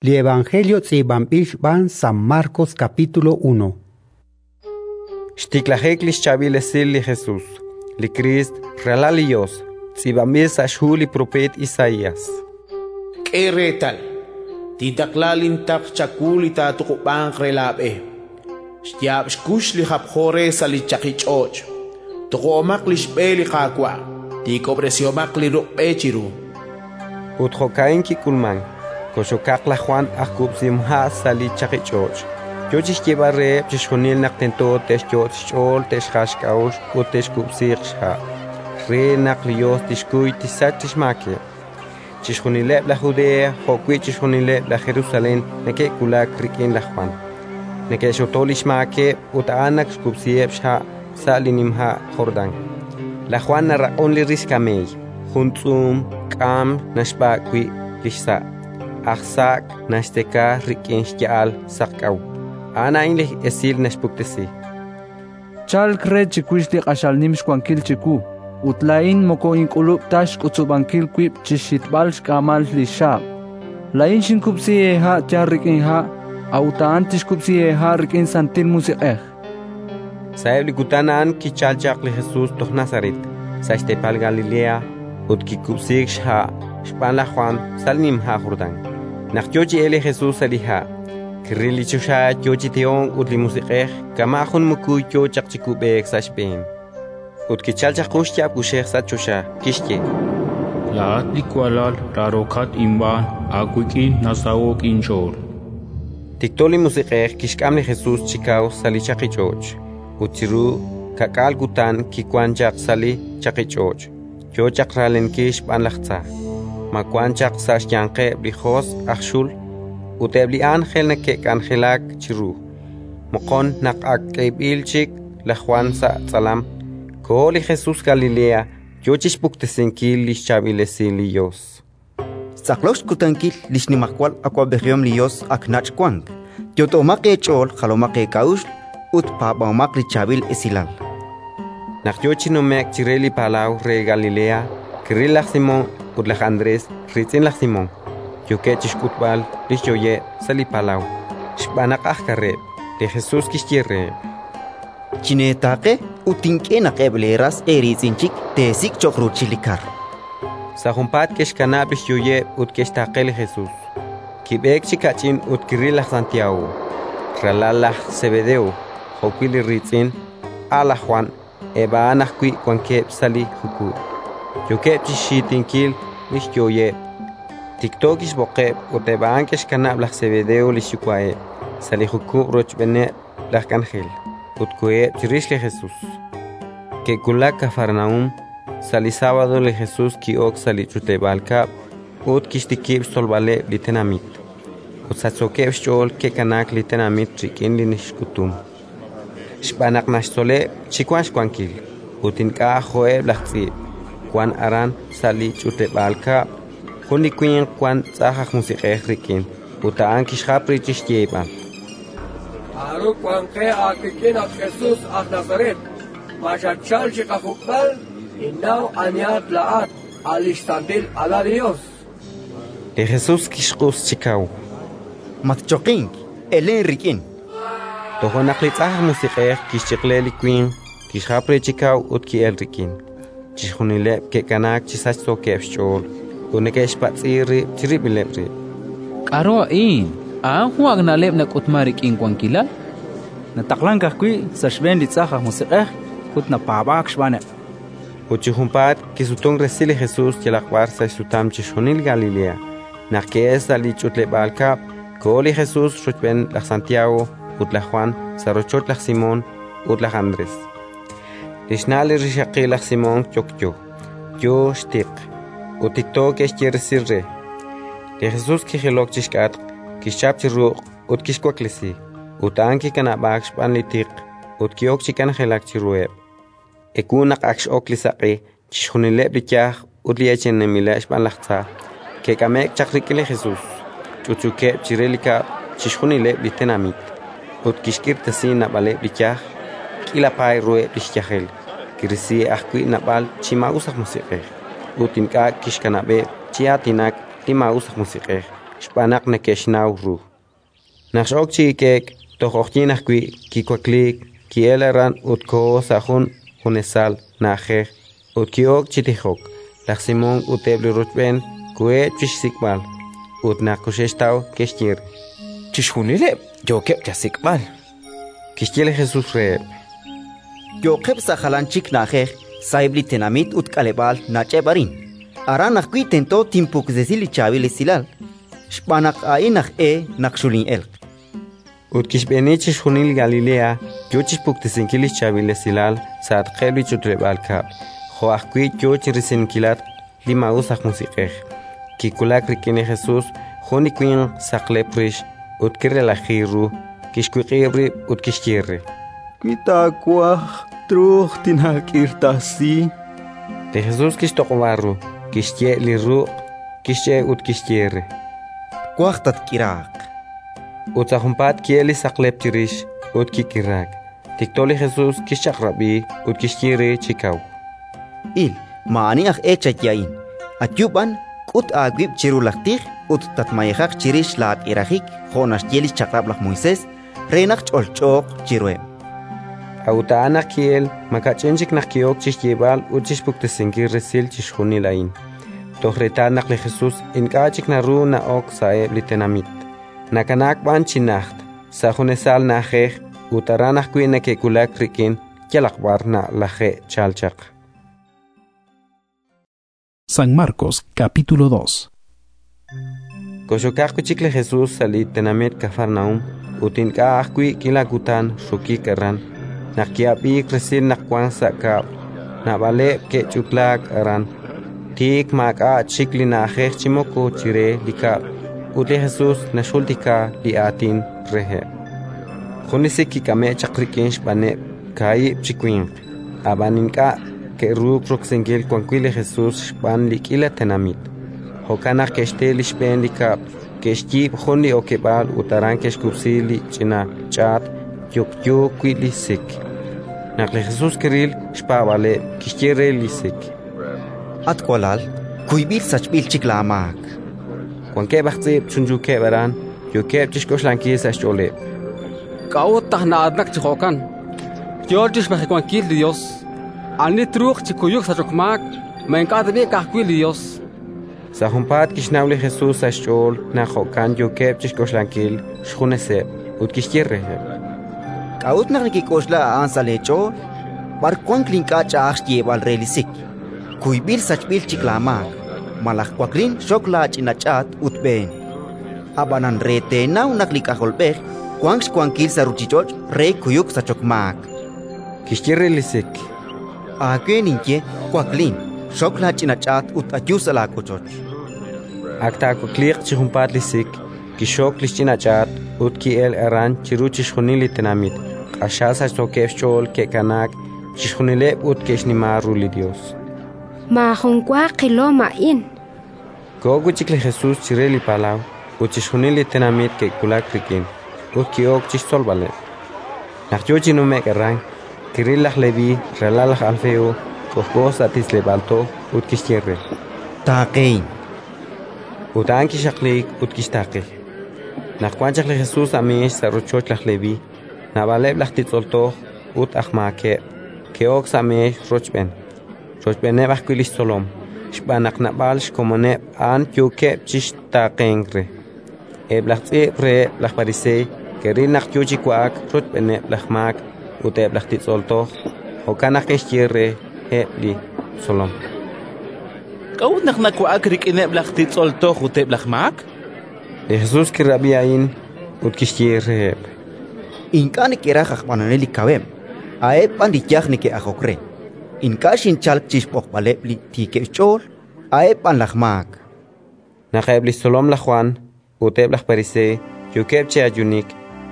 Li Evangelio tz'iib'anb'il xb'aan San Marcos capítulo 1. Xtiklajik li xchaab'il esil li Jesus, li Kriist, Ralal li Yos, tz'iib'anb'il sa' xhu li propeet Isaías. K'e reetal, tintaqla lintaql chawu li taatuqub'anq re laab'e. Xyaab' xkux li japjo re sa' li chaqich'och': Tuqub'omaq li xb'e li Qaawa', tiikob'resihomaq li ruq' b'e chiru. Ut jo'ka'in kik'ulmank: kox'okaq laj Jwan aj kub'sihomha' sa' li chaqich'och', yo chi xyeeb'al reheb' chixjunil naq tento te'xyot' xch'ool te'xjal xk'a'uxl ut te'xkub'siiq xha', re naq li Yos tixkuy tixsach li xmaakeb'. Chixjunileb' laj Judea jo'wi' chixjunileb' laj Jerusalén neke'wulak rik'in laj Jwan, neke'xxoto li xmaakeb' ut a'an naxkub'siheb' xha' sa' li nima' Jordán. Laj Jwan naraq'un li rix kameey, jun tz'uum k'aam naxb'ak' wi' li xsa', aj saak' naxtzeka rik'in xya'al saqk'aw. A'an a'in li esil naxpuktesi: Chalk re chiwix li q'axal nim xwankil chiwu, ut laa'in moko ink'ulub' ta xk'utzub'ankil wib' chi xhitb'al xk'aamal li xxaab'. Laa'in xinkub'si eeha' yal rik'in ha', a'ut a'an tixkub'si eeha' rik'in Santil Musiq'ej. Sa'eb' li kutan a'an kichalk chaq li Jesus toj Nazaret, sa' xteepal Galilea, ut kikub'siik xha' xb'aan laj Jwan sa' li nima' Jordán. Naq yo chi elk li Jesus sa' li ha', kiril li choxa yo chi tehonk ut li Musiq'ej kama' jun mukuy yo chaq chi kub'eek sa' xb'een. Ut kichalk chaq jun xyaab' kuxej sa' choxa, kixye: Laa'at li walal raarokat inb'aan, aawik'in nasaho'k inch'ool. Tikto li Musiq'ej kixk'am li Jesus chi kaw sa' li chaqich'och', ut chiru ka'k'aal kutan kiwank chaq sa' li chaqich'och', yo chaq raaleenkil xb'aan laj tza. Ma wank chaq sa' xyanqeb' li josq' aj xul, ut eb' li ánjel neke'k'anjelak chiru. Moqon, naq ak k'eeb'il chik laj Jwan sa' tz'alam, koho li Jesus Galilea, yo chi xpuktesinkil li xchaab'il esil li Yos. Xtz'aqlok xkutankil li xnimajwal awab'ejihom li Yos ak nach' wank. Yot'omaq eech'ool, jalomaq eek'a'uxl ut paab'ahomaq li Chaab'il Esilal. Naq yo chi nume'k chire li palaw re Galilea, kiril laj Simón ut laj Andrés, riitz'in laj Simón, yookeb' chi xk'utb'al li xyooyeb' sa' li palaw, xb'aan naq aj kareb'. Li Jesus kixye reheb': Chineetaaqe ut tink'e naq eb' leeras eeriitz'in chik teesik' cho'q ruuchil li kar. Sa' junpaat ke'xkanab' li xyooyeb' ut ke'xtaaqe li Jesus. Kib'eek chi kach'in ut kiril laj Santiago, ralal laj Sebedeo, jo'wi' li riitz'in, a' laj Jwan. Eb' a'an ajwi' wankeb' sa' li jukub', yookeb' chi xxiitinkil li xyooyeb'. Tikto kixb'oqeb' ut eb' a'an ke'xkanab' laj Sebedeo li xyuwa'eb' sa' li jukub' rochb'eeneb' laj k'anjel, ut koheb' chirix li Jesus. Ke'wulak Kafarnaúm. Sa' li sábado li Jesus ki'ok sa' li ch'utleb'aal kab'l ut kixtikib' xtzolb'aleb' li tenamit. Ut sachsookeb' xch'ool ke'kanaak li tenamit rik'in li xk'utum, xb'aan naq naxtzoleb' chi wank xwankil, ut ink'a' jo'eb' laj tz'iib'. Wank aran sa' li ch'utleb'aal kab'l jun li winq wank tz'ajn aj musiq'ej rik'in, ut a'an kixjap re chi xyeeb'al: K'aru wank qe aawik'in, at Jesus aj Nazaret? Ma xatchalk chi qajuk'b'al? Ninnaw anihat laa'at, a' li xsantil Alal li Yos. Li Jesus kixq'us chi kaw: Matchoqink, elen rik'in. Toja' naq li tz'ajn aj musiq'ej kixchiq'le li winq, kixjap re chi kaw ut ki'elk rik'in. Chixjunileb' ke'kanaak chi sachsookeb' xch'ool ut neke'xpatz'i rib' chirib'ileb' rib': K'aru a'in? A'an jun ak' na'leb' nak'utmank rik'in wankilal. Nataqlank ajwi' sa' xb'een li tz'ajn aj musiq'ej ut napaab'aak xb'aaneb'. Ut chi junpaat kisutunk resil li Jesus yalaq b'ar sa' xsutam chixjunil Galilea. Naq ke'elk sa' li ch'utleb'aal kab'l, koho li Jesus rochb'een laj Santiago ut laj Jwan sa' rochoch laj Simón ut laj Andrés. Li xna' li rixaqil laj Simón yokyo, yo xtiq, ut tikto ke'xye resil re. Li Jesus kijilok chi xk'atq, kixchap chi ruq' ut kixwaklesi; ut a'an kikanab'aak xb'aan li tiq ut ki'ok chi k'anjelak chiruheb'. Ewu naq ak x'ok li saq'e, chixjunileb' li yaj ut li eechaninb'ileb' xb'aan laj tza ke'k'ame'k chaq rik'in li Jesus, ch'utch'uukeb' chire li kab'l chixjunileb' li tenamit, ut kixk'irtasi naab'aleb' li yaj, k'iila paay ruheb' li xyajel, kirisi ajwi' naab'al chi maa'us aj musiq'ej, ut ink'a' kixkanab'eb' chi aatinak li maa'us aj musiq'ej, xb'aan naq neke'xnaw ru. Naq x'ok chi hik'e'k, toj q'oqyink ajwi', kiwakliik, ki'elk aran ut koho sa' jun junesal na'ajej ut ki'ok chi tijok. Laj Simón ut eb' li rochb'een koheb' chi xsik'b'al, ut naq koxe'xtaw, ke'xye re: Chixjunileb' yookeb' chasik'b'al. Kixye li Jesus reheb': Yo'qeb' sa' jalan chik na'ajej, sa'eb' li tenamit ut k'aleb'aal nach'eb' arin. Aran ajwi' tento tinpuktesi li Chaab'il Esilal, xb'aan naq a'in aj e naq xulin'elq. Ut kixb'eeni chixjunil Galilea, yo chi xpuktesinkil li xChaab'il Esilal sa'atqeb' li ch'utleb'aal kab'l, jo' ajwi' yo chi risinkilatq li maa'us aj musiq'ej. Kiwulak rik'in li Jesus jun li winq saqlep rix ut kirelaji ru, kixwiq'ib' rib' ut kixye re: Wi taawaj, truuq tinaak'irtasi. Li Jesus kixtoq'ob'a ru, kixye' li ruq', kixch'e' ut kixye re: Twaj tatk'iraaq. Ut sa' junpaat ki'elk li saqlep chirix ut kik'iraak. Tikto li Jesus kixchaq'rab'i ut kixye re chi kaw: Il, maa'ani aj e chaye a'in. Ayu b'an, k'ut aawib' chiru laj tij ut tatmayejaq chirix laak'irajik jo' naxye li xChaq'rab' laj Moisés, re naq ch'olch'ooq chiruheb'. A'ut a'an naq ki'elk, makach'in chik naq ki'ok chi xyeeb'al ut chi xpuktesinkil resil chixjunil a'in, toj reetal naq li Jesus ink'a' chik naru na'ok sa'eb' li tenamit, nakanaak b'an chi najt, sa' junesal na'ajej, ut aran ajwi' neke'wulak rik'in yalaq b'ar nalaje'chalk chaq. San Marcos capítulo 2. Koxokaq wi' chik li Jesus sa' li tenamit Kafarnaúm, ut ink'a' ajwi' k'iila kutan xokik aran. Naq ki'ab'iik resil naq wank sa' kab'l, naab'aleb' ke'ch'utlaak aran. Tik maak'a' chik li na'ajej chi moko chire li kab'l, ut li Jesus naxjultika li aatin reheb'. Jun li sik kik'ame'k chaq rik'in xb'aaneb' kaahib' chi winq, ab'an ink'a' ke'ruuk roksinkil wan wi' li Jesus xb'aan li k'iila tenamit. Jo'kan naq ke'xte li xb'een li kab'l, ke'xyiib' jun li okeb'aal ut aran ke'xkub'si li ch'ina ch'aat yokyo wi' li sik. Naq li Jesus kiril xpaab'aaleb', kixye re li sik: At walal, kuyb'il sachb'il chik laamaak. Wankeb' aj tz'iib' chunchuukeb' aran, yookeb' chi xk'oxlankil sa' xch'ooleb': K'a'ut naq na'aatinak chi jo'kan? Yo chi xmajewankil li Yos. Ani truuq chi kuyuk sachok maak? Ma ink'a' tab'i' ka'ajwi' li Yos? Sa' junpaat kixnaw li Jesus sa' xch'ool naq jo'kan yookeb' chi xk'oxlankil xjuneseb', ut kixye reheb': K'a'ut naq nekek'oxla a'an sa' leech'ool? B'ar wank li ink'a' ch'a'aj xyeeb'al re li sik: «Kuyb'il sachb'il chik laamaak», malaj: «Waklin, xok laach'ina ch'aat ut b'een»? Ab'anan re teenaw naq li K'ajolb'ej wank xwankil sa' ruuchich'och' re kuyuk sachok maak, Kixye re li sik: Aawe ninye: Waklin, xok laach'ina ch'aat ut ayu sa' laawochoch. Ak taawakliiq chi junpaat li sik, kixxok li xch'ina ch'aat ut ki'elk aran chiru chixjunil li tenamit. Q'axal sachsookeb' xch'ool ke'kanaak chixjunileb' ut ke'xnima ru li Yos. Maajun wa qilom a'in. Koho wi' chik li Jesus chire li palaw, ut chixjunil li tenamit ke'wulak rik'in, ut ki'ok chi xtzolb'aleb'. Naq yo chi nume'k aran, kiril laj Leví, ralal laj Alfeo, k'ojk'o sa' titz'leb'aal toj, ut kixye re: Taaqehin. Ut a'an kixaqliik ut kixtaaqe. Naq wan chaq li Jesus sa' meex sa' rochoch laj Leví, naab'aleb' laj titz'ol toj ut aj maakeb' ke'ok sa' meex rochb'een, rochb'eeneb' ajwi' li xtzolom, xb'aan naq naab'al xkomoneb' a'an yookeb' chi xtaaqenk re. Eb' laj tz'iib' reheb' laj Pariseey ke'ril naq yo chi wa'ak rochb'eeneb' laj maak ut eb' laj titz'ol toj; jo'kan naq ke'xye reheb' li xtzolom: K'a'ut naq nawa'ak rik'ineb' laj titz'ol toj ut eb' laj maak? Li Jesus kirab'i a'in ut kixye reheb': Ink'a' neke'raj aj b'anonel li kaweb', a'eb' b'an li yaj neke'ajok re. Ink'a' xinchalk chi xb'oqb'aleb' li tiikeb' xch'ool, a'eb' b'an laj maak. Naq eb' li xtzolom laj Jwan ut eb' laj Pariseey yookeb' chi ayuunik,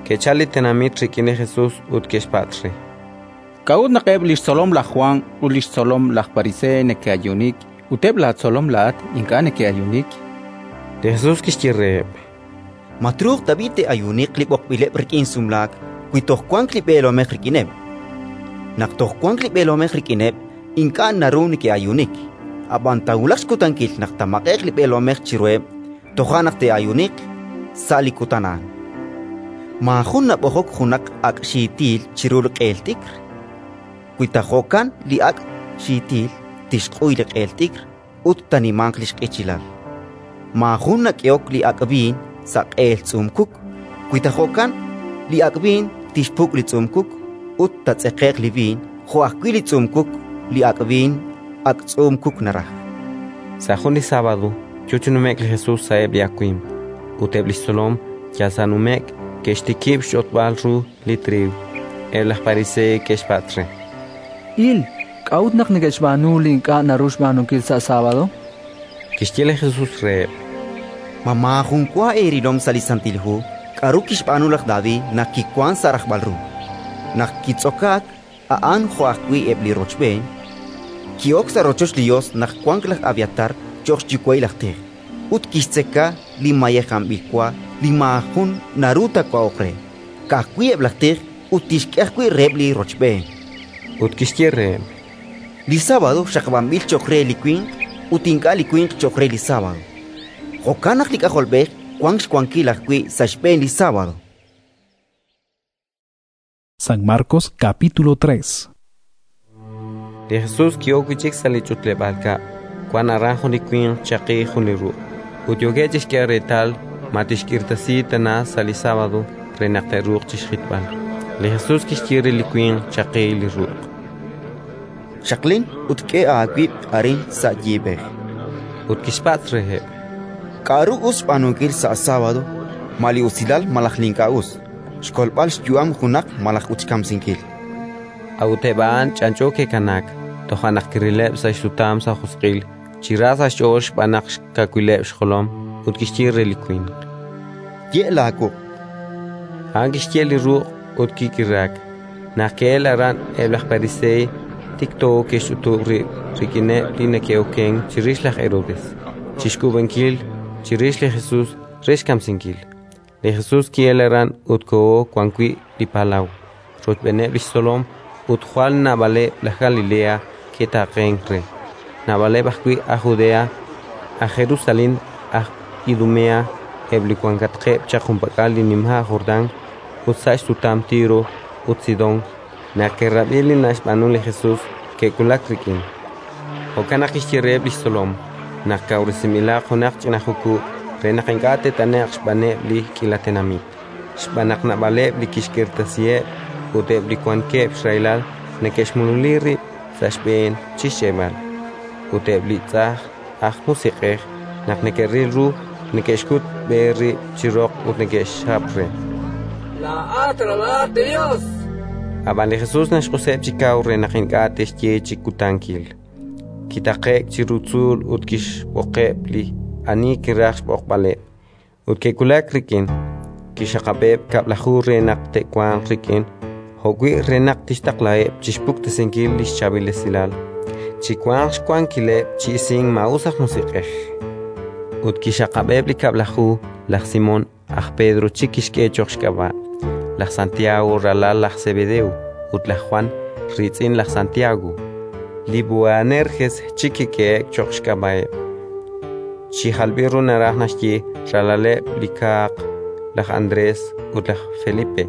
ke'chalk li tenamit rik'in li Jesus ut ke'xpatz' re: K'a'ut naq eb' li xtzolom laj Jwan ut li xtzolom laj Pariseey neke'ayuunik ut eb' laatzolom laa'at ink'a' neke'ayuunik? Li Jesus kixye reheb': Ma truuq tab'i' te'ayuuniq li b'oqb'ileb' rik'in sumlaak wi toj wank li b'eelomej rik'ineb'? Naq toj wank li b'eelomej rik'ineb', ink'a' naru neke'ayuunik. Ab'an taawulaq xkutankil naq taamaq'e'q li b'eelomej chiruheb', Toja' naq te'ayuuniq sa' li kutan a'an. Maajun nab'ojok junaq ak' xiitil chiru li q'eel t'ikr. Wi ta jo'kan, li ak' xiitil tixq'uy li q'eel t'ikr ut taanimanq li xq'ichilal. Maajun nak'ehok li ak' b'iin sa' q'eel tz'uum-kuk. Wi ta jo'kan, li ak' b'iin tixpuk' li tz'uum-kuk ut taatz'eqe'q li b'iin jo' ajwi' li tz'uum-kuk. Li ak' b'iin ak' tz'uum-kuk naraj. Sa' jun li sábado yo chi nume'k li Jesus sa'eb' li awimq, ut eb' li xtzolom yal sa' nume'k ke'xtikib' xch'otb'al ru li triiw. Eb' laj Pariseey ke'xpatz' re: Il, k'a'ut naq neke'xb'aanu li ink'a' naru xb'aanunkil sa' sábado? Kixye li Jesus reheb': Ma maajun wa eerilom sa' li Santil Hu k'aru kixb'aanu laj David naq kiwank sa' rajb'al ru, naq kitz'okaak a'an jo' ajwi' eb' li rochb'een? Ki'ok sa' rochoch li Yos naq wank laj Abiatar cho'q xyuwa'il aj tij, ut kixtzeka li mayejanb'il wa li maajun naru taawa'oq re, ka'ajwi' eb' laj tij, ut tixk'e ajwi' reheb' li rochb'een. Ut kixye reheb': Li sábado xaqab'anb'il cho'q re li winq ut ink'a' li winq cho'q re li sábado. Jo'kan naq li K'ajolb'ej wank xwankil ajwi' sa' xb'een li sábado. San Marcos capítulo 3. Li Jesus ki'ok wi' chik sa' li ch'utleb'aal kab'l. Wank aran jun li winq chaqi jun li ruq', ut yookeb' chi xk'eeb'al reetal ma tixk'irtasi tana sa' li sábado re naq te'ruuq chi xjitb'al. Li Jesus kixye re li winq chaqi li ruq': Xaqlin ut k'e aawib' arin sa' yiib'ej. Ut kixpatz' reheb': K'aru us xb'aanunkil sa' sábado? Ma li usilal malaj li ink'a' us? Xkolb'al xyu'am junaq malaj ut xkamsinkil? A'ut eb' a'an ch'anch'o ke'kanaak. Toja' naq kirileb' sa' xsutam sa' josq'il, chi ra sa' xch'ool xb'aan naq xkawileb' xjolom, ut kixye re li winq: Ye' laawuq'. A'an kixye' li ruq' ut kik'iraak. Naq ke'elk aran eb' laj Pariseey, tikto ke'xch'utub' rib' rik'ineb' li neke'okenk chirix laj Herodes, chi xk'uub'ankil chirix li Jesus re xkamsinkil. Li Jesus ki'elk aran ut koho wan wi' li palaw, rochb'eeneb' li xtzolom, ut jwal naab'aleb' laj Galilea ke'taaqenk re, naab'aleb' ajwi' aj Judea, aj Jerusalén, aj Idumea, eb' li wankatqeb' chaq junpak'al li nima' Jordán ut sa' xsutam Tiro ut Sidón. Naq ke'rab'i li naxb'aanu li Jesus, ke'wulak rik'in. Jo'kan naq kixye reheb' li xtzolom naq kawresinb'ilaq junaq ch'ina jukub' re naq ink'a' te't'ane'q xb'aaneb' li k'iila tenamit, xb'aan naq naab'aleb' li kixk'irtasiheb' ut eb' li wankeb' xrahilal neke'xmululi rib' sa' xb'een chi xch'e'b'al. Ut eb' li tz'ajn aj musiq'ej, naq neke'ril ru, neke'xkut b'e rib' chi roq ut neke'xjap re: Laa'at ralal li Yos! Ab'an li Jesus naxq'useb' chi kaw re naq ink'a' te'xye chi kutankil. Kitaqe'k chiru tzuul ut kixb'oqeb' li ani kiraj xb'oqb'aleb', ut ke'wulak rik'in. Kixxaqab'eb' 12 re naq te'wanq rik'in, jo'wi' re naq tixtaqlaheb' chi xpuktesinkil li xChaab'il Esilal, chi wanq xwankileb' chi isink maa'us aj musiq'ej. Ut kixxaqab'eb' li 12: laj Simón, aj Pedro chik kixk'e cho'q xk'ab'a', laj Santiago, ralal laj Sebedeo, ut laj Jwan, riitz'in laj Santiago. Li Boanerges chik kik'ehe'k cho'q xk'ab'a'eb', chi jalb'il ru naraj naxye ralaleb' li kaaq: laj Andrés ut laj Felipe,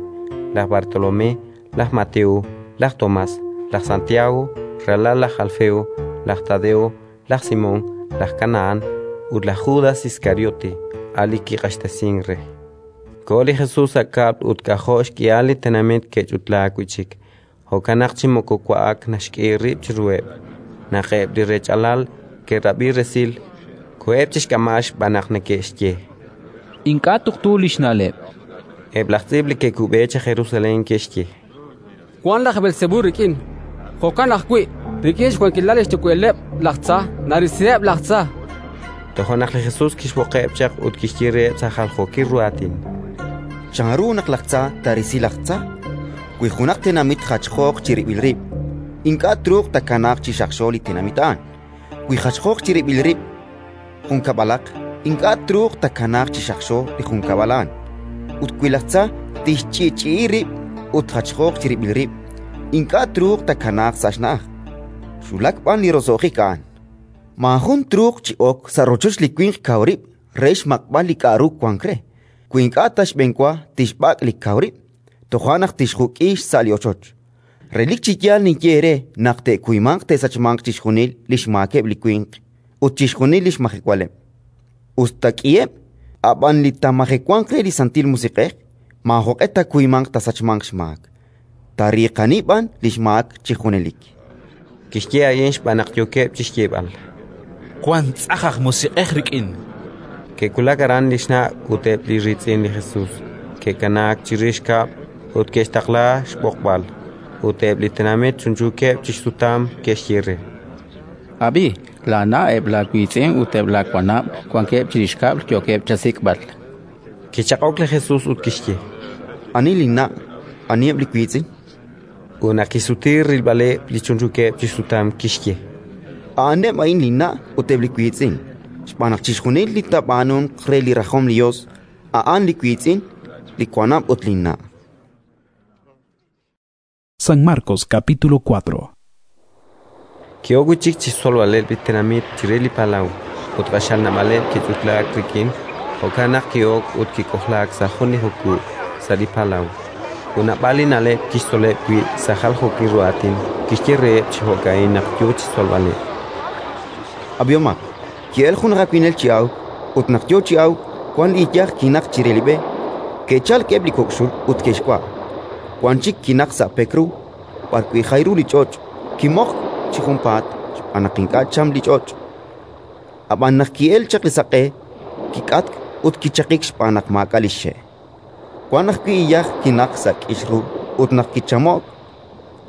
laj Bartolomé, laj Mateo, laj Tomás, laj Santiago, ralal laj Alfeo, laj Tadeo, laj Simón, laj Kanahán ut laj Judas Iskariote, a' li kiq'axtesink re. Koho li Jesus sa' kab'l ut k'ajo' xk'ihal li tenamit ke'ch'utlaak wi' chik, jo'kan naq chi moko wa'ak naxk'e rib' chiruheb'. Naq eb' li rech'alal ke'rab'i resil, koheb' chi xk'amb'al xb'aan naq neke'xye: Ink'a' tuqtu li xna'leb'. Eb' laj tz'iib' li ke'kub'e chaq Jerusalén ke'xye: Wank laj Beelsebú rik'in. Jo'kan ajwi', rik'in xwankilal li xyuwa'ileb' laj tza narisiheb' laj tza. Toja' naq li Jesus kixb'oqeb' chaq ut kixye reheb' sa' jaljookil ru aatin: Chanru naq laj tza taarisi laj tza? Wi junaq tenamit jachjooq chirib'il rib', ink'a' truuq taakanaaq chi xaqxo li tenamit a'an. Wi jachjooq chirib'il rib' junkab'alaq, ink'a' truuq taakanaaq chi xaqxo li junkab'al a'an. Ut wi laj tza tixch'i'ch'i'i rib' ut jachjooq chirib'il rib', ink'a' truuq taakanaaq sa' xna'aj. Xwulak b'an li roso'jik a'an. Maajun truuq chi ok sa' rochoch li winq kaw rib' re xmaq'b'al li k'aru wank re, wi ink'a' ta xb'enwa tixb'ak' li kaw rib', toja' naq tixjuk'i xsa' li ochoch. Relik chi yaal ninye eere naq te'kuymanq te'sachmanq chixjunil li xmaakeb' li winq ut chixjunil li xmajewaleb', us ta k'iheb'; ab'an li taamajewanq re li Santil Musiq'ej maajoq'e taakuymanq taasachmanq xmaak, taariiqani b'an li xmaak chi junelik. Kixye a'in xb'aan naq yookeb' chi xyeeb'al: “Wank tz'ajn aj musiq'ej rik'in”. Ke'wulak aran li xna' ut eb' li riitz'in li Jesus, ke'kanaak chirix kab'l ut ke'xtaqla xb'oqb'al. Ut eb' li tenamit chunchuukeb' chi xsutam ke'xye re: —Ab'i, laana', eb' laawiitz'in ut eb' laawanab' wankeb' chirix kab'l, yookeb' chasik'b'al. Kichaq'ok li Jesus ut kixye: —Ani linna', aniheb' li wiitz'in? Ut naq kisutiik rilb'aleb' li chunchuukeb' chi xsutam, kixye: —A'aneb' a'in linna' ut eb' li wiitz'in, xb'aan naq chixjunil li taab'aanunq re li rajom li Yos, a'an li wiitz'in, li wanab' ut linna'. San Marcos capítulo 4. Ki'ok wi' chik chi xtzolb'aleb' li tenamit chire li palaw, ut q'axal naab'aleb' ke'ch'utlaak rik'in; jo'kan naq ki'ok ut kik'ojlaak sa' jun li jukub' sa' li palaw. Ut naab'al li na'leb' kixtzoleb' wi' sa' jaljookil ru aatin. Kixye reheb' chi jo'ka'in naq yo chi xtzolb'aleb': Ab'ihomaq: ki'elk jun aj awinel chi awk, ut naq yo chi awk, wank li iyaj kinaqk chire li b'e; ke'chalk eb' li kok' xul ut ke'xwa'. Wan chik kinaqk sa' pek ru, b'arwi' jay ru li ch'och'; kimoqk chi junpaat xb'aan naq ink'a' cham li ch'och'. Ab'an naq ki'elk chaq li saq'e, kik'atk ut kichaqik xb'aan naq maak'a' li xxe'. Wank ajwi' iyaj kinaqk sa' k'ix ru ut naq kichamo'k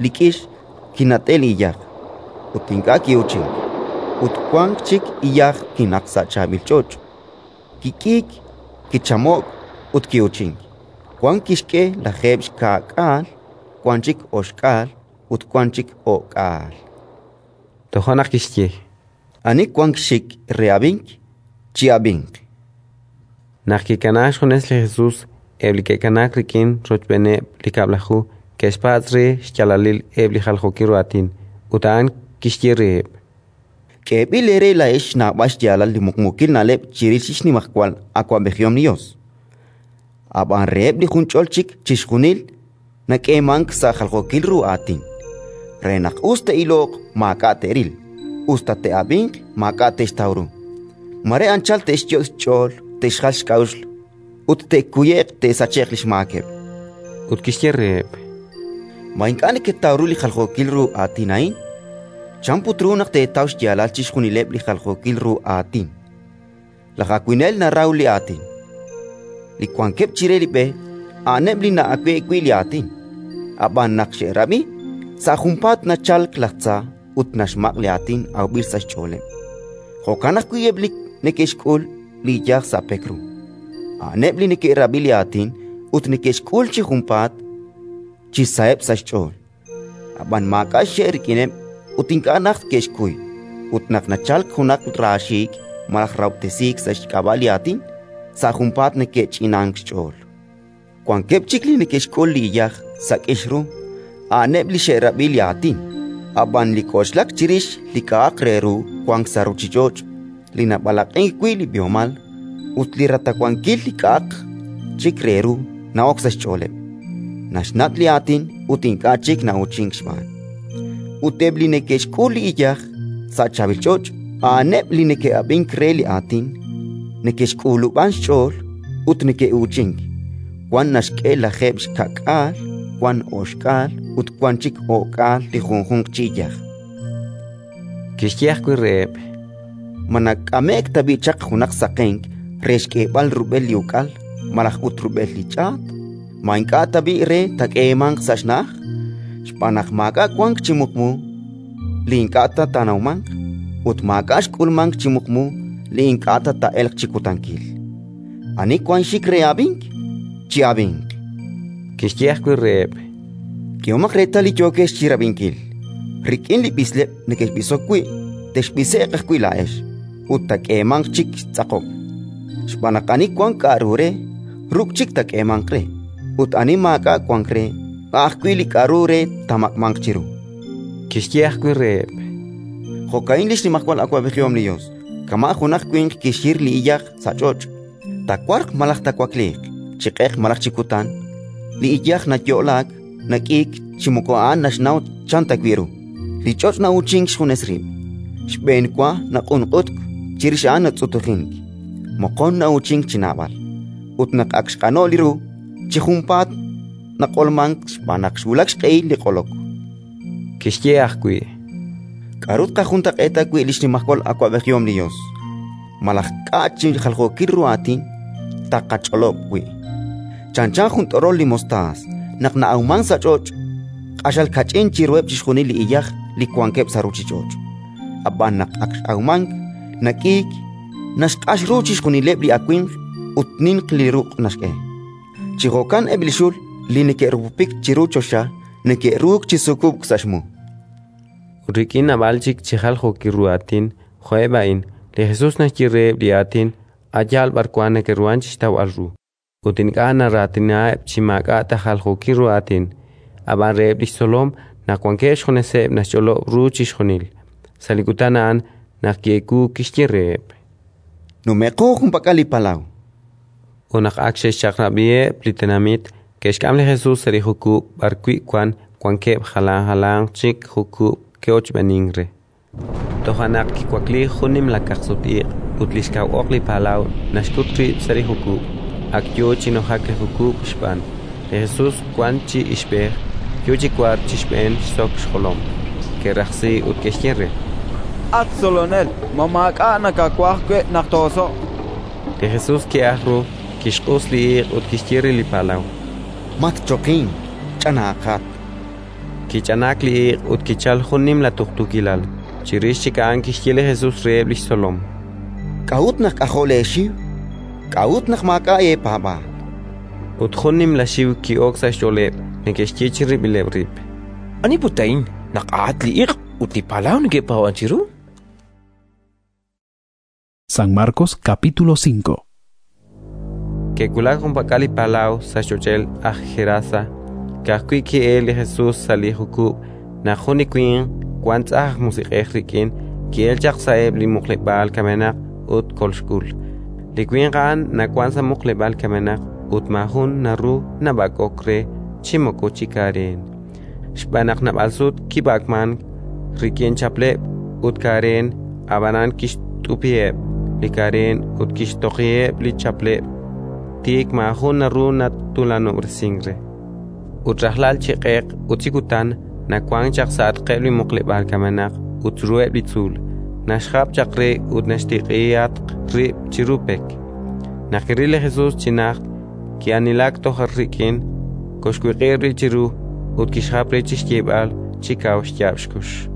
li k'ix, kinat'e'k li iyaj, ut ink'a' ki'uuchink. Ut wank chik iyaj kinaqk sa' chaab'il ch'och': kik'iik, kichamo'k ut ki'uuchink. Wan kixk'e 70, wan chik 60 ut wan chik 100. Toja' naq kixye: —Ani wank xxik re ab'ink, chi'ab'inq. Naq kikanaak xjunes li Jesus, eb' li ke'kanaak rik'in rochb'eeneb' li Kab'laju ke'xpatz' re xyaalalil eb' li jaljookil ru aatin. Ut a'an kixye reheb': —K'eeb'il eere laa'ex xnawb'al xyaalal li muqmuukil na'leb' chirix li xnimajwal awab'ejihom li Yos; ab'an reheb' li junch'ol chik chixjunil nak'eemank sa' jaljookil ru aatin, re naq us te'iloq maak'a' te'ril, us ta te'ab'inq maak'a' te'xtaw ru. Mare anchal te'xyot' xch'ool te'xjal xk'a'uxl ut te'kuye'q te'sache'q li xmaakeb'. Ut kixye reheb': —Ma ink'a' neketaw ru li jaljookil ru aatin a'in? Chan put ru naq teetaw xyaalal chixjunileb' li jaljookil ru aatin? Laj awinel naraw li aatin. Li wankeb' chire li b'e, a'aneb' li na'awe'k wi' li aatin; ab'an naq xe'rab'i, sa' junpaat nachalk laj tza ut naxmaq' li aatin awb'il sa' xch'ooleb'. Jo'kan ajwi' eb' li neke'xk'ul li iyaj sa' pek ru: a'aneb' li neke'rab'i li aatin ut neke'xk'ul chi junpaat chi saheb' sa' xch'ool; ab'an maak'a' xxe' rik'ineb' ut ink'a' najt ke'xkuy; ut naq nachalk junaq raaxiik' malaj rahob'tesiik sa' xk'ab'a' li aatin, sa' junpaat neke'ch'inank xch'ool. Wankeb' chik li neke'xk'ul li iyaj sa' k'ix ru: a'aneb' li xe'rab'i li aatin, ab'an li k'oxlak chirix li k'a'aq re ru wank sa' ruuchich'och', li nab'alaq'ink wi' li b'ihomal ut li ratawankil li k'a'aq chik re ru na'ok sa' xch'ooleb', naxnat' li aatin ut ink'a' chik na'uuchink xb'aan. Ut eb' li neke'xk'ul li iyaj sa' chaab'il ch'och', a'aneb' li neke'ab'ink re li aatin, neke'xk'ulub'an xch'ool ut neke'uuchink: wan naxk'e 70, wan 60 ut wan chik 100 li junjunq chi iyaj. Kixye ajwi' reheb': —Ma nak'ame'k tab'i' chaq junaq saqenk re xk'eeb'al rub'el li uk'al malaj ut rub'el li ch'aat? Ma ink'a' tab'i' re taak'eemanq sa' xna'aj? Xb'aan naq maak'a' wank chi muqmu li ink'a' ta taanawmanq, ut maak'a' xk'ulmank chi muqmu li ink'a' ta taa'elq chi kutankil. Ani wank xik re ab'ink, chi'ab'inq. Kixye ajwi' reheb': —K'ehomaq reetal li yookex chi rab'inkil. Rik'in li b'isleb' nekexb'isok wi', texb'ise'q ajwi' laa'ex, ut taak'eemanq chik xtz'aqob'. Xb'aan naq ani wank k'aru re, ruk' chik taak'eemanq re; ut ani maak'a' wank re, a' ajwi' li k'aru re taamaq'manq chiru. Kixye ajwi' reheb': —Jo'ka'in li xnimajwal awab'ejihom li Yos: Kama' junaq winq kixhir li iyaj sa' ch'och': taawarq malaj taawakliiq, chi q'eq malaj chi kutan, li iyaj nayo'laak, nak'iik chi moko a'an naxnaw chan ta wi' ru. Li ch'och' na'uuchink xjunes rib': xb'enwa naq'unq'utk, chirix a'an natz'utujink, moqon na'uuchink chi naab'al. Ut naq ak xq'ano'k li ru, chi junpaat naq'olmank xb'aan naq xwulak xq'ehil li q'olok. Kixye ajwi': K'aru tqajuntaq'eeta wi' li xnimajwal awab'ejihom li Yos? Malaj k'a' chi jaljookil ru aatin taaqach'olob' wi'? Chanchan jun t'orol li mostaas naq na'awmank sa' ch'och', q'axal kach'in chiruheb' chixjunil li iyaj li wankeb' sa' ruuchich'och'. Ab'an naq ak x'awmank, nak'iik, naxq'ax ru chixjunileb' li awimq ut ninq li ruq' naxk'e. Chi jo'kan eb' li xul li neke'rupupik chiru choxa neke'ruuk chi sukub'k sa' xmu. Ut rik'in naab'al chik chi jaljookil ru aatin jo'eb' a'in, li Jesus naxye reheb' li aatin a' yaal b'arwan neke'ruhank chi xtawb'al ru, ut ink'a' naraatinaheb' chi maak'a' ta jaljookil ru aatin. Ab'an reheb' li xtzolom, naq wankeb' xjuneseb', naxch'olob' ru chixjunil. Sa' li kutan a'an, naq ki'ewuuk, kixye reheb': Nume'qo junpak'al li palaw. Ut naq ak xe'xchaq'rab'iheb' li tenamit, ke'xk'am li Jesus sa' li jukub' b'arwi' wank wankeb' jalan jalanq chik jukub' ke'ochb'eenink re. Toja' naq kiwakliik jun nimla kaqsut-iq' ut li xkaw oq li palaw naxkut rib' sa' li jukub'; ak yo chi nujak li jukub' xb'aan. Li Jesus wank chi ixb'ej, yo chi wark chi xb'een xsok xjolom. Ke'rajsi ut ke'xye re: At Tzolonel, ma maak'a' nakawaj wi' naq too'oso'q? Li Jesus ki'ajk ru, kixq'us li iq' ut kixye re li palaw: Matchoqink, ch'anaaqat. Kich'anaak li iq' ut kichalk jun nimla tuqtuukilal. Chirix chik a'an kixye li Jesus reheb' li xtzolom: K'a'ut naq k'ajo' leexiw? K'a'ut naq maak'a' eepaab'aal? Ut jun nimla xiw ki'ok sa' xch'ooleb', neke'xye chirib'ileb' rib': Ani put a'in naq a'at li iq' ut li palaw neke'paab'ank chiru? San Marcos capítulo 5. Ke'wulak junpak'al li palaw sa' xch'och'el aj Gerasa. Ka'ajwi' ki'elk li Jesus sa' li jukub' naq jun li winq wank tz'ajn aj musiq'ej rik'in ki'elk chaq sa'eb' li muqleb'aal kamenaq ut kolxk'ul. Li winq a'an nawank sa' muqleb'aal kamenaq ut maajun naru nab'ak'ok re chi moko chi kareen, xb'aan naq naab'al sut kib'ak'mank rik'in chapleb' ut kareen, ab'anan kixt'upiheb' li kareen ut kixtoqiheb' li chapleb', tik maajun naru natuulanob'resink re. Ut rajlal chi q'eq ut chi kutan nawank chaq sa'atqeb' li muqleb'aal kamenaq ut chiruheb' li tzuul, naxjap chaq re ut naxtiq'ihatq rib' chiru pek. Naq kiril li Jesus chi najt, ki'aanilak toj rik'in, koxwiq'ib' rib' chiru ut kixjap re chi xyeeb'al chi kaw xyaab' xkux: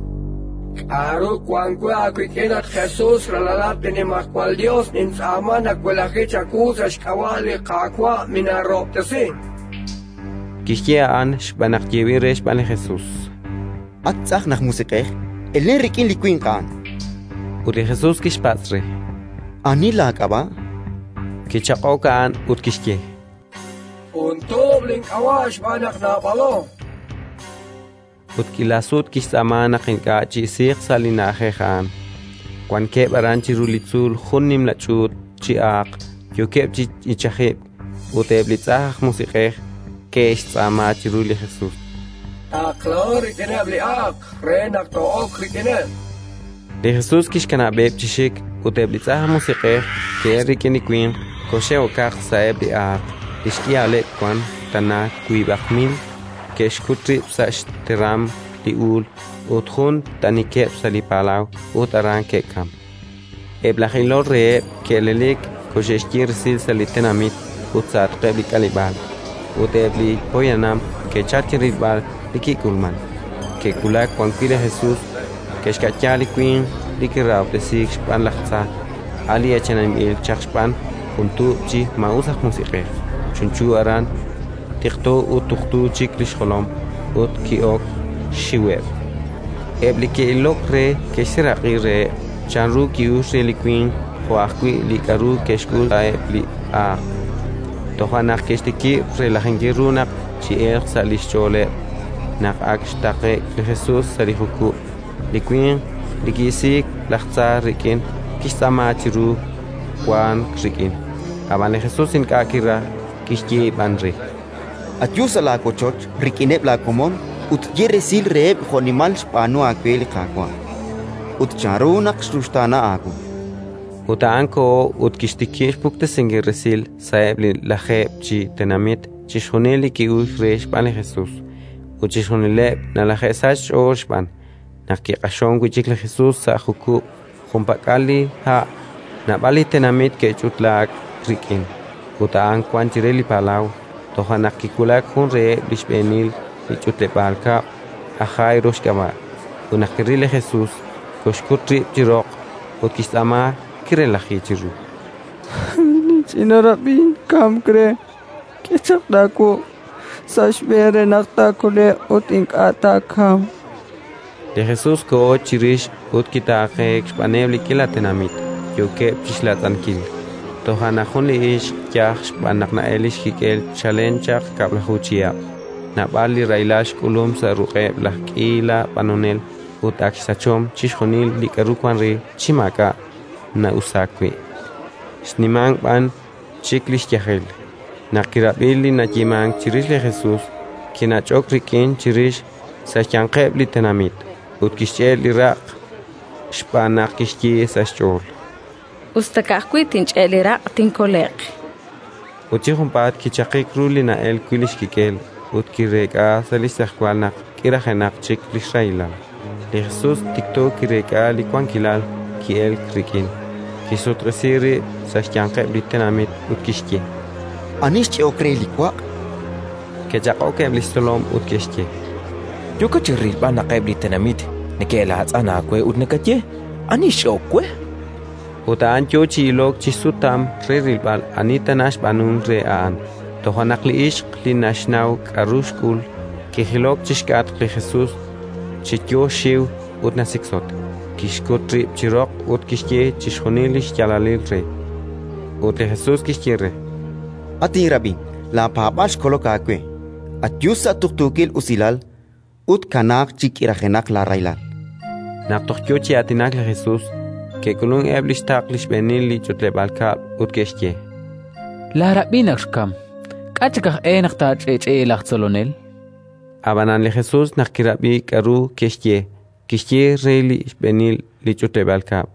K'aru wank we aawik'in, at Jesus, ralalat li Nimajwal Yos? Nintz'aama nawelaji chawu sa' xk'ab'a' li Qaawa', minaarahob'tesi. Kixye a'an xb'aan naq yeeb'il re xb'aan li Jesus: At tz'ajn aj musiq'ej, elen rik'in li winq a'an. Ut li Jesus kixpatz' re: Ani laak'ab'a'? Kichaq'ok a'an ut kixye: Jun tuub' link'ab'a' xb'aan naq naab'alo. Ut k'iila sut kixtz'aama naq ink'a' chi'isiiq sa' li na'ajej a'an. Wankeb' aran chiru li tzuul jun nimla ch'uut chi aaq yookeb' chi ichajib'k, ut eb' li tz'ajn aj musiq'ej ke'xtz'aama chiru li Jesus: Taqlaho rik'ineb' li aaq re naq too'ok rik'ineb'. Li Jesus kixkanab'eb' chi xik, ut eb' li tz'ajn aj musiq'ej ke'elk rik'in li winq, koxe'okaq sa'eb' li aaq. Li xk'ihaleb' wank tana 5,000, ke'xkut rib' sa' xteram li uul ut jun t'anikeb' sa' li palaw ut aran ke'kamk. Eb' laj ilol reheb' ke'elelik, koxe'xye resil sa' li tenamit ut sa'atqeb' li k'aleb'aal, ut eb' li poyanam ke'chalk chi rilb'al li kik'ulmank. Ke'wulak wan wi' li Jesus, ke'xka'ya li winq li kirahob'tesiik xb'aan laj tza, a' li eechaninb'il chaq xb'aan jun tuub' chi maa'us aj musiq'ej, chunchu aran, tiqto ut tuqtu chik li xjolom, ut ki'ok xxiweb'. Eb' li ke'ilok re ke'xseeraq'i reheb' chanru ki'uxk re li winq jo' ajwi' li k'aru ke'xk'ul sa'eb' li aaq. Toja' naq ke'xtikib' relajinkil ru naq chi'elq sa' li xch'ooleb'. Naq ak xtaqe'k li Jesus sa' li jukub', li winq li ki'isiik laj tza rik'in kixtz'aama chiru wank rik'in. Ab'an li Jesus ink'a' kiraj, kixye b'an re: Ayu sa' laawochoch rik'ineb' laakomon ut ye resil reheb' jo'nimal xb'aanu aawe li Qaawa' ut chanru naq xruxtaana aawu. Ut a'an koho ut kixtikib' xpuktesinkil resil sa'eb' li Lajeeb' chi Tenamit chixjunil li ki'uxk re xb'aan li Jesus, ut chixjunileb' nalaje'sachk xch'ool xb'aan. Naq kiq'axonk wi' chik li Jesus sa' jukub' junpak'al li ha', naab'al li tenamit ke'ch'utlaak rik'in, ut a'an wank chire li palaw. Toja' naq kiwulak jun reheb' li xb'eenil li ch'utleb'aal kab'l, aj Jairo xk'ab'a', ut naq kiril li Jesus, koxkut rib' chi roq ut kixtz'aama, kirelaji chiru: Linch'ina rab'in kamk re. K'e chaq laawuq' sa' xb'een re naq taakole'q ut ink'a' taakamq. Li Jesus koho chirix ut kitaaqeek xb'aaneb' li k'iila tenamit, yookeb' chi xlaatz'ankil. Toja' naq jun li ixq yaj xb'aan naq na'elk li xkik'el chalen chaq 10 chihab', naab'al li rahilal xk'ulum sa' ruq'eb' laj k'iila b'anonel ut ak xsachom chixjunil li k'aru wank re chi maak'a' na'usaak wi', xnimank b'an chik li xyajel. Naq kirab'i li nayeemank chirix li Jesus, kinach'ok rik'in chirix sa' xyanqeb' li tenamit ut kixch'e' li raq' xb'aan naq kixye sa' xch'ool: Us ta ka'ajwi' tinch'e' li raq', tinkole'q. Ut chi junpaat kichaqik ru li na'elk wi' li xkik'el ut kireek'a sa' li xtz'ejwal naq k'irajenaq chik li xrahilal. Li Jesus tikto kireek'a li wankilal ki'elk rik'in, kixsutq'isi rib' sa' xyanqeb' li tenamit ut kixye: Ani xch'e'ok re li waq'? Ke'chaq'ok eb' li xtzolom ut ke'xye: Yookat chi rilb'al naq eb' li tenamit neke'laatz'an aawe ut nakaye: «Ani xch'e'ok we?». Ut a'an yo chi ilok chi xsutam re rilb'al ani tana xb'aanunk re a'an. Toja' naq li ixq li naxnaw k'aru xk'ul, kijilok chi xk'atq li Jesus chi yo xxiw ut nasiksotk, kixkut rib' chi roq ut kixye chixjunil li xyaalalil re. Ut li Jesus kixye re: At inrab'in, laapaab'aal xkolok aawe. Ayu sa' tuqtuukil usilal ut kanaaq chi k'irajenaq laarahilal. Naq toj yo chi aatinak li Jesus, ke'k'ulunk eb' li xtaql li xb'eenil li ch'utleb'aal kab'l ut ke'xye: Laarab'in ak xkamk. K'a' chik aj e naq taach'eech'e'i laj tzolonel? Ab'anan li Jesus naq kirab'i k'aru ke'xye, kixye re li xb'eenil li ch'utleb'aal kab'l: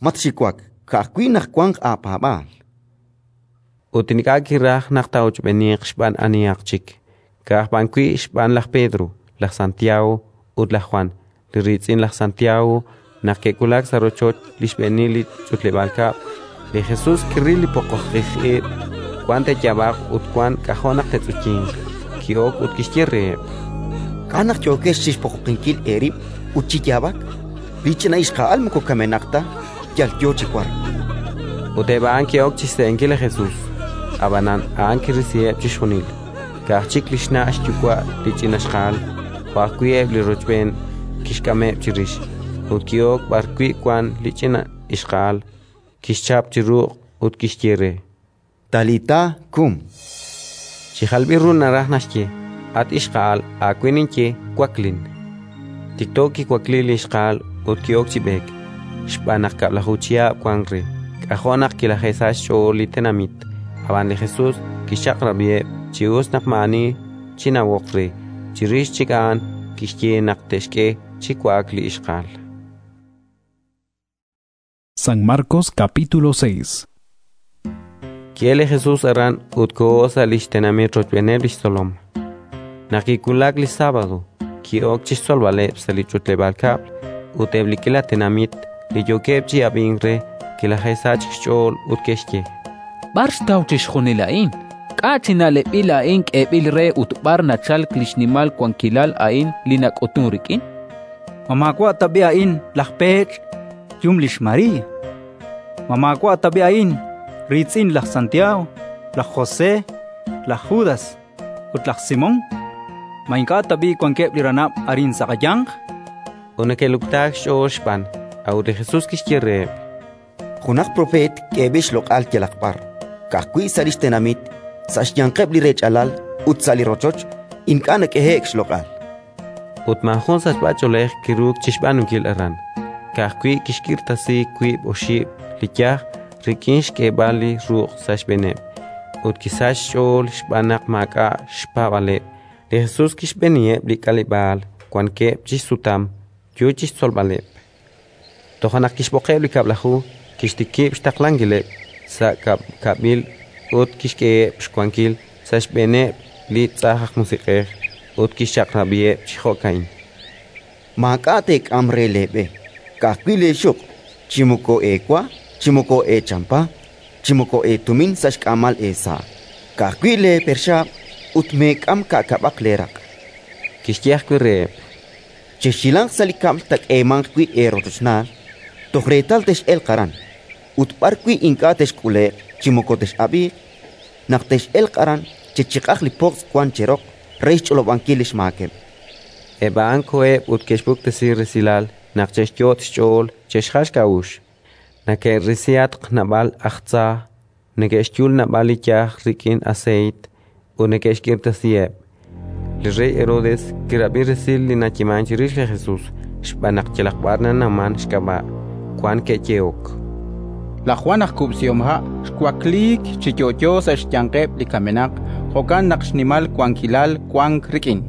Matxiwak, ka'ajwi' naq wanq aapaab'aal. Ut ink'a' kiraj naq taa'ochb'eeniiq xb'aan anihaq chik, ka'aj b'an wi' xb'aan laj Pedro, laj Santiago ut laj Jwan, li riitz'in laj Santiago. Naq ke'wulak sa' rochoch li xb'eenil li ch'utleb'aal kab'l, li Jesus kiril li poqoqij ib', wan te'yaab'aq ut wan k'ajo' naq te'tz'uyinq. Ki'ok ut kixye reheb': K'a' naq yookex chi xpoqoqinkil eerib' ut chi yaab'ak? Li ch'ina ixqa'al moko kamenaq ta, yal yo chi wark. Ut eb' a'an ke'ok chi xse'enkil li Jesus. Ab'anan a'an kirisiheb' chixjunil, ka'aj chik li xna' xyuwa' li ch'ina xqa'al, jo' ajwi' eb' li rochb'een kixk'ameb' chirix. Ut ki'ok b'arwi' wank li ch'ina ixqa'al, kixchap chi ruq' ut kixye re: Talita kum. Chi jalb'il ru naraj naxye: At ixqa'al, aawe ninye, waklin. Tikto kiwakliik li ixqa'al ut ki'ok chi b'eek, xb'aan naq 10 chihab' wank re. K'ajo' naq kilaje'sachk xch'ool li tenamit. Ab'an li Jesus kixchaq'rab'iheb' chi us naq maa'ani chinawoq re. Chirix chik a'an kixye naq te'xk'e chi wa'ak li ixqa'al. San Marcos capítulo 6. Ki'elk li Jesus aran ut koho sa' li xtenamit rochb'eeneb' li xtzolom. Naq kiwulak li sábado, ki'ok chi xtzolb'aleb' sa' li ch'utleb'aal kab'l, ut eb' li k'iila tenamit li yookeb' chi ab'ink re kilaje'sachk xch'ool ut ke'xye: B'ar xtaw chixjunil a'in? K'a' chi na'leb'il a'in k'eeb'il re ut b'ar nachalk li xnimal wankilal a'in li nak'utunk rik'in? Ma maawa' tab'i' a'in laj peech', yum lix María? Ma maawa' tab'i' a'in riitz'in laj Santiago, laj José, laj Judas ut laj Simón? Ma ink'a' tab'i' wankeb' li ranab' arin sa' qayanq? Ut neke'luktaak xch'ool xb'aan. A'ut li Jesus kixye reheb': Junaq propeet k'eeb'il xloq'al yalaq b'ar, ka'ajwi' sa' li xtenamit, sa' xyanqeb' li rech'alal ut sa' li rochoch ink'a' nak'ehe'k xloq'al. Ut maajun sachb'ach'oolej kiruuk chi xb'aanunkil aran, Ka'ajwi' kixk'irtasi wiib' oxib' li yaj rik'in xk'eeb'al li ruq' sa' xb'eeneb', ut kisachk xch'ool xb'aan naq maak'a' xpaab'aaleb'. Li Jesus kixb'eeniheb' li k'aleb'aal wankeb' chi xsutam, yo chi xtzolb'aleb'. Toja' naq kixb'oqeb' li Kab'laju, kixtikib' xtaqlankileb' sa' kab'kab'il ut kixk'eheb' xwankil sa' xb'eeneb' li tz'ajn aj musiq'ej, ut kixchaq'rab'iheb' chi jo'ka'in: Maak'a' teek'am re leeb'e, ka'ajwi' leexuq', chi moko eewa, chi moko eechampa, chi moko eetumin sa' xk'aamal eesa', ka'ajwi' leeperxaab', ut meek'am ka'kab'aq leeraq'. Kixye ajwi' reheb': Chexhilanq sa' li kab'l taak'eemanq wi' eerochochnaal, toj reetal tex'elq aran. Ut b'arwi' ink'a' texk'ule'q chi moko tex'ab'iiq, naq tex'elq aran, chechiq'aq li pojtz' wank cheroq re xch'olob'ankil li xmaakeb'. Eb' a'an koheb' ut ke'xpuktesi resilal naq che'xyot' xch'ool che'xjal xk'a'uxl. Neke'risihatq naab'al aj tza, neke'xyul naab'al li yaj rik'in aseeyt ut neke'xk'irtasiheb'. Li rey Herodes kirab'i resil li nayeemank chirix li Jesus, xb'aan naq yalaq b'ar nanawmank xk'ab'a'. Wank ke'yehok: Laj Jwan aj kub'sihomha' xwakliik chi yo'yo sa' xyanqeb' li kamenaq, jo'kan naq xnimal wankilal wank rik'in.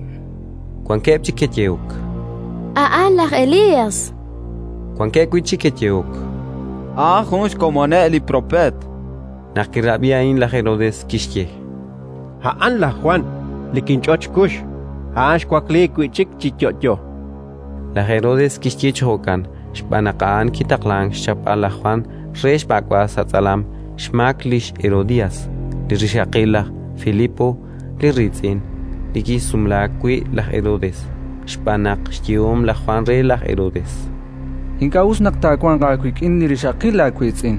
Wankeb' chik ke'yehok: A'an laj Elías. Wankeb' wi' chik ke'yehok: A'an jun xkomoneb' li propeet. Naq kirab'i a'in laj Herodes, kixye: A'an laj Jwan, li kinch'ot xkux; a'an xwakliik wi' chik chi yo'yo. Laj Herodes kixye chi jo'kan xb'aan naq a'an kitaqlank xchapb'al laj Jwan re xb'ak'b'al sa' tz'alam xmaak lix Herodías, li rixaqil laj Filipo li riitz'in, li kisumlaak wi' laj Herodes, xb'aan naq xyehom laj Jwan re laj Herodes: Ink'a' us naq taawanq aawik'in li rixaqil laawiitz'in.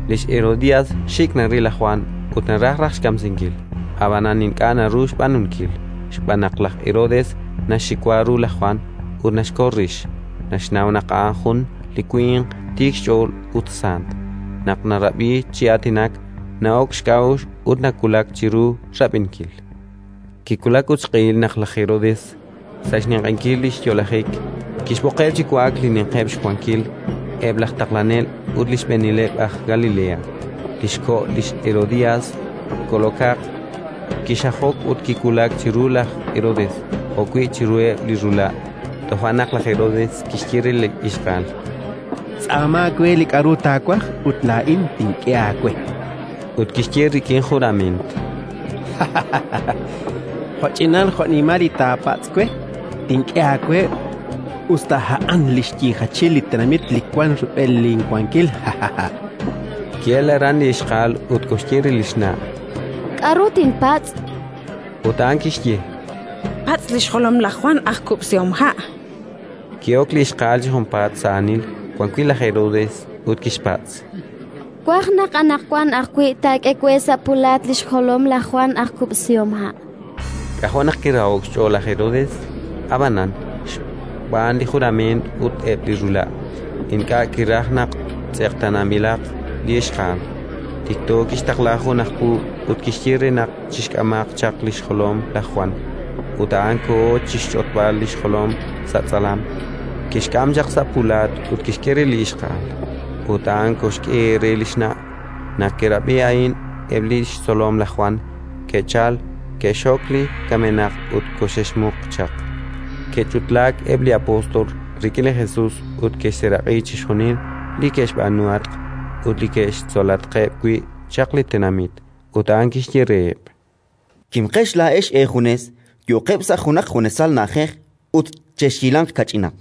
Lix Herodías xik' naril laj Jwan ut naraj raj xkamsinkil, ab'anan ink'a' naru xb'aanunkil, xb'aan naq laj Herodes naxxiwa ru laj Jwan ut naxkol rix, naxnaw naq a'an jun li winq tiik xch'ool ut sant. Naq narab'i chi aatinak, na'ok xk'a'uxl ut nawulak chiru rab'inkil. Kiwulak ut xq'ehil naq laj Herodes, sa' xninq'ehinkil li xyo'lajik, kixb'oqeb' chi wa'ak li ninqeb' xwankil, eb' laj taqlanel ut li xb'eenileb' aj Galilea. Li xko' lix Herodías kolokaq, kixajok ut kiwulak chiru laj Herodes jo'wi' chiruheb' li rula'. Toja' naq laj Herodes kixye re li ixqa'al: Tz'aama we li k'aru taawaj ut laa'in tink'e aawe. Ut kixye rik'in jurament: Jo'ch'inal jo'nimal li taapatz' we, tink'e aawe, us ta a'an li xyiijachil li tenamit li wank rub'el linwankil. Ki'elk aran li ixqa'al ut koxye re li xna': K'aru tinpatz'? Ut a'an kixye: Patz' li xjolom laj Jwan aj kub'sihomha'. Ki'ok li ixqa'al chi junpaat sa' aanil wan wi' laj Herodes ut kixpatz': Twaj naq anaqwan ajwi' taak'e we sa' pulaat li xjolom laj Jwan aj kub'sihomha'. K'ajo' naq kiraho'k xch'ool laj Herodes, ab'anan, xb'aan li jurament ut eb' li rula', ink'a' kiraj naq tz'eqtaananb'ilaq li ixqa'al. Tikto kixtaqla jun aj puub' ut kixye re naq chixk'amaq chaq li xjolom laj Jwan. Ut a'an koho chi xch'otb'al li xjolom sa' tz'alam, kixk'am chaq sa' pulaat ut kixk'e re li ixqa'al. Ut a'an koxk'e re li xna'. Naq ke'rab'i a'in eb' li xtzolom laj Jwan, ke'chalk, ke'xxok li kamenaq ut koxe'xmuq chaq. Ke'ch'utlaak eb' li apóstol rik'in li Jesus ut ke'xseeraq'i chixjunil li ke'xb'aanuhatq ut li ke'xtzolatqeb' wi' chaq li tenamit. Ut a'an kixye reheb': Kimqex laa'ex eejunes, yo'qeb' sa' junaq junesal na'ajej ut chexhilanq kach'inaq.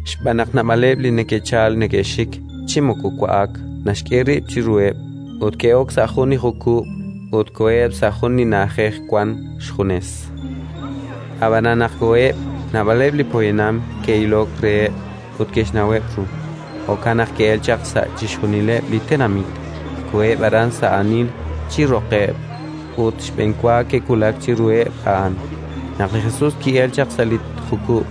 Xb'aan naq naab'aleb' li neke'chalk neke'xik chi moko wa'ak naxk'e rib' chiruheb', ut ke'ok sa' jun li jukub' ut koheb' sa' jun li na'ajej wank xjunes. Ab'anan naq koheb', naab'aleb' li poyanam ke'ilok reheb' ut ke'xnaweb' ru. Jo'kan naq ke'elk chaq sa' chixjunileb' li tenamit, koheb' aran sa' aanil chi roqeb' ut xb'enwa ke'wulak chiruheb' a'an. Naq li Jesus ki'elk chaq sa' li jukub',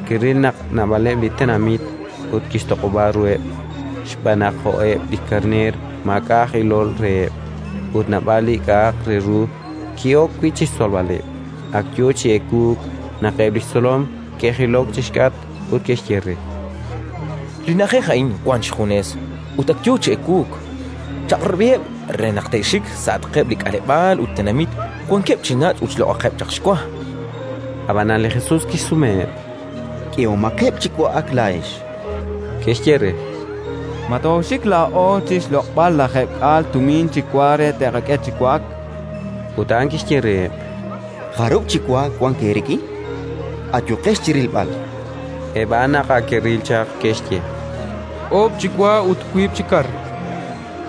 kiril naq naab'aleb' li tenamit ut kixtoq'ob'a ruheb', xb'aan naq jo'eb' li karneer maak'a' aj ilol reheb', ut naab'al li k'a'aq re ru ki'ok wi' chi xtzolb'aleb'. Ak yo chi ewuuk naq eb' li xtzolom ke'jilok chi xk'atq ut ke'xye re: Li na'ajej a'in wank xjunes ut ak yo chi ewuuk. Chaq'rab'iheb' re naq te'xik sa'atqeb' li k'aleb'aal ut tenamit wankeb' chi nach' ut xloq'aqeb' chaq xwa. Ab'anan li Jesus kixsumeheb': K'ehomaqeb' chi wa'ak laa'ex. Ke'xye re: Ma tooxik laa'o chi xloq'b'al 20 tumin chi wa re te'qak'e chi wa'ak? Ut a'an kixye reheb': Jarub' chi wa wank eerik'in? Ayuqex chi rilb'al. Eb' a'an naq ak ke'ril chaq, ke'xye: Oob' chi wa ut wiib' chi kar.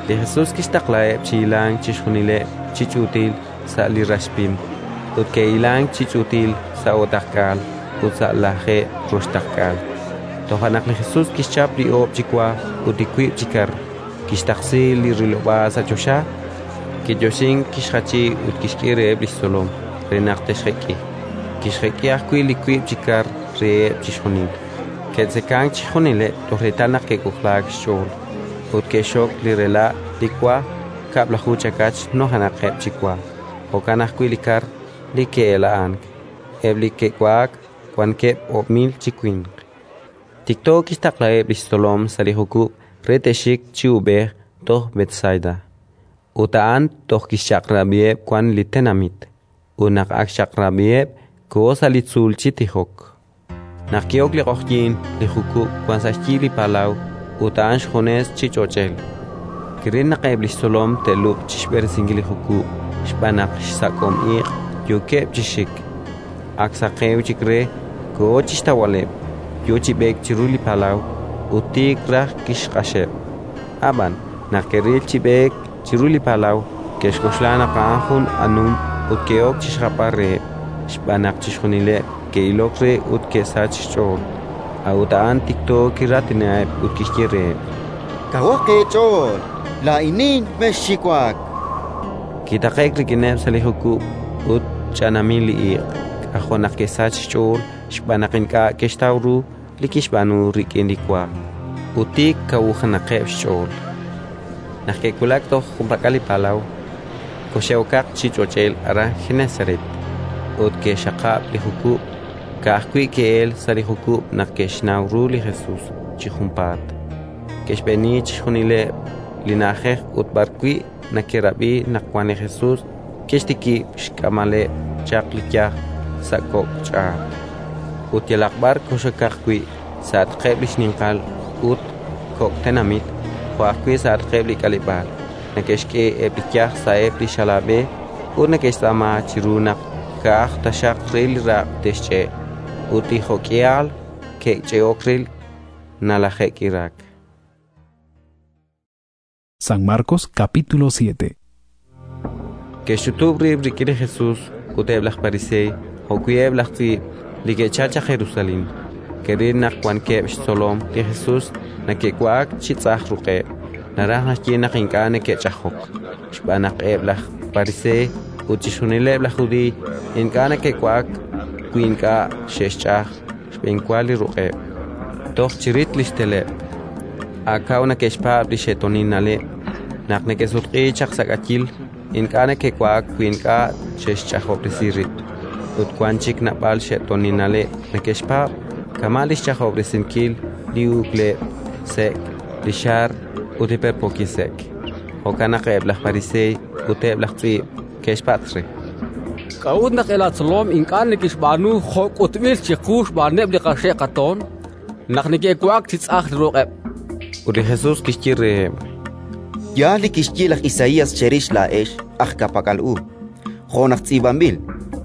Li Jesus kixtaqlaheb' chi hilank chixjunileb' chi ch'uutil sa' li rax pim, ut ke'hilank chi ch'uutil sa' o'taqk'aal ut sa' 60. Toja' naq li Jesus kixchap li oob' chi wa ut li wiib' chi kar, kixtaqsi li rilob'aal sa' choxa, kiyoxink, kixjachi ut kixk'e reheb' li xtzolom re naq te'xjek'i. Kixjek'i ajwi' li wiib' chi kar reheb' chixjunil. Ke'tzekank chixjunileb' toj reetal naq ke'k'ojlaak xch'ool, ut ke'xxok li rela' li wa, 12 chakach nujenaqeb' chi wa, jo'kan ajwi' li kar li ke'ela'ank. Eb' li ke'wa'ak wankeb' 1000 chi winq. Tikto kixtaqlaheb' li xtzolom sa' li jukub' re te'xik chi uub'ej toj Betsaida; ut a'an toj kixchaq'rab'iheb' wan li tenamit. Ut naq ak xchaq'rab'iheb', koho sa' li tzuul chi tijok. Naq ki'ok li q'oqyink, li jukub' wank sa' xyi li palaw ut a'an xjunes chi ch'och'el. Kiril naq eb' li xtzolom te'lub'q chi xb'eresinkil li jukub' xb'aan naq xsak'om iq' yookeb' chi xik. Ak saqew chik re, koho chi xtawb'aleb', yo chi b'eek chiru li palaw, ut tiik raj kixq'axeb'. Ab'an, naq ke'ril chi b'eek chiru li palaw, ke'xk'oxla naq a'an jun anum ut ke'ok chi xjapb'al reheb', xb'aan naq chixjunileb' ke'ilok re ut ke'sachk xch'ool. A'ut a'an tikto kiraatinaheb' ut kixye reheb': Kawaq eech'ool! Laa'inin, mexxiwak! Kitaqe'k rik'ineb' sa' li jukub' ut ch'anamil li iq'. K'ajo' naq ke'sachk xch'ool xb'aan naq ink'a' ke'xtaw ru li kixb'aanu rik'in li wa, ut tik kawujenaqeb' xch'ool. Naq ke'wulak toj junpak'al li palaw, koxe'okaq chi ch'och'el aran Genesaret ut ke'xxaqab' li jukub'. Ka'ajwi' ke'elk sa' li jukub' naq ke'xnaw ru li Jesus chi junpaat. Ke'xb'eeni chixjunileb' li na'ajej ut b'arwi' neke'rab'i naq wank li Jesus, ke'xtikib' xk'amb'aleb' chaq li yaj sa' kok' ch'aat. Ut yalaq b'ar kox'okaq wi', sa'atqeb' li xninqal ut kok' tenamit, jo' ajwi' sa'atqeb' li k'aleb'aal, neke'xk'e eb' li yaj sa'eb' li xalab'e ut neke'xtz'aama chiru naq ka'aj taxaq re li raq' te'xch'e'; ut li jo'k'ihal ke'ch'e'ok re, nalaje'k'iraak. San Marcos capítulo 7. Ke'xch'utub' rib' rik'in li Jesus ut eb' laj Pariseey jo'wi' eb' laj tz'iib' li ke'chalk chaq Jerusalén. Ke'ril naq wankeb' xtzolom li Jesus neke'wa'ak chi tz'aj ruq'eb', naraj naxye naq ink'a' neke'ch'ajok. Xb'aan naq eb' laj Pariseey ut chixjunileb' laj Judiiy ink'a' neke'wa'ak wi ink'a' xe'xch'aj xb'enwa li ruq'eb', toj chirit li xteleb'. Ak kaw neke'xpaab' li xe'toonil na'leb': naq neke'sutq'iik chaq sa' k'ayil, ink'a' neke'wa'ak wi ink'a' xe'xch'ajob'resi rib'. Ut wank chik naab'al xe'toonil na'leb' neke'xpaab', kama' li xch'ajob'resinkil li uk'leb' sek', li xaar ut li perpookil sek'. Jo'kan naq eb' laj Pariseey ut eb' laj tz'iib' ke'xpatz' re: K'a'ut naq eb' laatzolom ink'a' neke'xb'aanu jo' k'utb'il chiqu xb'aaneb' li qaxe' qatoon, naq neke'wa'ak chi tz'aj li ruq'eb'? Ut li Jesus kixye reheb': Yaal li kixye laj Isaías cherix laa'ex aj ka'pak'al u, jo' naq tz'iib'anb'il: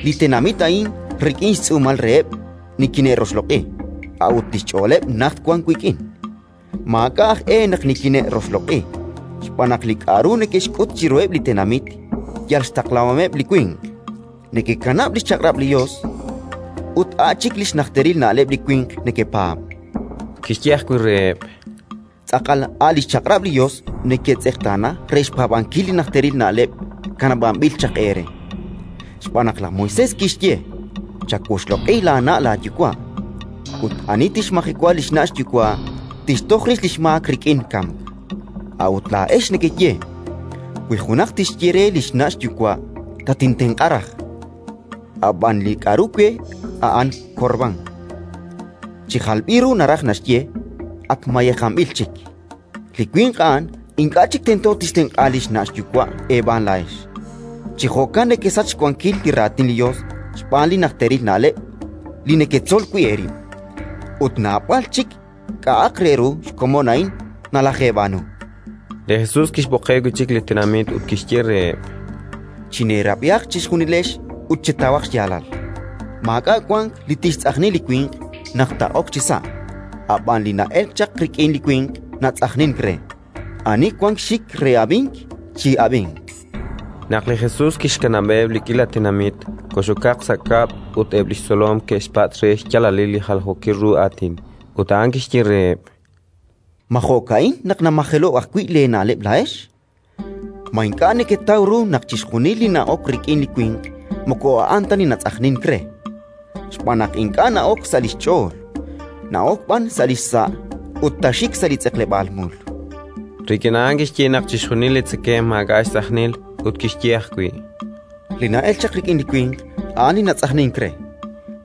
«Li tenamit a'in rik'in xtz'uumal reheb' nikine'roxloq'i, a'ut li xch'ooleb' najt wank wik'in. Maak'a' aj e naq nikine'roxloq'i, xb'aan naq li k'aru neke'xk'ut chiruheb' li tenamit yal xtaqlahomeb' li winq. Nekekanab' li xchaq'rab' li Yos ut a' chik li xnajteril na'leb' li winq nekepaab'». Kixye ajwi' reheb': Tz'aqal a' li xchaq'rab' li Yos neketz'eqtaana re xpaab'ankil li najteril na'leb' kanab'anb'il chaq eere. Xb'aan naq laj Moisés kixye: «Chawoxloq'i laana' laayuwa'», ut ani tixmajewa li xna' xyuwa' tixtoj rix li xmaak rik'in kamk. A'ut laa'ex nekeye: «Wi junaq tixye re li xna' xyuwa': «Tatintenq'a raj, ab'an li k'aru we a'an korbán», chi jalb'il ru naraj naxye: ak mayejanb'il chik. Li winq a'an ink'a' chik tento tixtenq'a li xna' xyuwa' eeb'aan laa'ex. Chi jo'kan nekesach xwankil li Raatin li Yos xb'aan li najteril na'leb' li neketzol wi' eerib'. Ut naab'al chik k'a'aq re ru xkomon a'in nalajeeb'aanu. Li Jesus kixb'oqeb' wi' chik li tenamit ut kixye reheb': Chineerab'ihaq chixjunilex ut chetawaq xyaalal. Maak'a' wank li tixtz'ajni li winq naq taa'ok chisa', ab'an li na'elk chaq rik'in li winq natz'ajnink re. Ani wank xik re ab'ink, chi'ab'inq. Naq li Jesus kixkanab'eb' li k'iila tenamit, kox'okaq sa' kab'l ut eb' li xtzolom ke'xpatz' re xyaalalil li jaljookil ru aatin. Ut a'an kixye reheb': Ma jo'ka'in naq namajelo'k ajwi' leena'leb' laa'ex? Ma ink'a' neketaw ru naq chixjunil li na'ok rik'in li winq moko a'an ta li natz'ajnink re? Xb'aan naq ink'a' na'ok sa' li xch'ool, na'ok b'an sa' li xsa' ut taaxik sa' li tz'eqleb'aal mul. Rik'in a'an kixye naq chixjunil li tzekemq maak'a' xtz'ajnil, ut kixye ajwi': Li na'elk chaq rik'in li winq a'an li natz'ajnink re,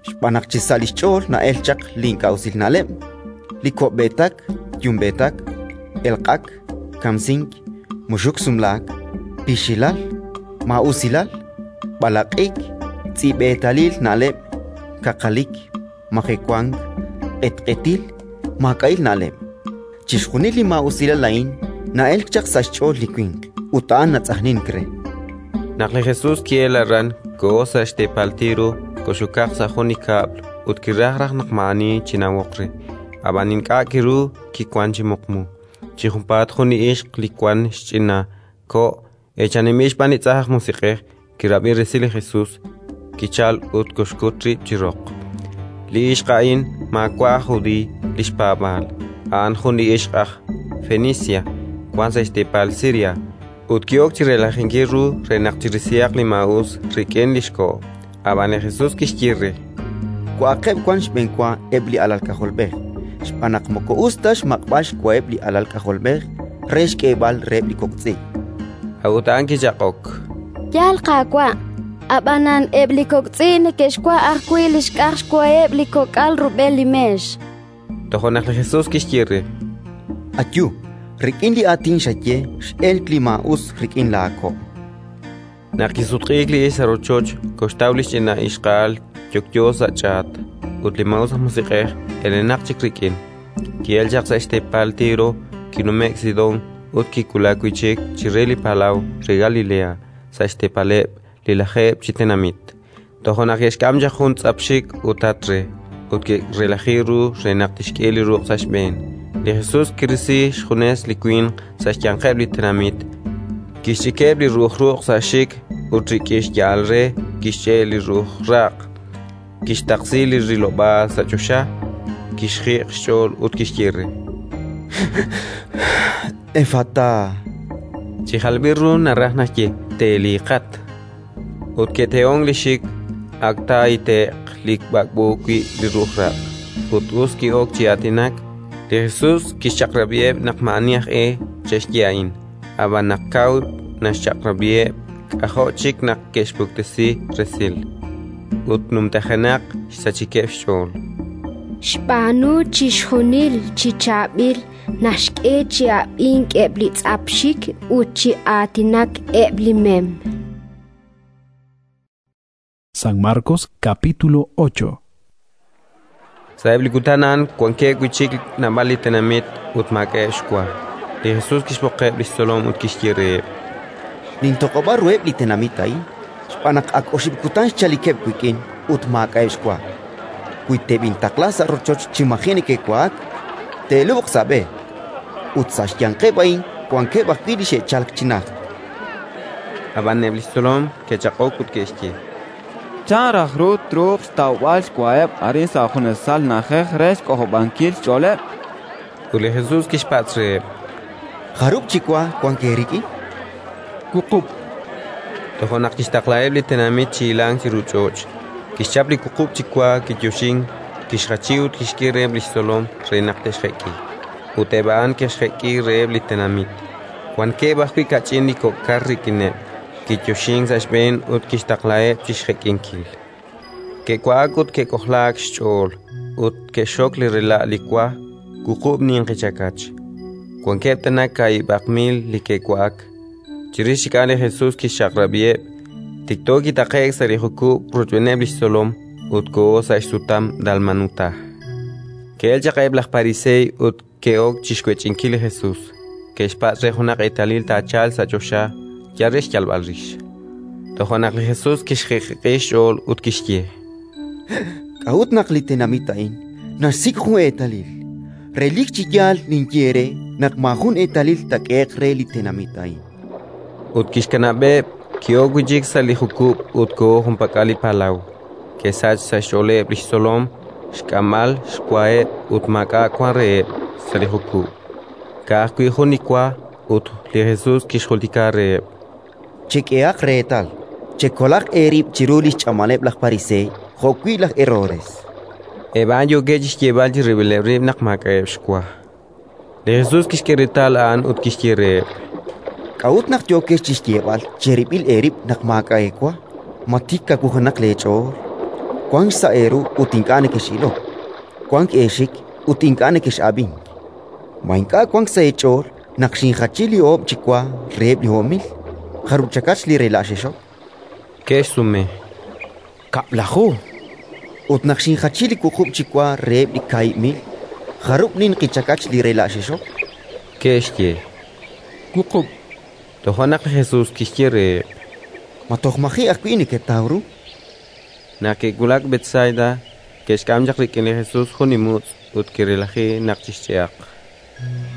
xb'aan naq chi sa' li xch'ool na'elk chaq li ink'a' usil na'leb', li ko'b'eetak yumb'eetak, elq'ak, kamsink, muxuk sumlaak, pixilal, maa'usilal, b'alaq'ik, tz'i'b'eetalil na'leb', kaqalik, majewank, q'etq'etil, maak'a'il na'leb'. Chixjunil li maa'usilal a'in na'elk chaq sa' xch'ool li winq, ut a'an natz'ajnink re. Naq li Jesus ki'elk aran, koho sa' xteepal Tiro, kox'okaq sa' jun li kab'l ut kiraj raj naq maa'ani chinawoq re, ab'an ink'a' kiru kiwank chi muqmu. Chi junpaat jun li ixq li wank xch'ina ko' eechaninb'il xb'aan li tz'ajn aj musiq'ej kirab'i resil li Jesus, kichalk ut koxkut rib' chi roq. Li ixq a'in maawa' aj Judiiy li xpaab'aal, a'an jun li ixq aj Fenicia wank sa' xteepal Siria, ut ki'ok chi relajinkil ru re naq chirisihaq li maa'us rik'in li xko'. Ab'an li Jesus kixye re: Wa'aqeb' wan xb'enwa eb' li alal k'ajolb'ej, xb'aan naq moko us ta xmaq'b'al xwaheb' li alal k'ajolb'ej re xk'eeb'al reheb' li kok' tz'i'. A'ut a'an kichaq'ok: Yaal, Qaawa', ab'anan eb' li kok' tz'i' neke'xwa' ajwi' li xk'aj xwaheb' li kok'al rub'el li meex. Toja' naq li Jesus kixye re: Ayu, rik'in li aatin xaye x'elk li maa'us rik'in laako'. Naq kisutq'iik li ixq sa' rochoch, koxtaw li xch'ina ixqa'al yokyo sa' ch'aat, ut li maa'us aj musiq'ej elenaq chik rik'in. Ki'elk chaq sa' xteepal Tiro, kinume'k Sidón ut kiwulak wi' chik chire li palaw re Galilea, sa' xteepaleb' li Lajeeb' chi Tenamit. Toja' naq ke'xk'am chaq jun tz'ap xik ut tat re, ut ke'relaji ru re naq tixk'e li ruq' sa' xb'een. Li Jesus kirisi xjunes li winq sa' xyanqeb' li tenamit, kixch'ikeb' li ru'uj ruq' sa' xxik ut rik'in xya'al re kixch'e' li ru'uj raq'. Kixtaqsi li rilob'aal sa' choxa, kixjiq' xch'ool ut kixye re: Efatá. Chi jalb'il ru naraj naxye: Teeliiqat. Ut ke'tehonk li xik, ak taahite'q li b'ak'b'o wi' li ru'uj raq', ut us ki'ok chi aatinak. Li Jesus kixchaq'rab'iheb' naq maa'ani aj e che'xye a'in, ab'an naq kaw naxchaq'rab'iheb', k'ajo' chik naq ke'xpuktesi resil, ut numtajenaq xsachikeb' xch'ool. Xb'aanu chixjunil chi chaab'il, naxk'e chi ab'ink eb' li tz'ap xik ut chi aatinak eb' li mem. San Marcos capítulo 8. Sa'eb' li kutan a'an wankeb' wi' chik naab'al li tenamit ut maak'a'eb' xwa. Li Jesus kixb'oqeb' li xtzolom ut kixye reheb': Nintoq'ob'a ruheb' li tenamit a'in xb'aan naq ak oxib' kutan xchalikeb' wik'in ut maak'a'eb' xwa. Wi teb'intaqla sa' rochoch chi maji' neke'wa'ak, te'lub'q sa' b'e. Ut sa' xyanqeb' a'in wankeb' ajwi' li xe'chalk chi najt. Ab'an eb' li xtzolom ke'chaq'ok ut ke'xye: Chan raj ru truuq xtawb'al xwaheb' arin sa' junesal na'ajej re xk'ojob'ankil xch'ooleb'? Ut li Jesus kixpatz' reheb': Jarub' chi wa wank eerik'in? Wuqub'. Toja' naq kixtaqlaheb' li tenamit chi hilank chiru ch'och'. Kixchap li wuqub' chi wa, kiyoxink, kixjachi ut kixk'e reheb' li xtzolom re naq te'xjek'i. Ut eb' a'an ke'xjek'i reheb' li tenamit. Wankeb' ajwi' kach'in li kok' kar rik'ineb'. Kiyoxink sa' xb'een ut kixtaqlaheb' chi xjek'inkil. Ke'wa'ak ut ke'k'ojlaak xch'ool, ut ke'xxok li rela' li wa wuqub' ninqi chakach. Wankeb' tana kaahib'aq mil li ke'wa'ak. Chirix chik a'an li Jesus kixchaq'rab'iheb'; tikto kitaqe'k sa' li jukub' rochb'eeneb' li xtzolom ut koho sa' xsutam Dalmanutá. Ke'elk chaq eb' laj Pariseey ut ke'ok chi xwech'inkil li Jesus. Ke'xpatz' re junaq eetalil taachalq sa' choxa, yal re xyalb'al rix. Toja' naq li Jesus kixjiq'jiq'i xch'ool ut kixye: K'a'ut naq li tenamit a'in naxsik' jun eetalil? Relik chi yaal ninye eere naq maajun eetalil taak'ehe'q re li tenamit a'in. Ut kixkanab'eb', ki'ok wi' chik sa' li jukub' ut koho junpak'al li palaw. Ke'sachk sa' xch'ooleb' li xtzolom xk'amb'al xwaheb' ut maak'a' wank reheb' sa' li jukub', ka'ajwi' jun li wa. Ut li Jesus kixjultika reheb': Chek'ehaq reetal, chekolaq eerib' chiru li xch'amaleb' laj Pariseey jo'wi' laj Herodes. Eb' a'an yookeb' chi xyeeb'al chirib'ileb' rib' naq maak'a'eb' xwa. Li Jesus kixk'e reetal a'an ut kixye reheb': K'a'ut naq yookex chi xyeeb'al cherib'il eerib' naq maak'a' eewa? Ma tik kawujenaq leech'ool? Wank xsa' eeru ut ink'a' nekex'ilok, wank eexik ut ink'a' nekex'ab'ink. Ma ink'a' wank sa' eech'ool naq xinjachi li oob' chi wa reheb' li 10,000? Jarub' chakach li rela' xexok? Ke'xsume: Kab'laju. Ut naq xinjachi li wuqub' chi wa reheb' li 2000, jarub' ninqi chakach li rela' xexok? Ke'xye: Wuqub'. Toja' naq li Jesus kixye reheb': Ma toj maji' ajwi' neketaw ru? Naq ke'wulak Betsaida, ke'xk'am chaq rik'in li Jesus jun li mutz' ut ke'relaji naq chixch'e'aq.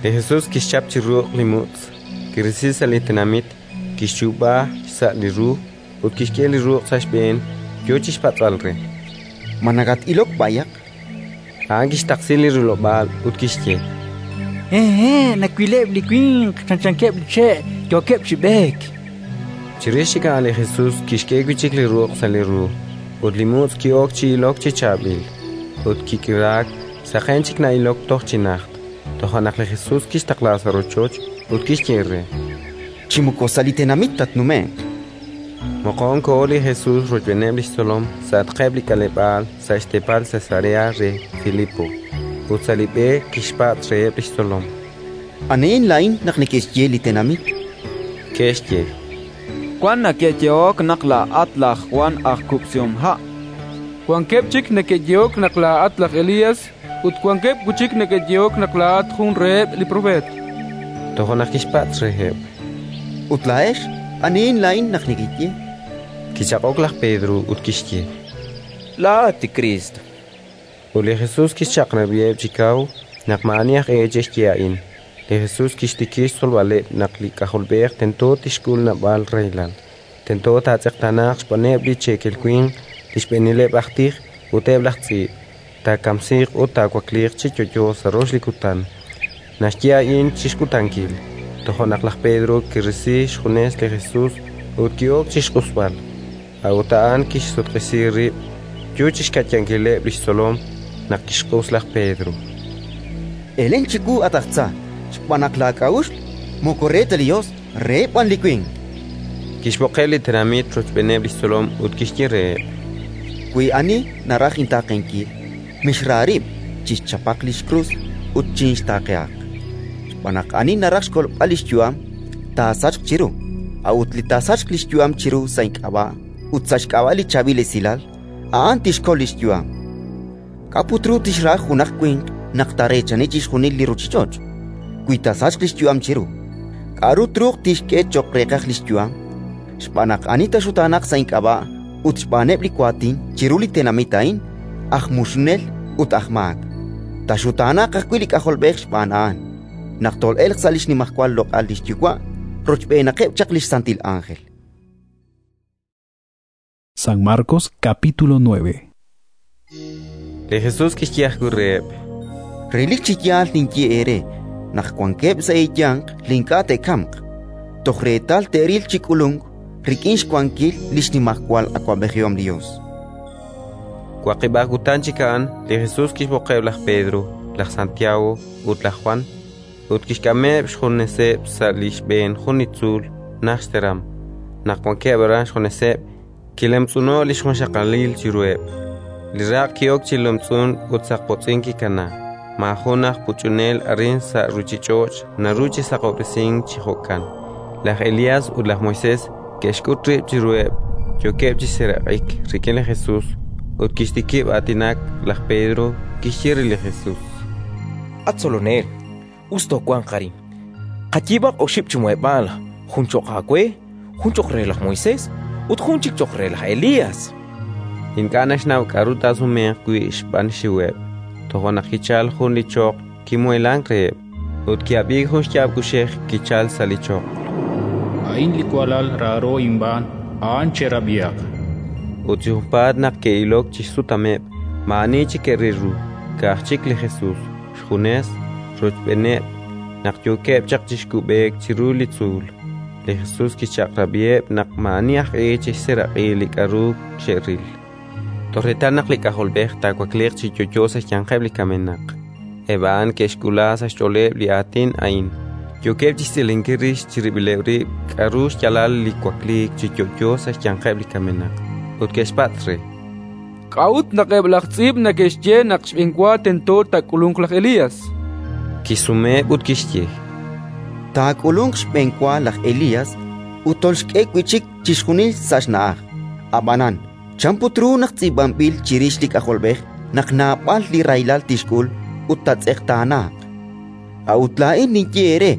Li Jesus kixchap chi ruq' li mutz', kirisi sa' li tenamit, kixchuub'a xsa' li ru ut kixk'e li ruq' sa' xb'een, yo chi xpatz'b'al re: Ma nakat-ilok b'ayaq? A'an kixtaqsi li rilob'aal ut kixye: Hehe', nawileb' li winq chanchankeb' li che' yookeb' chi b'eek. Chirix chik a'an li Jesus kixk'e wi' chik li ruq' sa' li ru, ut li mutz' ki'ok chi ilok chi chaab'il, ut kik'iraak, saqen chik na'ilok toj chi najt. Toja' naq li Jesus kixtaqla sa' rochoch ut kixye re: Chi moko sa' li tenamit tatnume'q. Moqon koho li Jesus rochb'eeneb' li xtzolom sa'atqeb' li k'aleb'aal sa' xteepal Cesarea re Filipo. Ut sa' li b'e kixpatz' reheb' li xtzolom: Anihin laa'in naq neke'xye li tenamit? Ke'xye: Wank neke'yehok naq laa'at laj Jwan aj kub'sihomha'. Wankeb' chik neke'yehok naq laa'at laj Elías, ut wankeb' wi' chik neke'yehok naq laa'at jun reheb' li propeet. Toja' naq kixpatz' reheb': Ut laa'ex, anihin laa'in naq nekeye? Kichaq'ok laj Pedro ut kixye: Laa'at li Kriist. Ut li Jesus kixchaq'rab'iheb' chi kaw naq maa'ani aj e che'xye a'in. Li Jesus kixtikib' xtzolb'aleb' naq li K'ajolb'ej tento tixk'ul naab'al rahilal, tento taatz'eqtaanaaq xb'aaneb' li cheekel winq, li xb'eenileb' aj tij ut eb' laj tz'iib', taakamsiiq ut taawakliiq chi yo'yo sa' rox li kutan. Naxye a'in chi xkutankil. Toja' naq laj Pedro kirisi xjunes li Jesus ut ki'ok chi xq'usb'al. A'ut a'an kixsutq'isi rib', yo chi xka'yankileb' li xtzolom naq kixq'us laj Pedro: Elen chiwu, at aj tza, xb'aan naq laak'a'uxl moko re ta li Yos, reheb' b'an li winq. Kixb'oqeb' li tenamit rochb'eeneb' li xtzolom ut kixye reheb': Wi ani naraj intaaqenkil, mixra rib', chixchapaq li xkrus ut chinxtaaqehaq. Xb'aan naq ani naraj xkolb'al li xyu'am, taasachq chiru; a'ut li taasachq li xyu'am chiru sa' ink'ab'a' ut sa' xk'ab'a' li Chaab'il Esilal, a'an tixkol li xyu'am. K'a' put ru tixra junaq winq naq taareechani chixjunil li ruuchich'och', wi taasachq li xyu'am chiru? K'aru truuq tixk'e cho'q reeqaj li xyu'am? Xb'aan naq ani taaxutaanaq sa' ink'ab'a' ut xb'aaneb' li waatin chiru li tenamit a'in, aj muxunel ut aj maak, taaxutaanaq ajwi' li K'ajolb'ej xb'aan a'an, naq tol'elq sa' li xnimajwal loq'al li xYuwa' rochb'eenaqeb' chaq li xsantil ánjel. San Marcos capítulo 9. Li Jesus kixye ajwi' reheb': Relik chi yaal ninye eere naq wankeb' sa' eeyanq li ink'a' te'kamq, toj reetal te'ril chi k'ulunk rik'in xwankil li xnimajwal awab'ejihom li Yos. Waqib'aq kutan chik a'an, li Jesus kixb'oqeb' laj Pedro, laj Santiago ut laj Jwan, ut kixk'ameb' xjuneseb' sa' li xb'een jun li tzuul najt xteram. Naq wankeb' aran xjuneseb', kilemtz'uno'k li xjunxaqalil chiruheb'. Li raq' ki'ok chi lemtz'unk ut saqpotz'in kikanaak. Maajun aj puch'unel arin sa' ruuchich'och' naru chi saqob'resink chi jo'kan. Laj Elías ut laj Moisés ke'xk'ut rib' chiruheb', yookeb' chi seeraq'ik rik'in li Jesus. Ut kixtikib' aatinak laj Pedro, kixye re li Jesus: At Tzolonel, us toowanq arin. Qayiib'aq oxib' chi muheb'aal: jun cho'q aawe, jun cho'q re laj Moisés ut jun chik cho'q re laj Elías. Ink'a' naxnaw k'aru taasumenq wi' xb'aan xxiweb'. Toja' naq kichalk jun li choql kimuheelank reheb', ut ki'ab'iik jun xyaab' kuxej kichalk sa' li choql: A'in li walal raaro inb'aan, a'an cherab'ihaq. Ut chi junpaat naq ke'ilok chi xsutameb', maa'ani chik ke'ril ru, ka'aj chik li Jesus, xjunes, rochb'eeneb'. Naq yookeb' chaq chi kub'eek chiru li tzuul, li Jesus kixchaq'rab'iheb' naq maa'ani aj e che'xseeraq'i li k'aru xe'ril, toj reetal naq li K'ajolb'ej taawakliiq chi yo'yo sa' xyanqeb' li kamenaq. Eb' a'an ke'xk'uula sa' xch'ooleb' li aatin a'in, yookeb' chi xtz'ilinkil rix chirib'ileb' rib' k'aru xyaalal li wakliik chi yo'yo sa' xyanqeb' li kamenaq, ut ke'xpatz' re: K'a'ut naq eb' laj tz'iib' neke'xye naq xb'enwa tento taak'ulunq laj Elías? Kixsumeheb' ut kixye: Taak'ulunq xb'enwa laj Elías ut tolxk'e wi' chik chixjunil sa' xna'aj. Ab'anan chan put ru naq tz'iib'anb'il chirix li K'ajolb'ej naq naab'al li rahilal tixk'ul ut taatz'eqtaanaaq? A'ut laa'in ninye eere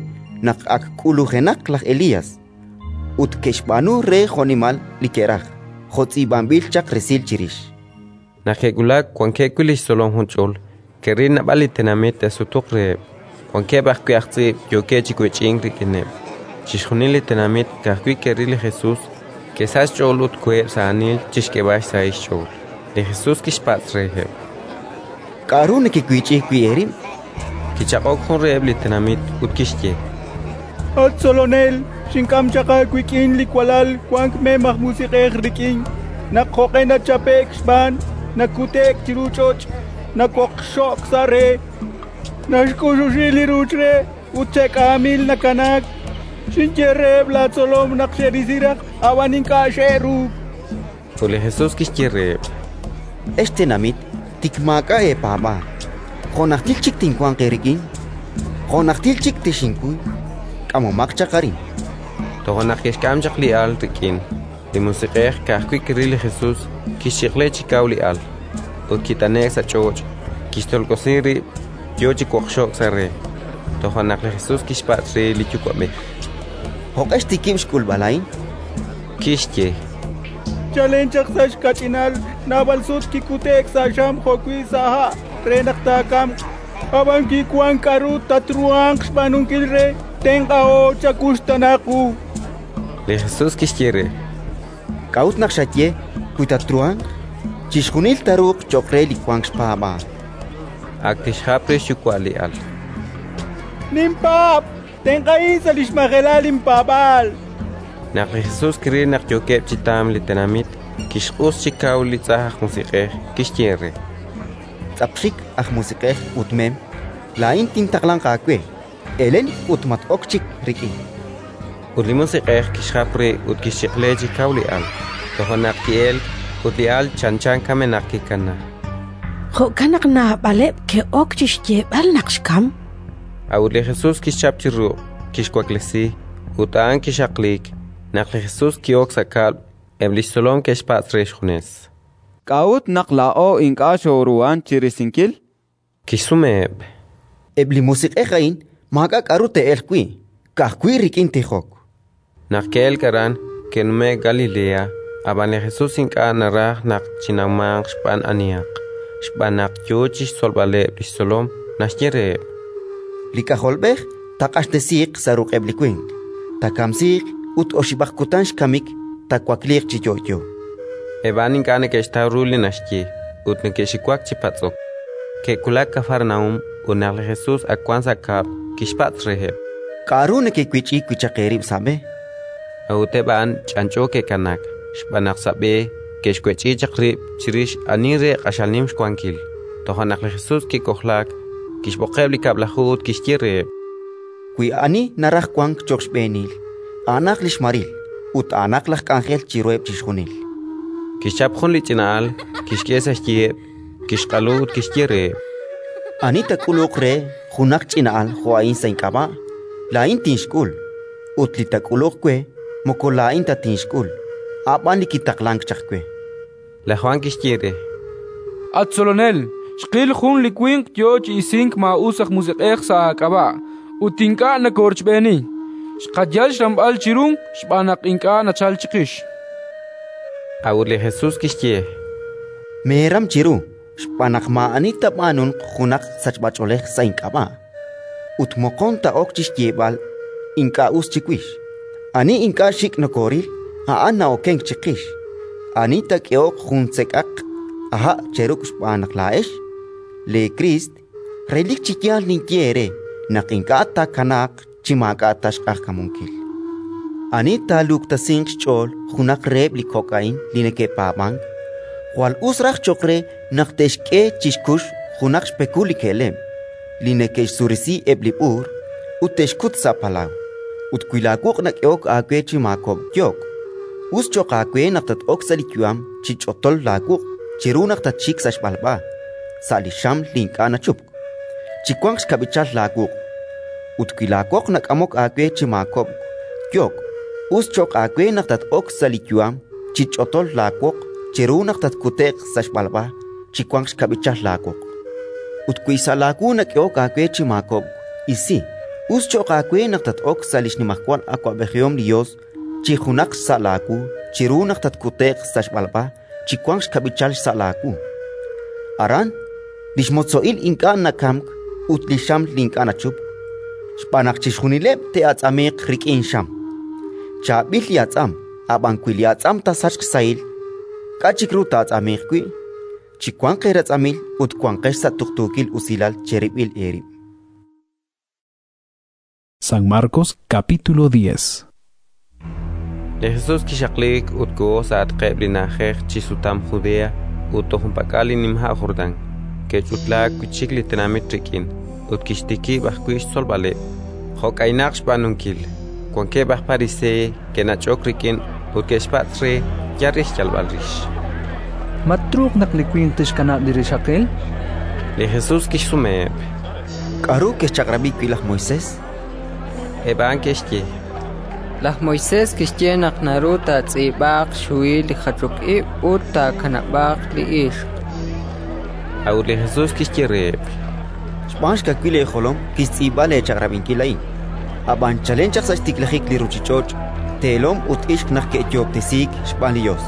naq ak k'ulujenaq laj Elías, ut ke'xb'aanu re jo'nimal li ke'raj, jo' tz'iib'anb'il chaq resil chirix. Naq ke'wulak wankeb' wi' li xtzolom junch'ol, ke'ril naab'al li tenamit te'sutuq reheb', wankeb' ajwi' aj tz'iib' yookeb' chi wech'ink rik'ineb'. Chixjunil li tenamit ka'ajwi' ke'ril li Jesus, ke'sachk xch'ool ut koheb' sa' aanil chi xk'eeb'al xsahil xch'ool. Li Jesus kixpatz' reheb': K'aru nekewich'i wi' eerib'? Kichaq'ok jun reheb' li tenamit ut kixye: At Tzolonel, xink'am chaq aawik'in li walal wank mem aj musiq'ej rik'in. Naq jo'q'e nachape'k xb'aan, nakute'k chiru ch'och', nawoqxo'k sa' re, naxk'uxuxi li ruuch re ut che'k'aamil nakanaak. Xinye reheb' laatzolom naq xe'risi raj, ab'an ink'a' xe'ruuk. Ut li Jesus kixye reheb': Ex tenamit tik maak'a' eepaab'aal, jo' najtil chik tinwanq eerik'in? Jo' najtil chik texinkuy? K'amomaq chaq arin. Toja' naq ke'xk'am chaq li al rik'in. Li musiq'ej ka'ajwi' kiril li Jesus, kixchiq'le chi kaw li al, ut kit'ane'k sa' ch'och', kixtolk'osi rib', yo chi woqxo'k sa' re. Toja' naq li Jesus kixpatz' re li yuwa'b'ej: Jo'q'e xtikib' xk'ulb'al a'in? Kixye: Chalen chaq sa' xkach'inal naab'al sut kikute'k sa' xam jo'wi' sa' ha' re naq taakamq. Ab'an kiwank k'aru tatruhanq xb'aanunkil re tenq'aho chakuxtaana qu. Li Jesus kixye re: K'a'ut naq xaye: «Wi tatruhanq»? Chixjunil taaruuq cho'q re li wank xpaab'aal. Ak tixjap re xyuwa' li al: Ninpaab'! Tenq'ahin sa' li xmajelal linpaab'aal! Naq li Jesus kiril naq yookeb' chi tamk li tenamit, kixq'us chi kaw li tz'ajn aj musiq'ej, kixye re: Tz'apxik aj musiq'ej ut mem, laa'in tintaqlanq aawe: elen ut mat-ok chik rik'in. Ut li musiq'ej kixjap re ut kixchiq'le chi kaw li al. Toja' naq ki'elk, ut li al chanchan kamenaq kikanaak. Jo'kan naq naab'aleb' ke'ok chi xyeeb'al naq xkamk. A'ut li Jesus kixchap chi ruq', kixwaklesi, ut a'an kixaqliik. Naq li Jesus ki'ok sa' kab'l, eb' li xtzolom ke'xpatz' re xjunes: K'a'ut naq laa'o ink'a' xooruhank chi risinkil? Kixsumeheb': Eb' li musiq'ej a'in maak'a' k'aru te'elq wi', ka'ajwi' rik'in tijok. Naq ke'elk aran, ke'nume'k Galilea, ab'an li Jesus ink'a' naraj naq chinawmanq xb'aan anihaq, xb'aan naq yo chi xtzolb'aleb' li xtzolom. Naxye reheb': Li K'ajolb'ej taaq'axtesiiq sa' ruq'eb' li winq, taakamsiiq ut oxib'aq kutan xkamik taawakliiq chi yo'yo. Eb' a'an ink'a' neke'xtaw ru li naxye ut neke'xiwak chi patz'ok. Ke'wulak Kafarnaúm ut naq li Jesus ak wank sa' kab'l, kixpatz' reheb': K'aru nekewich'i wi' chaq eerib' sa' b'e? A'ut eb' a'an ch'anch'o ke'kanaak, xb'aan naq sa' b'e ke'xwech'i chaq rib' chirix ani re q'axal nim xwankil. Toja' naq li Jesus kik'ojlaak, kixb'oqeb' li Kab'laju ut kixye reheb': Wi ani naraj wank cho'q xb'eenil, a'anaq li xmaril ut a'anaq laj k'anjel chiruheb' chixjunil. Kixchap jun li ch'ina'al, kixk'e sa' xyiheb', kixq'alu ut kixye reheb': Ani taak'uluq re junaq ch'ina al jo' a'in sa' ink'ab'a', laa'in tinxk'ul; ut li taak'uluq we, moko laa'in ta tinxk'ul, a' b'an li kitaqlank chaq we. Laj Jwan kixye re: At Tzolonel, xqil jun li winq yo chi isink maa'us aj musiq'ej sa' aak'ab'a', ut ink'a' nokoorochb'eeni. Xqayal xramb'al chiru xb'aan naq ink'a' nachalk chiqix. A'ut li Jesus kixye: Meeram chiru, xb'aan naq maa'ani taab'aanunq junaq sachb'ach'oolej sa' ink'ab'a', ut moqon taa'ok chi xyeeb'al ink'a' us chiwix. Ani ink'a' xik' nokooril, a'an na'okenk chiqix. Ani taak'ehoq jun sek'aq ha' cheruk' xb'aan naq laa'ex leeKriist, relik chi yaal ninye eere naq ink'a' taakanaaq chi maak'a' ta xq'ajkamunkil. Ani taaluktesinq xch'ool junaq reheb' li kok' a'in li neke'paab'ank, jwal us raj cho'q re naq te'xk'e chi xkux junaq xpekul li ke'leb' li neke'xsurisi eb' li b'uur ut te'xkut sa' palaw. Ut wi laawuq' nak'ehok aawe chi maakob'k yo'k, us cho'q aawe naq tat-ok sa' li yu'am chi ch'otol laawuq' chiru naq tatxik sa' xb'alb'a, sa' li xam li ink'a' nachupk, chi wanq xkab'ichal laawuq'. Ut wi laawoq nak'amok aawe chi maakob'k yo'k, us cho'q aawe naq tat-ok sa' li yu'am chi ch'otol laawoq chiru naq tatkute'q sa' xb'alb'a chi wanq xkab'ichal laawoq. Ut wi sa' laawu nak'ehok aawe chi maakob'k, isi. Us cho'q aawe naq tat-ok sa' li xnimajwal awab'ejihom li Yos chi junaq xsa' laawu chiru naq tatkute'q sa' xb'alb'a chi wanq xkab'ichal xsa' laawu. Aran li xmotzo'il ink'a' nakamk ut li xam li ink'a' nachupk, xb'aan naq chixjunileb' te'atz'amiiq rik'in xam. Chaab'il li atz'am, ab'an wi li atz'am taasachq xsahil, k'a' chik ru taa'atz'amiiq wi'? Chiwanq eeratz'amil ut wanqex sa' tuqtuukil usilal cherib'il eerib'. San Marcos capítulo 10. Li Jesus kixaqliik ut koho sa'atqeb' li na'ajej chi sutam Judea ut toj junpak'al li nima' Jordán. Ke'ch'utlaak wi' chik li tenamit rik'in, ut kixtikib' ajwi' xtzolb'aleb'. Jo' k'aynaq xb'aanunkil, wankeb' aj Pariseey ke'nach'ok rik'in ut ke'xpatz' re yal re xyalb'al rix: Ma truuq naq li winq tixkanab' li rixaqil? Li Jesus kixsumeheb': K'aru kexchaq'rab'i wi' laj Moisés? Eb' a'an ke'xye: Laj Moisés kixye naq naru taatz'iib'aaq xhuhil li jachok ib' ut taakanab'aaq li ixq. A'ut li Jesus kixye reheb': Xb'aan xkawil eejolom kixtz'iib'a leechaq'rab'inkil a'in. Ab'an chalen chaq sa' xtiklajik li ruuchich'och', teelom ut ixq naq ke'yoob'tesiik xb'aan li Yos.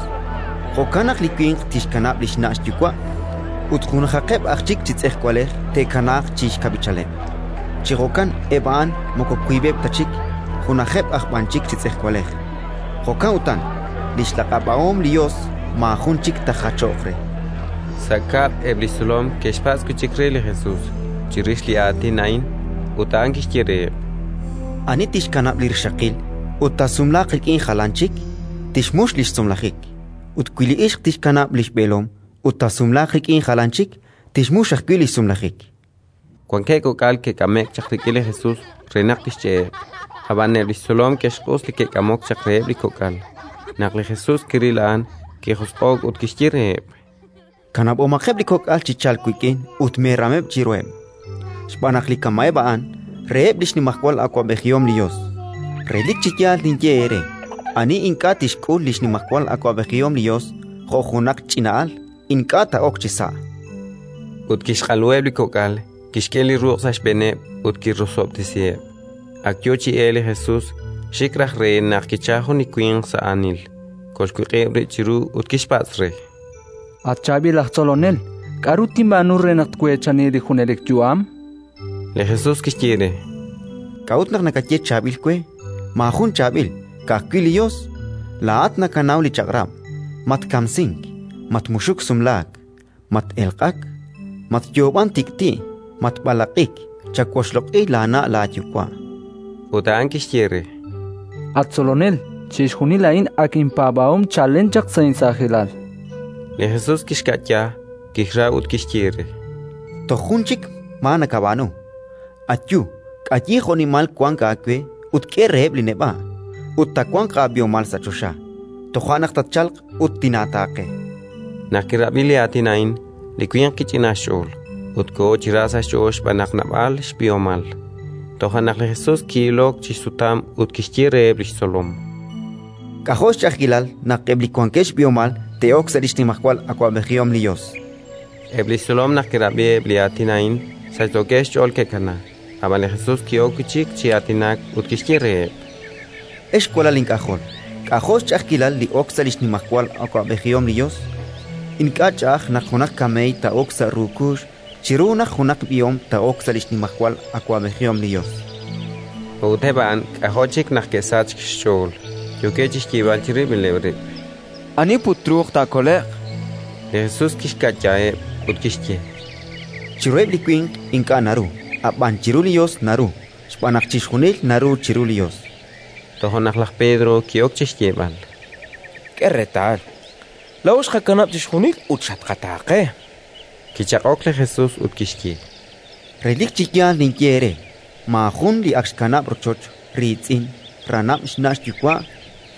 Jo'kan naq li winq tixkanab' li xna' xyuwa' ut junajaqeb' aj chik chi tz'ejwalej te'kanaaq chi xkab'ichaleb'. Chi jo'kan eb' a'an moko wiib'eb' ta chik, junajeb' aj b'an chik chi tz'ejwalej. Jo'kan utan, li xlaq'ab'ahom li Yos maajun chik taajachoq re. Sa' kab'l eb' li xtzolom ke'xpatz' wi' chik re li Jesus chirix li aatin a'in, ut a'an kixye reheb': Ani tixkanab' li rixaqil ut taasumlaaq rik'in jalan chik, tixmux li xsumlajik. Ut wi li ixq tixkanab' li xb'eelom ut taasumlaaq rik'in jalan chik, tixmux ajwi' li xsumlajik. Wankeb' kok'al ke'k'ame'k chaq rik'in li Jesus re naq tixch'e'eb', ab'an eb' li xtzolom ke'xq'us li ke'k'amok chaq reheb' li kok'al. Naq li Jesus kiril a'an, kijosq'o'k ut kixye reheb': Kanab'omaqeb' li kok'al chi chalk wik'in ut meerameb' chiruheb', xb'aan naq li kama'eb' a'an reheb' li xnimajwal awab'ejihom li Yos. Relik chi yaal ninye eere: ani ink'a' tixk'ul li xnimajwal awab'ejihom li Yos jo' junaq ch'ina al, ink'a' taa'ok chisa'. Ut kixq'aluheb' li kok'al, kixk'e li ruq' sa' xb'eeneb' ut kirosob'tesiheb'. Ak yo chi elk li Jesus, xik raj re naq kichalk jun li winq sa' aanil, kolxwiq'ib' rib' chiru ut kixpatz' re: At chaab'il aj tzolonel, k'aru tinb'aanu re naq tweechani li junelik yu'am? Li Jesus kixye re: K'a'ut naq nakaye chaab'il we? Maajun chaab'il, ka'ajwi' li Yos. Laa'at nakanaw li chaq'rab': matkamsink, matmuxuk sumlaak, mat-elq'ak, matyoob'ank tik'ti', matb'alaq'ik, chawoxloq'i laana' laayuwa'. Ut a'an kixye re: At tzolonel, chixjunil a'in ak inpaab'ahom chalen chaq sa' insaajilal. Li Jesus kixka'ya, kixra ut kixye re: Toj jun chik maa nakab'aanu: ayu, k'ayi jo'nimal wank aawe ut k'e reheb' li neb'a', ut taawanq aab'ihomal sa' choxa. Toja' naq tatchalq ut tinaataaqe. Naq kirab'i li aatin a'in, li winq kich'inaak xch'ool, Ut koho chi ra sa' xch'ool xb'aan naq naab'al xb'ihomal. Toja' naq li Jesus ki'ilok chi xsutam ut kixye reheb' li xtzolom: K'ajo' xch'a'ajkilal naq eb' li wankeb' xb'ihomal te'ok sa' li xnimajwal awab'ejihom li Yos! Eb' li xtzolom naq ke'rab'i eb' li aatin a'in, sachsookeb' xch'ool ke'kanaak. Ab'an li Jesus ki'ok wi' chik chi aatinak ut kixye reheb': Ex walal ink'ajol, k'ajo' xch'a'ajkilal li ok sa' li xnimajwal awab'ejihom li Yos! Ink'a' ch'a'aj naq junaq kameey taa'ok sa' ru kuux chiru naq junaq b'ihom taa'ok sa' li xnimajwal awab'ejihom li Yos. A'ut eb' a'an k'ajo' chik naq ke'sachk xch'ool, yookeb' chi xyeeb'al chirib'ileb' rib': Ani put truuq taakole'q? Li Jesus kixka'yaheb' ut kixye: Chiruheb' li winq ink'a' naru, ab'an chiru li Yos naru, xb'aan naq chixjunil naru chiru li Yos. Toja' naq laj Pedro ki'ok chi xyeeb'al: K'e reetal, laa'o xqakanab' chixjunil ut xatqataaqe. Kichaq'ok li Jesus ut kixye: Relik chi yaal ninye eere: maajun li ak xkanab' rochoch, riitz'in, ranab', xna' xyuwa',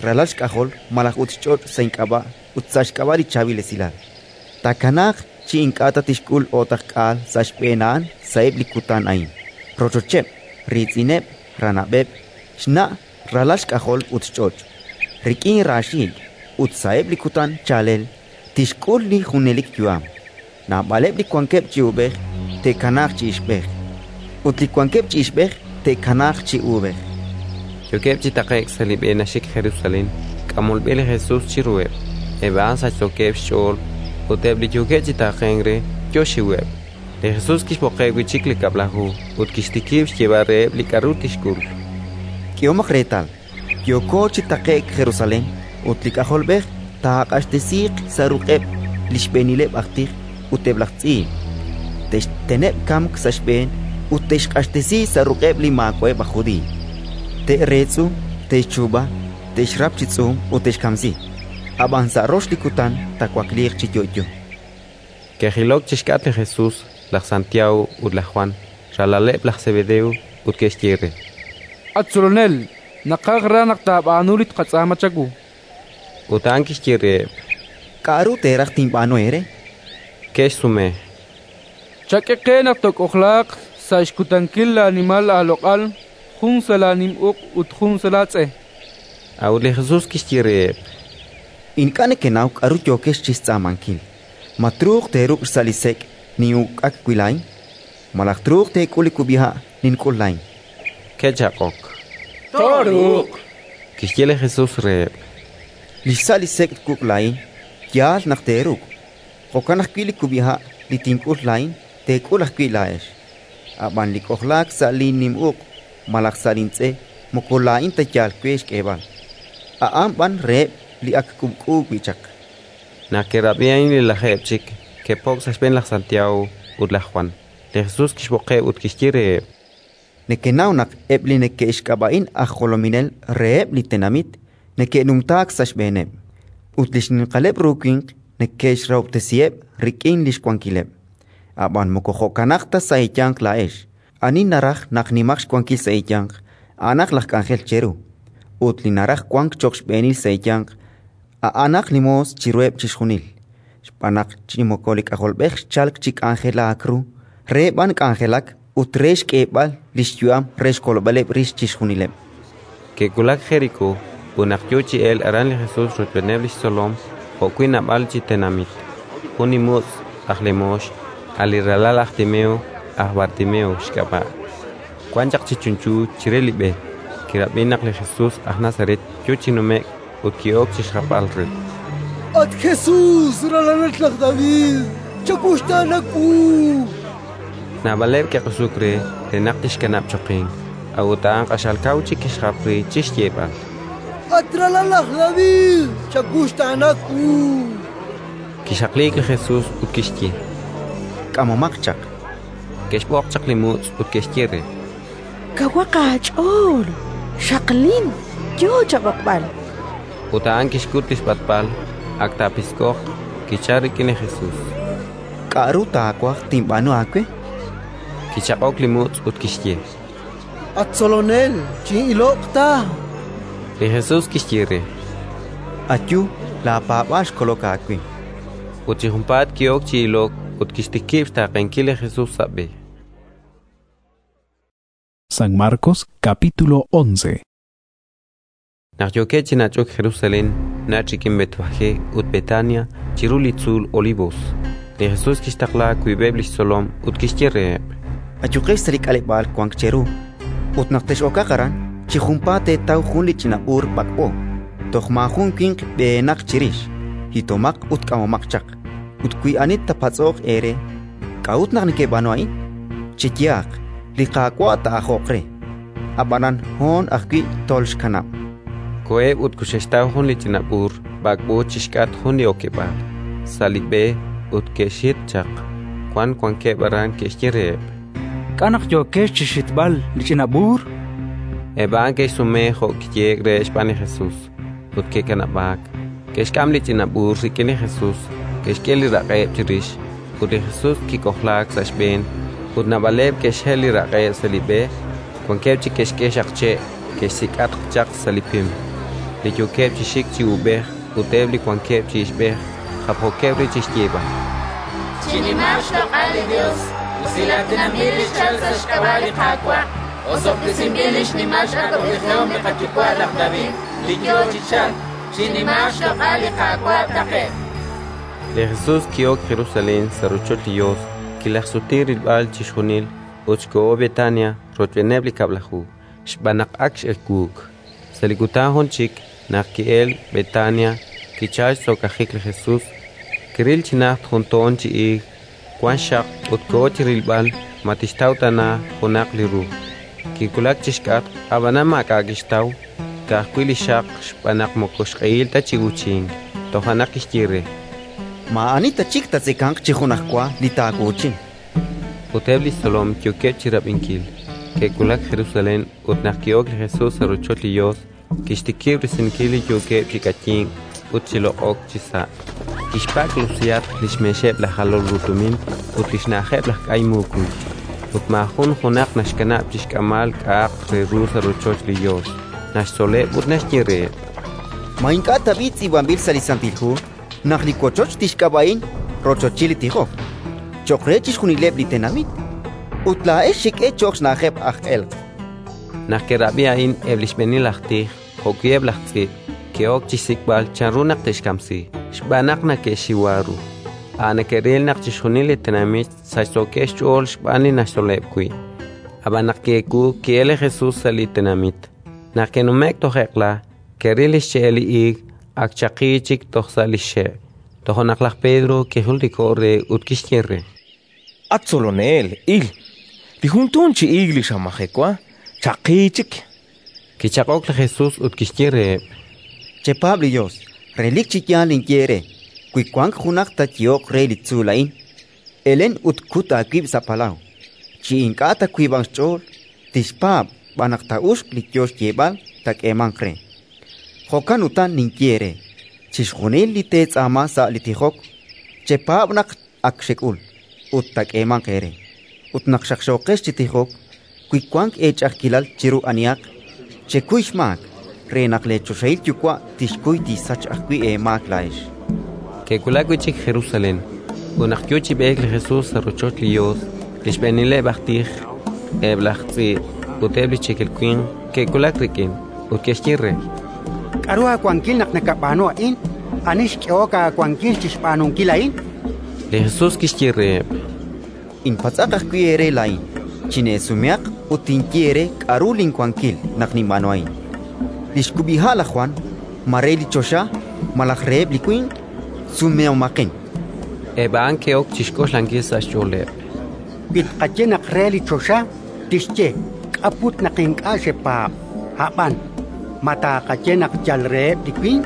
ralal xk'ajol malaj ut xch'och' sa' ink'ab'a' ut sa' xk'ab'a' li Chaab'il Esilal, taakanaaq chi ink'a' ta tixk'ul o'taqk'aal sa' xb'een a'an sa'eb' li kutan a'in: rochocheb', riitz'ineb', ranab'eb', xna', ralal xk'ajol ut xch'och', rik'in raaxiik'; ut sa'eb' li kutan chaalel tixk'ul li junelik yu'am. Naab'aleb' li wankeb' chi uub'ej te'kanaaq chi ixb'ej, ut li wankeb' chi ixb'ej te'kanaaq chi uub'ej. Yookeb' chi taqe'k sa' li b'e naxik Jerusalén, k'amol b'e li Jesus chiruheb'. Eb' a'an sachsookeb' xch'ool, ut eb' li yookeb' chi taaqenk re yo xxiweb'. Li Jesus kixb'oqeb' wi' chik li Kab'laju ut kixtikib' xyeeb'al reheb' li k'aru tixk'ul. K'ehomaq reetal, yooko chi taqe'k Jerusalén, ut li K'ajolb'ej taaq'axtesiiq sa' ruq'eb' li xb'eenileb' aj tij ut eb' laj tz'iib'. Te'xteneb' kamk sa' xb'een ut te'xq'axtesi sa' ruq'eb' li maawa'eb' aj Judiiy. Te'reetz'u, te'xchuub'a, te'xrap chi tz'uum ut te'xkamsi. Ab'an sa' rox li kutan taawakliiq chi yo'yo. Ke'jilok chi xk'atq li Jesus laj Santiago ut laj Jwan, ralaleb' laj Sebedeo, ut ke'xye re: At Tzolonel, naqaj raj naq taab'aanu li tqatz'aama chawu. Ut a'an kixye reheb': K'aru teeraj tinb'aanu eere? Ke'xsume: Chak'e qe naq took'ojlaaq sa' xkutankil laanimal aaloq'al, jun sa' laanim uq' ut jun sa' laatz'e. A'ut li Jesus kixye reheb': Ink'a' nekenaw k'aru yookex chi xtz'aamankil. Ma truuq teeruk' xsa' li sek' nin'uk'ak wi' laa'in? Malaj truuq teek'ul li kub'iha' nink'ul laa'in? Ke'chaq'ok: Tooruuq. Kixye li Jesus reheb': Li xsa' li sek' twuk' laa'in, yaal naq teeruk'. Jo'kan ajwi' li kub'iha' li tink'ul laa'in, teek'ul ajwi' laa'ex. Ab'an li k'ojlaak sa' linnim uq' malaj sa' lintz'e moko laa'in ta yaal we xk'eeb'al, a'an b'an reheb' li ak k'uub'k'u wi' chaq. Naq ke'rab'i a'in li lajeeb' chik, ke'po'k sa' xb'een laj Santiago ut laj Jwan. Li Jesus kixb'oqeb' ut kixye reheb': Nekenaw naq eb' li neke'xk'ab'a'in aj jolominel reheb' li tenamit neke'numtaak sa' xb'eeneb', ut li xninqaleb' ru winq neke'xrahob'tesiheb' rik'in li xwankileb'. Ab'an moko jo'kanaq ta sa' eeyanq laa'ex. Ani naraj naq nimaq xwankil sa' eeyanq, a'anaq laj k'anjel cheru; ut li naraj wank cho'q xb'eenil sa' eeyanq, a'anaq li moos chiruheb' chixjunil. Xb'aan naq chi moko li K'ajolb'ej xchalk chi k'anjelaak ru, re b'an k'anjelak ut re xk'eeb'al li xyu'am re xkolb'aleb' rix chixjunileb'. Ke'wulak Jerikó, ut naq yo chi elk aran li Jesus rochb'eeneb' li xtzolom jo'wi' naab'al chi tenamit, jun li mutz' aj lemoox, a' li ralal laj Timeo, aj Bartimeo xk'ab'a', wan chaq chi chunchu chire li b'e. Kirab'i naq li Jesus aj Nazaret yo chi nume'k ut ki'ok chi xjapb'al re: At Jesus, ralalat laj David, chawuxtaana wu! Naab'aleb' ke'q'usuk re, re naq tixkanab' choqink; a'ut a'an q'axal kaw chik kixjap re chi xyeeb'al: At ralal laj David, chawuxtaana wu! Kixaqliik li Jesus ut kixye: K'amomaq chaq. Ke'xb'oq chaq li mutz' ut ke'xye re: Kawaq aach'ool, xaqlin, yo chab'oqb'al. Ut a'an kixkut li xb'atb'al, ak taapisk'oq, kichalk rik'in li Jesus. K'aru taawaj tinb'aanu aawe? Kichaq'ok li mutz' ut kixye: At Tzolonel, chin'iloq ta. Li Jesus kixye re: Ayu, laapaab'aal xkolok aawe. Ut chi junpaat ki'ok chi ilok ut kixtikib' xtaaqenkil li Jesus sa' b'e. San Marcos capítulo 11. Naq yookeb' chi nach'ok Jerusalén, nach' rik'in Betfagé ut Betania chiru li tzuul Olivos, li Jesus kixtaqla wiib'eb' li xtzolom ut kixye reheb': Ayuqex sa' li k'aleb'aal wank cheru, ut naq tex'okaq aran, chi junpaat teetaw jun li ch'ina b'uur b'ak'b'o, toj maajun winq b'eenaq chirix. Hitomaq ut k'amomaq chaq. Ut wi ani taapatz'oq eere: «K'a'ut naq nekeb'aanu a'in?», cheyehaq: «Li Qaawa' taa'ajoq re». Ab'anan hoon ajwi' tolxkanab'. Koheb' ut koxe'xtaw jun li ch'ina b'uur b'ak'b'o chi xk'atq jun li okeb'aal, sa' li b'e, ut ke'xhit chaq. Wan wankeb' aran ke'xye reheb': K'a' naq yookex chi xhitb'al li ch'ina b'uur? Eb' a'an ke'xsume jo' kiyehe'k reheb' xb'aan li Jesus, ut ke'kanab'aak. Ke'xk'am li ch'ina b'uur rik'in li Jesus, ke'xk'e li raq'eb' chirix, ut li Jesus kik'ojlaak sa' xb'een. Ut naab'aleb' ke'xhel li raq'eb' sa' li b'e, wankeb' chik ke'xk'e xaqche' ke'xsik'atq chaq sa' li pim. Li yookeb' chi xik chi uub'ej ut eb' li wankeb' chi ixb'ej japjookeb' rib' chi xyeeb'al: Chinimaaq xloq'al li Yos, usilatinanb'il li xchalk sa' xk'ab'a' li Qaawa', osob'tesinb'il li xnimal x'awab'ejihom li qayuwa' laj David, li yo chi chalk. Chinimaaq xloq'al li Qaawa' taqe'q. Li Jesus ki'ok Jerusalén sa' rochoch li Yos, kilajxsuti rilb'al chixjunil ut xkoho Betania rochb'eeneb' li Kab'laju, xb'aan naq ak x'ewuuk. Sa' li kutan jun chik, naq ki'elk Betania, kichalk xtz'okajik li Jesus. Kiril chi najt jun toon chi iig wank xxaq ut koho chi rilb'al ma tixtaw tana junaq li ru. Kiwulak chi xk'atq, ab'anan maak'a' kixtaw, ka'ajwi' li xaq xb'aan naq moko xq'ehil ta chi uuchink. Toja' naq kixye re: Maa'ani ta chik taatzekanq chi junajwa li taawuuchin. Ut eb' li xtzolom yookeb' chi rab'inkil. Ke'wulak Jerusalén ut naq ki'ok li Jesus sa' rochoch li Yos, kixtikib' risinkil li yookeb' chi k'ayink ut chi loq'ok chisa'. Kixpak' lusiyatq li xmeexeb' laj jalol ru tumin ut li xna'ajeb' laj k'ay muukuy. Ut maajun junaq naxkanab' chi xk'amb'al k'a'aq re ru sa' rochoch li Yos. Naxtzoleb' ut naxye reheb': Ma ink'a' tab'i' tz'iib'anb'il sa' li Santil Hu naq li wochoch tixk'ab'a'in rochochil li tijok cho'q re chixjunileb' li tenamit? Ut laa'ex xek'e cho'q xna'ajeb' aj elq'. Naq ke'rab'i a'in eb' li xb'eenil aj tij jo'wi' eb' laj tz'iib', ke'ok chi xsik'b'al chanru naq te'xkamsi, xb'aan naq neke'xxiwa ru. A' neke'ril naq chixjunil li tenamit sachsookeb' xch'ool xb'aan li naxtzoleb' wi'. Ab'an naq ki'ewuuk, ki'elk li Jesus sa' li tenamit. Naq ke'nume'k toj eq'la, ke'ril li xche'el li iig ak chaqi chik toj sa' li xxe'. Toja' naq laj Pedro kijultiko'k re ut kixye re: At Tzolonel, il, li jun toon chi iig li xamajewa chaqi chik. Kichaq'ok li Jesus ut kixye reheb': Chepaab' li Yos. Relik chi yaal ninye eere: wi wank junaq taayehoq re li tzuul a'in: «Elen ut kut aawib' sa' palaw», chi ink'a' taawiib'anq xch'ool, tixpaab' b'an naq taa'uxq li yo xyeeb'al, taak'eemanq re. Jo'kan utan ninye eere: chixjunil li teetz'aama sa' li tijok, chepaab' naq ak xek'ul, ut taak'eemanq eere. Ut naq xaqxooqex chi tijok, wi wank eech'a'ajkilal chiru anihaq, chekuy xmaak, re naq leechoxahil Yuwa' tixkuy tixsach ajwi' eemaak laa'ex. Ke'wulak wi' chik Jerusalén, ut naq yo chi b'eek li Jesus sa' rochoch li Yos, li xb'eenileb' aj tij, eb' laj tz'iib' ut eb' li cheekel winq ke'wulak rik'in ut ke'xye re: K'aru aawankil naq nakab'aanu a'in? Ani xk'ehok aawankil chi xb'aanunkil a'in? Li Jesus kixye reheb': Inpatz'aq ajwi' eere laa'in, chineesumehaq ut tinye eere k'aru linwankil naq ninb'aanu a'in. Li xkub'iha' laj Jwan, ma re li choxa malaj reheb' li winq? Sumehomaqin. Eb' a'an ke'ok chi xk'oxlankil sa' xch'ooleb': Wi tqaye naq re li choxa, tixye: «K'a' put naq ink'a' xepaab'?» Ab'an, ma taaqaye naq yal reheb' li winq?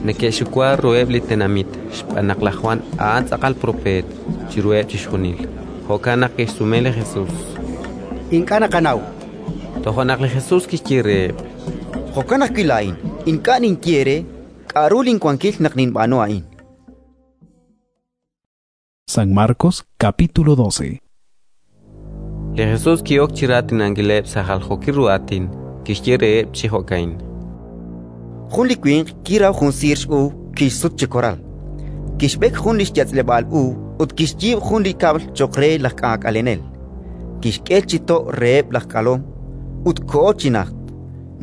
Neke'xxuwa ruheb' li tenamit xb'aan naq laj Jwan a'an tz'aqal propeet chiruheb' chixjunil. Jo'kan naq ke'xsume li Jesus: Ink'a' naqanaw. Toja' naq li Jesus kixye reheb': Jo'kan ajwi' laa'in ink'a' ninye eere k'aru linwankil naq ninb'aanu a'in. San Marcos capítulo 12. Li Jesus ki'ok chi raatinankileb' sa' jaljookil ru aatin, kixye reheb' chi jo'ka'in: Jun li winq kiraw jun siir x'uub' kixsut chi koral. Kixb'ek jun li xyatz'leb'aal uub' ut kixyiib' jun li kab'l cho'q re laj k'aak'alenel. Kixk'e chi to' reheb' laj k'alom ut koho chi najt.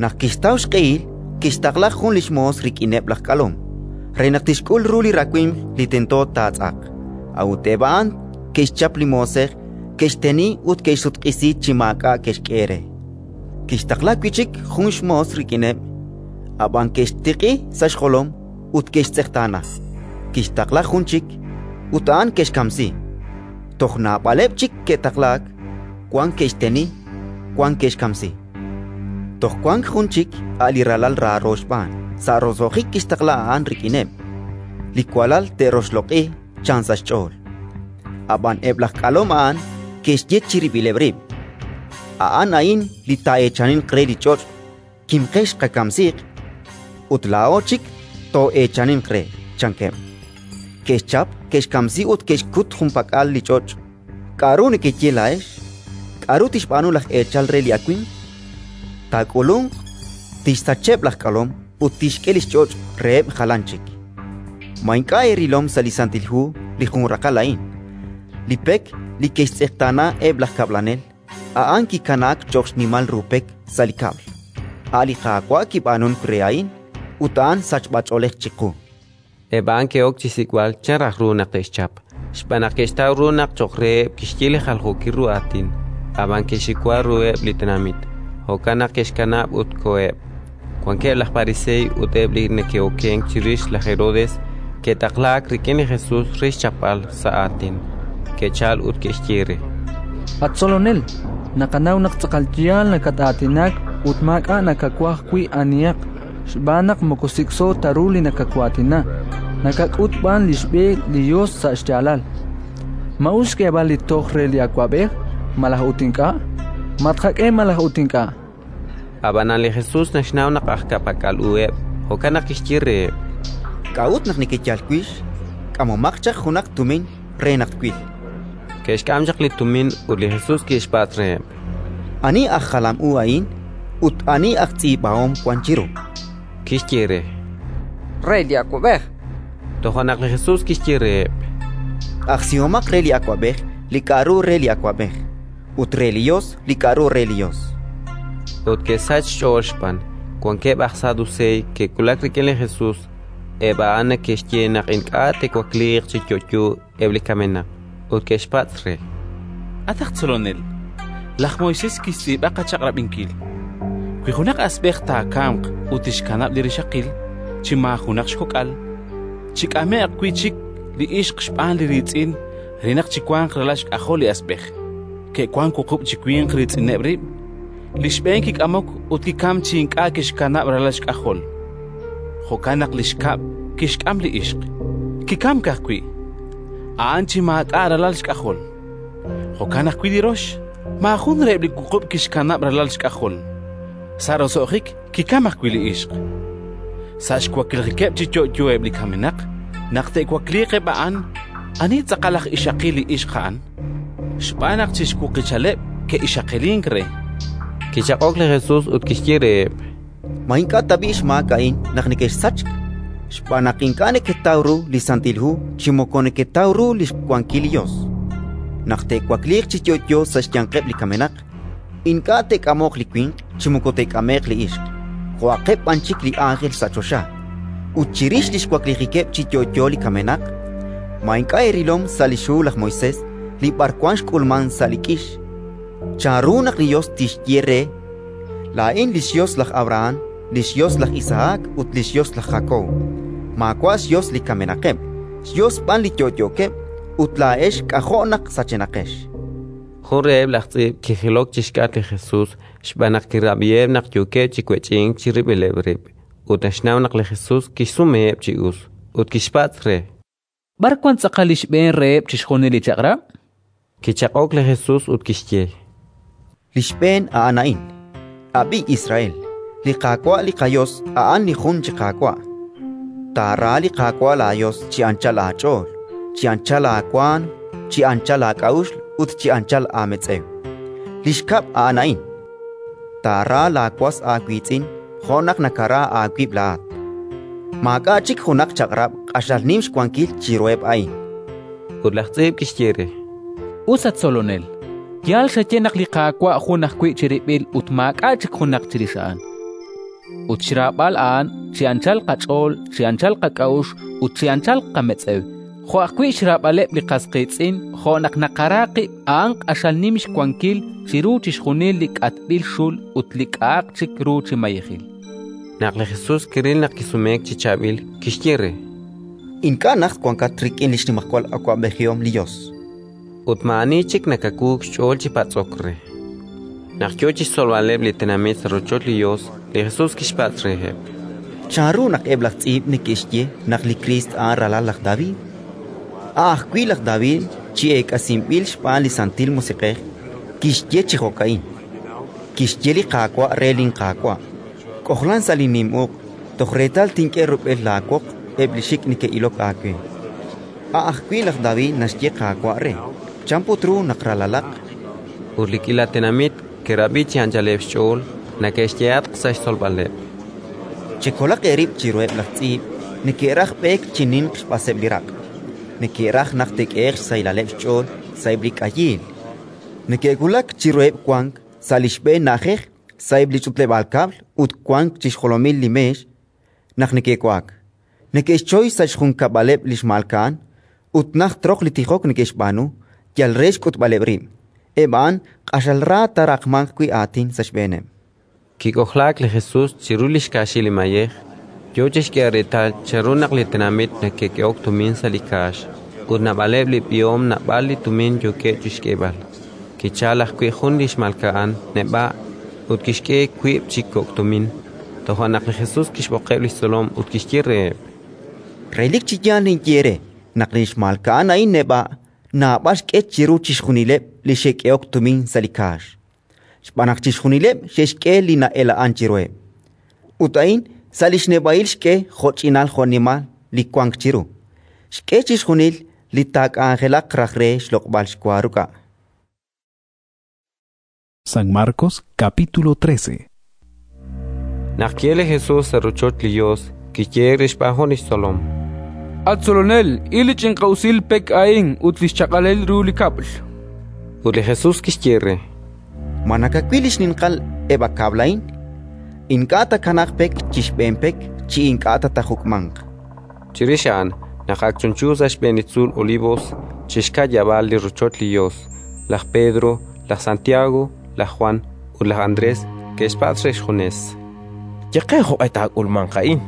Naq kixtaw xq'ehil, kixtaqla jun li xmoos rik'ineb' laj k'alom re naq tixk'ul ru li rawimq li tento taatz'aq. A'ut eb' a'an ke'xchap li moosej, ke'xteni ut ke'xsutq'isi chi maak'a' ke'xk'e re. Kixtaqla wi' chik jun xmoos rik'ineb', ab'an ke'xtiq'i sa' xjolom ut ke'xtz'eqtaana. Kixtaqla jun chik, ut a'an ke'xkamsi. Toj naab'aleb' chik ke'taqlaak: wan ke'xteni, wan ke'xkamsi. Toj wank jun chik, a' li ralal raaro xb'aan; sa' roso'jik kixtaqla a'an rik'ineb'. “Li walal te'roxloq'i”, chan sa' xch'ool. Ab'an eb' laj k'alom a'an ke'xye chirib'ileb' rib': “A'an a'in li taa'eechaninq re li ch'och'; kimqex qakamsiiq, ut laa'o chik too'eechaninq re”, chankeb'. Ke'xchap, ke'xkamsi ut ke'xkut junpak'al li ch'och'. K'aru nekeye laa'ex? K'aru tixb'aanu laj eechal re li awimq? Taak'ulunq, tixsacheb' laj k'alom ut tixk'e li xch'och' reheb' jalan chik. Ma ink'a' eerilom sa' li Santil Hu li jun raqal a'in: Li pek li ke'xtz'eqtaana eb' laj kab'lanel, a'an kikanaak cho'q xnimal ru pek sa' li kab'l. A' li Qaawa' kib'aanunk re a'in, ut a'an sachb'ach'oolej chiqu. Eb' a'an ke'ok chi xsik'b'al chan raj ru naq te'xchap, xb'aan naq ke'xtaw ru naq cho'q reheb' kixye li jaljookil ru aatin, ab'an ke'xxiwa ruheb' li tenamit; jo'kan naq ke'xkanab' ut koheb'. Wankeb' laj Pariseey ut eb' li neke'okenk chirix laj Herodes ke'taqlaak rik'in li Jesus re xchapb'al sa' aatin. Ke'chalk ut ke'xye re: At Tzolonel, naqanaw naq tz'aqal yaal nakat-aatinak ut maak'a' nakawaj wi' anihaq, xb'aan naq moko sik'so ta ru li nakawaatina, nakak'ut b'an li xb'e li Yos sa' xyaalal. Ma us xk'eeb'al li toj re li awab'ej malaj ut ink'a'? Ma tqak'e malaj ut ink'a'? Ab'anan li Jesus naxnaw naq aj ka'pak'al uheb', jo'kan naq kixye reheb': K'a'ut naq nekeyal wix? K'amomaq chaq junaq tumin re naq twil. Ke'xk'am chaq li tumin ut li Jesus kixpatz' reheb': Ani aj jalam u a'in ut ani aj tz'iib'ahom wank chiru? Kixye re: Re li awab'ej. Toja' naq li Jesus kixye reheb': Q'ajsihomaq re li awab'ej li k'aru re li awab'ej, ut re li Yos li k'aru re li Yos. Ut ke'sachk xch'ool xb'aan. Wankeb' aj Saduseey ke'wulak rik'in li Jesus; eb' a'an neke'xye naq ink'a' te'wakliiq chi yo'yo eb' li kamenaq, ut ke'xpatz' re: At aj Tzolonel, laj Moisés kixtz'iib'a qachaq'rab'inkil: Wi junaq asb'ej taakamq ut tixkanab' li rixaqil chi maajunaq xkok'al, chik'ame'q wi' chik li ixq xb'aan li riitz'in re naq chiwanq ralal xk'ajol li asb'ej. Ke'wank wuqub' chi winq riitz'ineb' rib'. Li xb'een kik'amok ut kikamk chi ink'a' kixkanab' ralal xk'ajol. Jo'kan naq li xkab' kixk'am li ixq, kikamk ajwi', a'an chi maak'a' ralal xk'ajol. Jo'kan ajwi' li rox, maajun reheb' li wuqub' kixkanab' ralal xk'ajol. Sa' roso'jik kikamk ajwi' li ixq. Sa' xwaklijikeb' chi yo'yo eb' li kamenaq, naq te'wakliiq eb' a'an, ani tz'aqal aj ixaqil li ixq a'an? Xb'aan naq chi xwuqichaleb' ke'ixaqilink re. Kichaq'ok li Jesus ut kixye reheb': Ma ink'a' tab'i' xmaak a'in naq nekexsachk? Xb'aan naq ink'a' neketaw ru li Santil Hu chi moko neketaw ru li xwankil li Yos. Naq te'wakliiq chi yo'yo sa' xyanqeb' li kamenaq, ink'a' te'k'amoq li winq chi moko te'k'ame'q li ixq, jo'aqeb' b'an chik li ánjel sa' choxa. Ut chirix li xwaklijikeb' chi yo'yo li kamenaq, ma ink'a' eerilom sa' li xhu laj Moisés li b'arwan xk'ulmank sa' li k'ix? Chanru naq li Yos tixye re: “Laa'in li xYos laj Abrahán, li xYos laj Isahak ut li xYos laj Jakob”? Maawa' xYos li kamenaqeb', xYos b'an li yo'yookeb'; ut laa'ex k'ajo' naq sachenaqex. Jun reheb' laj tz'iib' kijilok chi xk'atq li Jesus xb'aan naq kirab'iheb' naq yookeb' chi wech'ink chirib'ileb' rib', ut naxnaw naq li Jesus kixsumeheb' chi us, ut kixpatz' re: B'ar wank tz'aqal li xb'een reheb' chixjunil li chaq'rab'? Kichaq'ok li Jesus ut kixye: Li xb'een a'an a'in: «Ab'i, Israel, li Qaawa' li qaYos a'an li jun chi Qaawa'. Taara li Qaawa' laaYos chi anchal aach'ool, chi anchal aawaanm, chi anchal aak'a'uxl ut chi anchal aametz'ew». Li xkab' a'an a'in: «Taara laawas aawiitz'in jo' naq nakara aawib' laa'at». Maak'a' chik junaq chaq'rab' q'axal nim xwankil chiruheb' a'in. Ut laj tz'iib' kixye re: Us, at Tzolonel, yaal xaye naq li Qaawa' jun ajwi' chirib'il ut maak'a' chik junaq chirix a'an. Ut xraab'al a'an chi anchal qach'ool, chi anchal qak'a'uxl ut chi anchal qametz'ew, jo' ajwi' xraab'aleb' li qas qiitz'in jo' naq naqara qib', a'an q'axal nim xwankil chiru chixjunil li k'atb'il xul ut li k'a'aq chik ru chi mayejil. Naq li Jesus kiril naq kisumeek chi chaab'il, kixye re: Ink'a' najt wankat rik'in li xnimajwal awab'ejihom li Yos. Ut maa'ani chik nakawuuk xch'ool chi patz'ok re. Naq yo chi xtzolb'aleb' li tenamit sa' rochoch li Yos, li Jesus kixpatz' reheb': Chanru naq eb' laj tz'iib' neke'xye naq li Kriist a'an ralal laj David? A' ajwi' laj David, chi eek'asinb'il xb'aan li Santil Musiq'ej, kixye chi jo'ka'in: Kixye li Qaawa' re linQaawa': «K'ojlan sa' linnim uq' toj reetal tink'e rub'el laawoq eb' li xik' neke'ilok aawe». A' ajwi' laj David naxye Qaawa' re. Chan put ru naq ralalaq? Ut li k'iila tenamit ke'rab'i chi anchaleb' xch'ool neke'xyehatq sa' xtzolb'aleb': Chekolaq eerib' chiruheb' laj tz'iib': neke'raj b'eek chi ninq xb'aseb' li raq', neke'raj naq te'k'ehe'q xsahilaleb' xch'ool sa'eb' li k'ayiil, neke'wulak chiruheb' wank sa' li xb'een na'ajej sa'eb' li ch'utleb'aal kab'l ut wank chi xjolomil li meex naq neke'wa'ak; neke'xchoy sa' xjunkab'aleb' li xmalka'an ut najt roq li tijok neke'xb'aanu yal re xk'utb'aleb' rib'. Eb' a'an q'axal ra taaraqmanq wi' aatin sa' xb'eeneb'. Kik'ojlaak li Jesus chiru li xkaaxil li mayej, yo chi xk'eeb'al reetal chanru naq li tenamit neke'k'ehok tumin sa' li kaax, ut naab'aleb' li b'ihom naab'al li tumin yookeb' chi xk'eeb'al. Kichalk ajwi' jun li xmalka'an neb'a' ut kixk'e wiib' chi kok' tumin. Toja' naq li Jesus kixb'oqeb' li xtzolom ut kixye reheb': Relik chi yaal ninye eere naq li xmalka'an a'in neb'a' naab'al xk'e chiru chixjunileb' li xe'k'ehok tumin sa' li kaax, xb'aan naq chixjunileb' xe'xk'e li na'ela'ank chiruheb'; ut a'in sa' li xneb'a'il xk'e jo'ch'inal jo'nimal li wank chiru, xk'e chixjunil li taak'anjelaq raj re xloq'b'al xwa ruk'a'. San Marcos capítulo 13. Naq ki'elk li Jesus sa' rochoch li Yos, kiyehe'k re xb'aan jun li xtzolom: At Tzolonel, il li ch'inq'a'usil pek a'in ut li xchaq'alil ru li kab'l. Ut li Jesus kixye re: Ma nakawil li xninqal eb' a kab'l a'in? Ink'a' taakanaaq pek chi xb'een pek chi ink'a' ta taajuk'manq. Chirix a'an, naq ak chunchu sa' xb'een li tzuul Olivos, chi xka'yab'aal li rochoch li Yos, laj Pedro, laj Santiago, laj Jwan ut laj Andrés ke'xpatz' re xjunes: Ye qe jo'q'e taak'ulmanq a'in,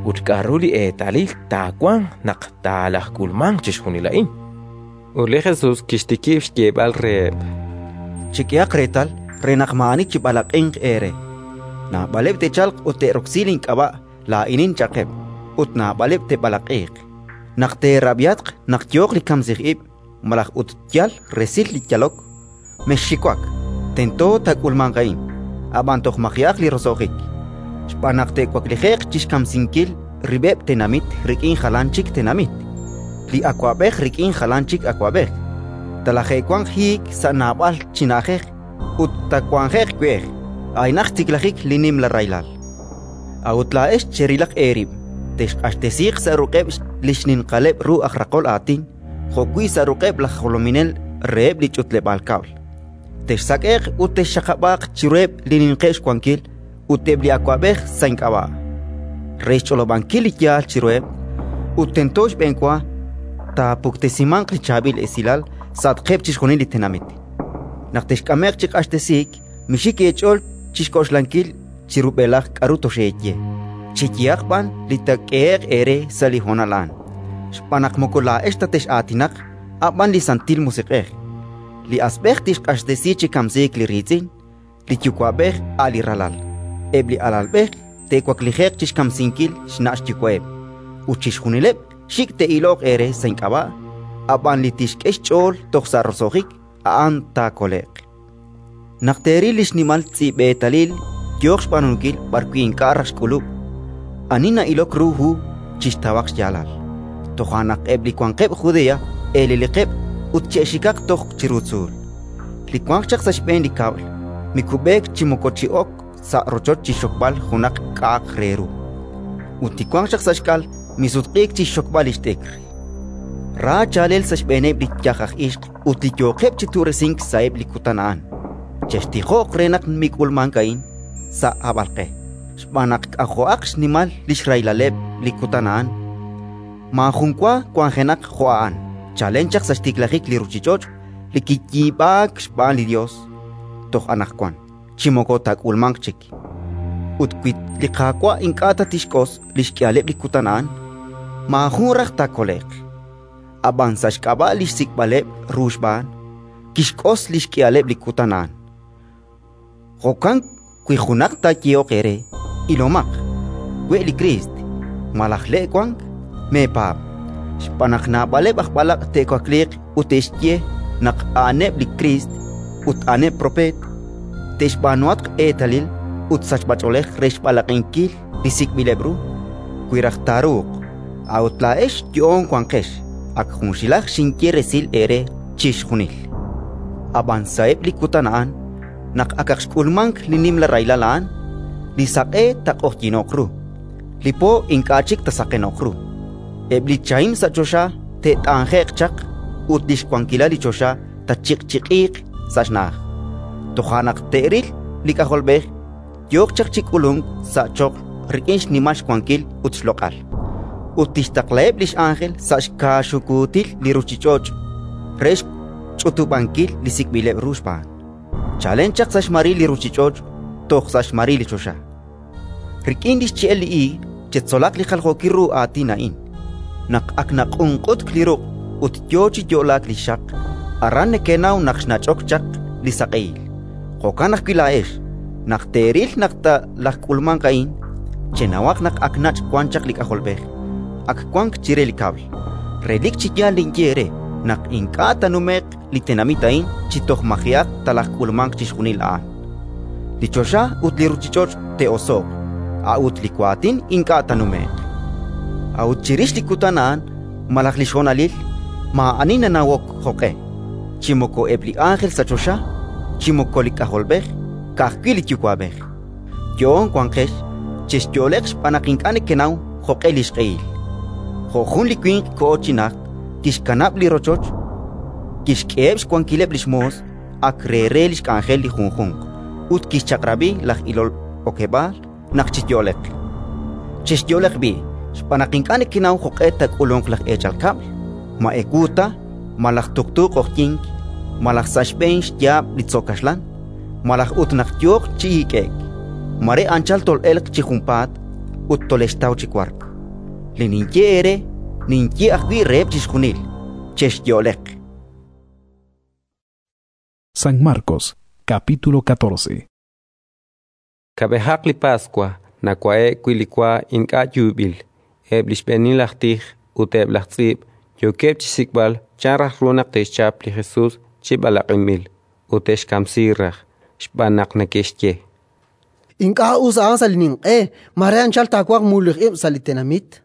ut k'aru li eetalil taawanq naq taalajk'ulmanq chixjunil a'in. Ut li Jesus kixtikib' xyeeb'al reheb': Chek'ehaq reetal re naq maa'ani chib'alaq'inq eere. Naab'aleb' te'chalq ut te'roksi link'ab'a' “Laa'inin” cha'qeb', ut naab'aleb' te'b'alaq'iiq. Naq teerab'ihatq naq yooq li kamsij ib' malaj ut yal resil li yalok, mexxiwak: tento taak'ulmanq a'in, ab'an toj maji'aq li roso'jik. Xb'aan naq te'waklije'q chi xkamsinkil rib'eb' tenamit rik'in jalan chik tenamit, li awab'ej rik'in jalan chik awab'ej. Talaje'wanq hiik sa' naab'al chi na'ajej ut taawanje'q we'ej. A'inaq xtiklajik li nimla rahilal. A'ut laa'ex cherilaq eerib': texq'axtesiiq sa' ruq'eb' li xninqaleb' ru aj raqol aatin jo'wi' sa' ruq'eb' laj jolominel reheb' li ch'utleb'aal kab'l. Texsak'e'q ut texxaqab'aaq chiruheb' li ninqeb' xwankil ut eb' li awab'ej sa' ink'ab'a', re xch'olob'ankil li yaal chiruheb'. Ut tento xb'enwa taapuktesimanq li Chaab'il Esilal sa'atqeb' chixjunil li tenamit. Naq texk'ame'q chi q'axtesiik, mixik eech'ool chi xk'oxlankil chi rub'elaj k'aru toxeeye, cheyehaq b'an li taak'ehe'q eere sa' li honal a'an, xb'aan naq moko laa'ex ta tex'aatinaq, a' b'an li Santil Musiq'ej. Li asb'ej tixq'axtesi chi kamsiik li riitz'in, li yuwa'b'ej a' li ralal. Eb' li alalb'ej te'waklije'q chi xkamsinkil xna' xyuwa'eb', ut chixjunileb' xik' te'iloq eere sa' ink'ab'a', ab'an li tixk'e xch'ool toj sa' roso'jik, a'an taakole'q. Naq teeril li xnimal tz'i'b'eetalil yooq xb'aanunkil b'arwi' ink'a' raj xk'ulub', ani na'ilok ru hu chixtawaq xyaalal. Toja' naq eb' li wanqeb' Judea eeleliqeb' ut che'xikaq toj chiru tzuul. Li wanq chaq sa' xb'een li kab'l mikub'eek chi moko chi'ok sa' rochoch chi xxokb'al junaq k'a'aq re ru. Ut li wanq chaq sa' xk'al misutq'iik chi xxokb'al li xt'ikr. Ra chaalel sa' xb'eeneb' li yaj aj ixq ut li yooqeb' chi tu'resink sa'eb' li kutan a'an. Chextijoq re naq mik'ulmank a'in sa' hab'alq'e, xb'aan naq k'ajo'aq xnimal li xrahilaleb' li kutan a'an. Maajun wa wanjenaq jo' a'an chalen chaq sa' xtiklajik li ruuchich'och' li kiyiib'aak xb'aan li Yos toj anaqwan, chi moko taak'ulmanq chik. Ut wi li Qaawa' ink'a' ta tixk'os li xk'ihaleb' li kutan a'an, maajun raj taakole'q. Ab'an sa' xk'ab'a' li xsik'b'aleb' ru xb'aan, kixk'os li xk'ihaleb' li kutan a'an. Jo'kan wi junaq taayehoq eere: «Ilomaq, we' li Kriist», malaj «Le' wank», meepaab'. Xb'aan naq naab'aleb' aj b'alaq' te'wakliiq ut te'xye naq a'aneb' li Kriist ut a'aneb' propeet, te'xb'aanuhatq eetalil ut sachb'ach'oolej re xb'alaq'inkil li sik'b'ileb' ru, wi raj taaruuq. A'ut laa'ex yo'oon wanqex, ak junxilaj xinye resil eere chixjunil. Ab'an sa'eb' li kutan a'an, naq akaq xk'ulmank li nimla rahilal a'an, li saq'e taaq'oqyino'q ru, li po ink'a' chik taasaqeno'q ru, eb' li chahim sa' choxa te't'anje'q chaq ut li xwankilal li choxa taachiq'chiq'iiq sa' xna'aj. Toja' naq te'ril li K'ajolb'ej yooq chaq chi k'ulunk sa' choql rik'in xnimal xwankil ut xloq'al, ut tixtaqlaheb' li x'ánjel sa' xkaaxukuutil li ruuchich'och' re xch'utub'ankil li sik'b'ileb' ru xb'aan, chalen chaq sa' xmaril li ruuchich'och' toj sa' xmaril li choxa. Rik'in li xche'el li iig chetzolaq li jaljookil ru aatin a'in: naq ak naq'unq'utk li ruq' ut yo chi yo'laak li xxaq, aran nekenaw naq xnach'ok chaq li saq'ehil. Jo'kan ajwi' laa'ex, naq teeril naq talajk'ulmanq a'in, chenawaq naq ak nach' wan chaq li K'ajolb'ej, ak wank chire li kab'l. Relik chi yaal ninye eere naq ink'a' taanume'q li tenamit a'in chi toj maji'aq talajk'ulmanq chixjunil a'an. Li choxa ut li ruuchich'och' te'oso'q, a'ut li waatin ink'a' taanume'q. A'ut chirix li kutan a'an malaj li xhonalil, maa'ani nanawok jo'q'e, chi moko eb' li ánjel sa' choxa, chi moko li K'ajolb'ej, ka'ajwi' li Yuwa'b'ej. Yo'oon wanqex, chexyo'leq xb'aan naq ink'a' nekenaw jo'q'e li xq'ehil. Jo' jun li winq koho chi najt, kixkanab' li rochoch, kixk'eheb' xwankileb' li xmoos ak re re li xk'anjel li junjunq, ut kixchaq'rab'i laj ilol okeb'aal naq chiyo'leq. Chexyo'leq b'i', xb'aan naq ink'a' nekenaw jo'q'e taak'ulunq laj eechal kab'l, ma ewu ta, malaj tuqtu q'oqyink, malaj sa' xb'een xyaab' li tzo' kaxlan, malaj ut naq yooq chi hik'e'k. Mare anchal tol'elq chi junpaat ut tolextaw chi wark. Li ninye eere, ninye ajwi' reheb' chixjunil: chexyo'leq. San Marcos, capítulo 14. Kab'ejaq li Paswa nawa'e'k wi' li wa ink'a' yuub'il. Eb' li xb'eenil aj tij ut eb' laj tz'iib' yookeb' chi xsik'b'al chan raj ru naq te'xchap li Jesus chi b'alaq'inb'il ut te'xkamsi raj, xb'aan naq neke'xye: Ink'a' us a'an sa' li ninq'e, mare anchal taawanq mululij ib' sa' li tenamit.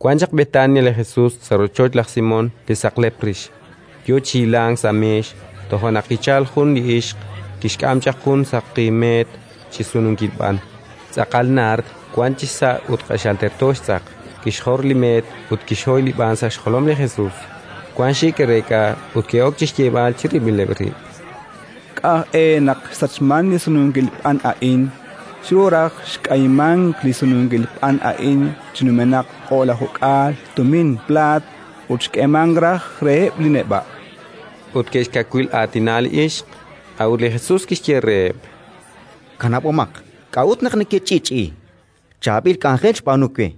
Wan chaq Betania li Jesus sa' rochoch laj Simón li saqlep rix, yo chi hilank sa' meex. Toja' naq kichalk jun li ixq, kixk'am chaq jun saqi meet chi sununkil b'an, tz'aqal naard wank chisa' ut q'axal terto xtz'aq. Kixjor li meet ut kixhoy li b'an sa' xjolom li Jesus. Wank xik ke'reek'a ut ke'ok chi xyeeb'al chirib'ileb' rib': K'a' e naq xsachmank li sununkil b'an a'in? Xru raj xk'ayimank li sununkil b'an a'in chi numenaq 10,000 tumin plaat ut xk'eemank raj reheb' li neb'a'. Ut ke'xkawil aatina li ixq. A'ut li Jesus kixye reheb': Kanab'omaq. K'a'ut naq nekech'i'ch'i'i? Chaab'il k'anjel xb'aanu we,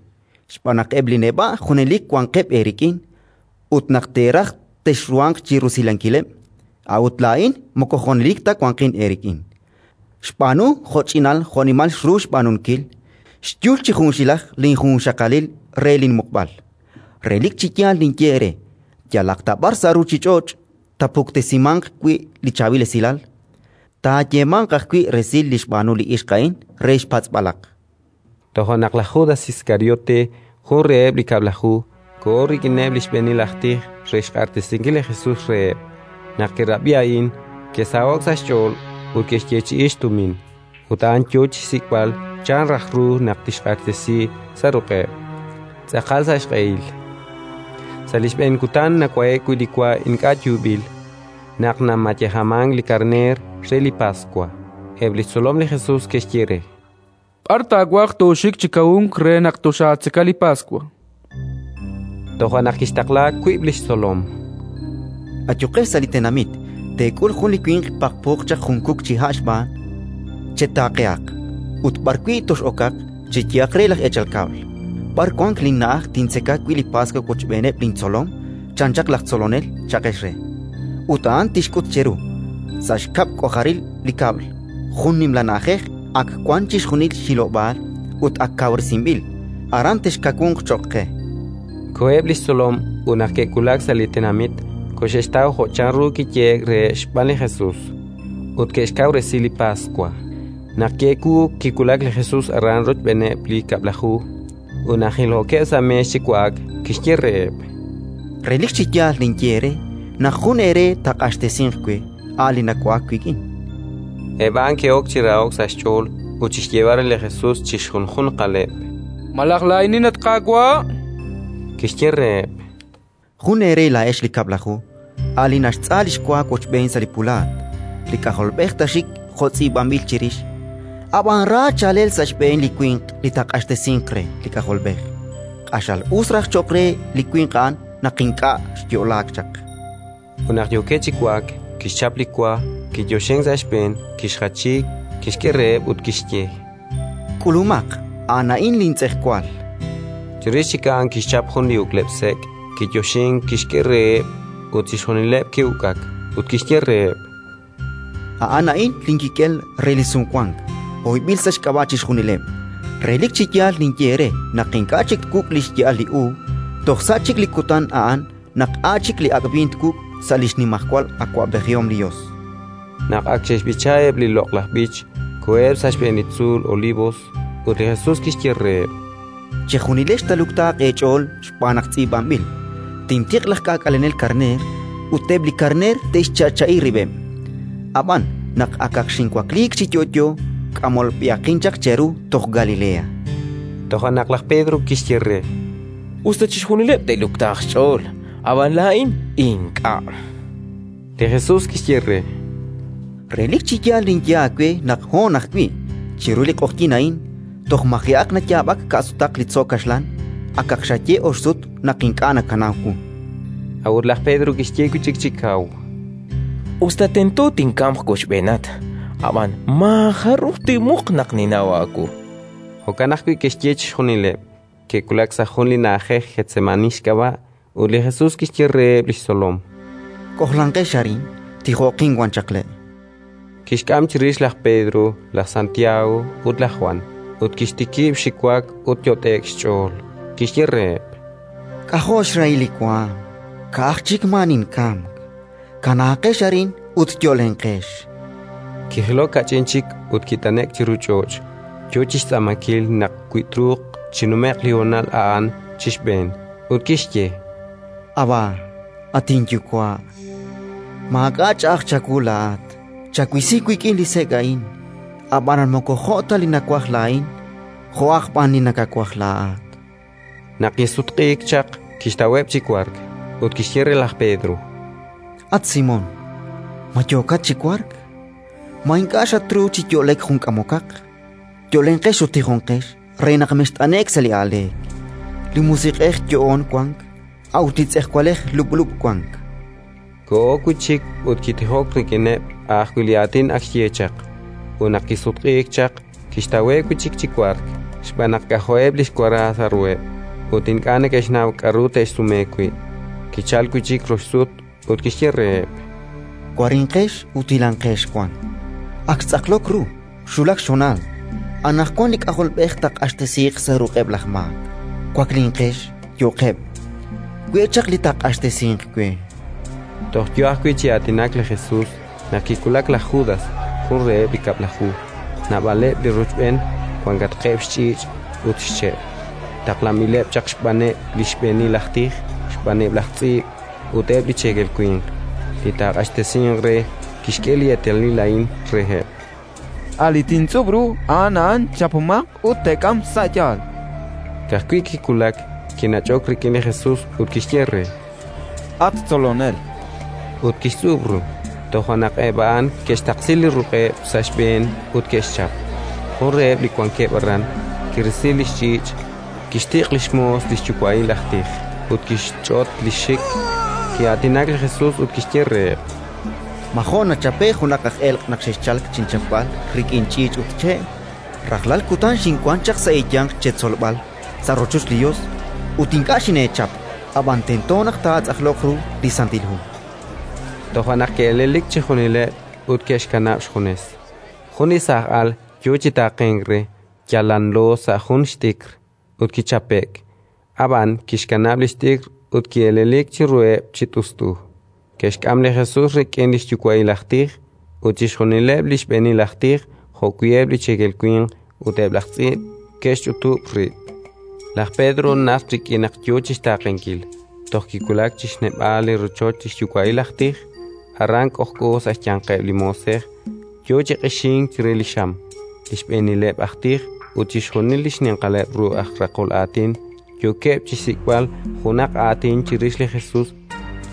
xb'aan naq eb' li neb'a' junelik wanqeb' eerik'in ut naq teeraj texruhanq chi rusilankileb', a'ut laa'in moko junelik ta wanqin eerik'in. Xb'aanu jo'ch'inal jo'nimal xru xb'aanunkil, xyul chi junxilaj linjunxaqalil re linmuqb'al. Relik chi yaal ninye eere: yalaq ta b'ar sa' ruuchich'och' taapuktesimanq wi' li Chaab'il Esilal, taayeemanq ajwi' resil li xb'aanu li ixq a'in re xpatz'b'alaq. Toja' naq laj Judas Iskariote, jun reheb' li Kab'laju, koho rik'ineb' li xb'eenil aj tij re xq'axtesinkil li Jesus reheb'. Naq ke'rab'i a'in, ke'saho'k sa' xch'ool ut ke'xyeechi'i xtumin. Ut a'an yo chi xsik'b'al chan raj ru naq tixq'axtesi sa' ruq'eb', tz'aqal sa' xq'ehil. Sa' li xb'een kutan nawa'e'k wi' li wa ink'a' yuub'il, naq namayejamank li karneer re li Paswa, eb' li xtzolom li Jesus ke'xye re: B'ar taawaj tooxik chi kawunk re naq toxaatzeka li Paswa? Toja' naq kixtaqla wiib' li xtzolom: Ayuqex sa' li tenamit, teek'ul jun li winq paqpooq chaq jun kuk chi ha' xb'aan. Chetaaqehaq, ut b'arwi' tox'okaq, cheyehaq re laj eechal kab'l: «B'ar wank linna'aj tintzeka wi' li Paswa wochb'eeneb' lintzolom?», chan chaq laj Tzolonel, cha'qex re. Ut a'an tixk'ut cheru, sa' xkab' k'ojaril li kab'l, jun nimla na'ajej ak wank chixjunil xhilob'aal ut ak kawresinb'il. Aran texkawunq cho'q qe. Koheb' li xtzolom ut naq ke'wulak sa' li tenamit, koxe'xtaw jo' chanru kiyehe'k reheb' xb'aan li Jesus, ut ke'xkawresi li Paswa. Naq ki'ewuuk, kiwulak li Jesus aran rochb'eeneb' li Kab'laju; ut naq jilookeb' sa' meex chi wa'ak, kixye reheb': Relik chi yaal ninye eere naq jun eere taaq'axtesinq we, a' li nawa'ak wik'in. Eb' a'an ke'ok chi raho'k sa' xch'ool ut chi xyeeb'al re li Jesus chi xjunjunqaleb': Malaj laa'inin, at Qaawa'? Kixye reheb': Jun eere laa'ex li Kab'laju, a' li naxtz'a li xwa wochb'een sa' li pulaat. Li K'ajolb'ej taaxik jo' tz'iib'anb'il chirix; ab'an ra chaalel sa' xb'een li winq li taaq'axtesinq re li K'ajolb'ej. Q'axal us raj cho'q re li winq a'an naq ink'a' xyo'laak chaq. Ut naq yookeb' chi wa'ak, kixchap li wa, kiyoxink sa' xb'een, kixjachi, kixk'e reheb' ut kixye: K'ulumaq, a'an a'in lintz'ejwal. Chirix chik a'an kixchap jun li uk'leb' sek', kiyoxink, kixk'e reheb', ut chixjunileb' ke'uk'ak. Ut kixye reheb': A'an a'in linkik'el re li Sumwank, hoyb'il sa' xk'ab'a' chixjunileb'. Relik chi yaal ninye eere naq ink'a' chik twuk' li xya'al li uub' toj sa' chik li kutan a'an naq a' chik li ak' b'iin twuk' sa' li xnimajwal awab'ejihom li Yos. Naq ak xe'xb'icha eb' li loq'laj b'ich, koheb' sa' xb'een li tzuul Olivos, ut li Jesus kixye reheb': Chejunilex taaluktaaq eech'ool xb'aan naq tz'iib'anb'il: «Tintiq' laj k'aak'alenel karneer, ut eb' li karneer te'xcha'cha'i rib'eb'». Ab'an naq akaq xinwakliik chi yo'yo, k'amolb'ehaqin chaq cheru toj Galilea. Toja' naq laj Pedro kixye re: Us ta chixjunileb' te'luktaaq xch'ool, ab'an laa'in ink'a'. Li Jesus kixye re: Relik chi yaal ninye aawe naq hoon ajwi', chiru li q'oqyink a'in, toj maji'aq nayaab'ak ka'sutaq li tzo' kaxlan, akaq xaye ox sut naq ink'a' nakanaw wu. A'ut laj Pedro kixye wi' chik chi kaw: Us ta tento tinkamq wochb'eenat, ab'an maajaruj tinmuq naq ninnaw aawu. Jo'kan ajwi' ke'xye chixjunileb'. Ke'wulak sa' jun li na'ajej Getsemaní xk'ab'a', ut li Jesus kixye reheb' li xtzolom: K'ojlanqex arin, tijo'qin wan chaq le'. Kixk'am chirix laj Pedro, laj Santiago ut laj Jwan, ut kixtikib' xiwak ut yot'e'k xch'ool. Kixye reheb': K'ajo' xrahil li waanm, ka'aj chik maa ninkamk. Kanaaqex arin ut yo'lenqex. Kijilok kach'in chik ut kit'ane'k chiru ch'och', yo chi xtz'aamankil naq wi truuq chinume'q li honal a'an chi xb'een. Ut kixye: Abba, at inYuwa', maak'a' ch'a'aj chawu laa'at. Chawisi wik'in li sek' a'in; ab'anan moko jo' ta li nawaj laa'in, jo'aq b'an li nakawaj laa'at. Naq kisutq'iik chaq, kixtaweb' chi wark, ut kixye re laj Pedro: At Simón, ma yookat chi wark? Ma ink'a' xatruuk chi yo'lek jun k'amokaq? Yo'lenqex ut tijonqex re naq mext'ane'k sa' li aaleek. Li musiq'ej yo'oon wank, a'ut li tz'ejwalej lub'lub' wank. Koho wi' chik ut kitijok rik'ineb' a' ajwi' li aatin ak xye chaq. Ut naq kisutq'iik chaq, kixtaweb' wi' chik chi wark, xb'aan naq k'ajo'eb' li xwara sa' ruheb', ut ink'a' neke'xnaw k'aru te'xsume wi'. Kichalk wi' chik rox sut ut kixye reheb': Warinqex ut hilanqex wan. Ak xtz'aqlok ru, xwulak xhonal. Anaqwan li K'ajolb'ej taaq'axtesiiq sa' ruq'eb' laj maak. Waklinqex, yo'qeb'. We' chaq li taaq'axtesinq we. Toj yo ajwi' chi aatinak li Jesus naq kiwulak laj Judas, jun reheb' li Kab'laju, naab'aleb' li rochb'een wankatqeb' xch'iich' ut xche', taqlanb'ileb' chaq xb'aaneb' li xb'eenil aj tij, xb'aaneb' laj tz'iib' ut eb' li cheekel winq. Li taaq'axtesinq re kixk'e li eetalil a'in reheb': A' li tintz'ub' ru, a'an a'an. Chapomaq ut teek'am sa' yaal. Ka'ajwi' kiwulak, Kinach'ok rik'in li Jesus ut kixye re: —At Tzolonel! Ut kixtz'ub' ru. Toja' naq eb' a'an ke'xtaqsi li ruq'eb' sa' xb'een ut ke'xchap. Jun reheb' li wankeb' aran kirisi li xch'iich', kixtiq' li xmoos li xyuwa'il aj tij ut kixch'ot li xxik. Ki'aatinak li Jesus ut kixye reheb': Ma jo' nachape'k junaq aj elq' naq xexchalk chinchapb'al rik'in ch'iich' ut che'? Rajlal kutan xinwank chaq sa' eeyanq cheetzolb'al sa' rochoch li Yos, ut ink'a' xineechap; ab'an tento naq taatz'aqloq ru li Santil Hu. Toja' naq ke'elelik chixjunileb' ut ke'xkanab' xjunes. Jun li saaj al yo chi taaqenk re, yal lanlo sa' jun xt'ikr, ut kichape'k. Ab'an kixkanab' li xt'ikr ut ki'elelik chiruheb' chi t'ust'u. Ke'xk'am li Jesus rik'in li xyuwa'il aj tij, ut chixjunileb' li xb'eenil aj tij jo'wi' eb' li cheekel winq ut eb' laj tz'iib' ke'xch'utub' rib'. Laj Pedro najt rik'in naq yo chi xtaaqenkil, toj kiwulak chi xneb'aal li rochoch li xyuwa'il aj tij. Aran k'ojk'o sa' xyanqeb' li moosej, yo chi q'ixink chire li xam. Li xb'eenileb' aj tij ut chixjunil li xninqaleb' ru aj raqol aatin yookeb' chi xsik'b'al junaq aatin chirix li Jesus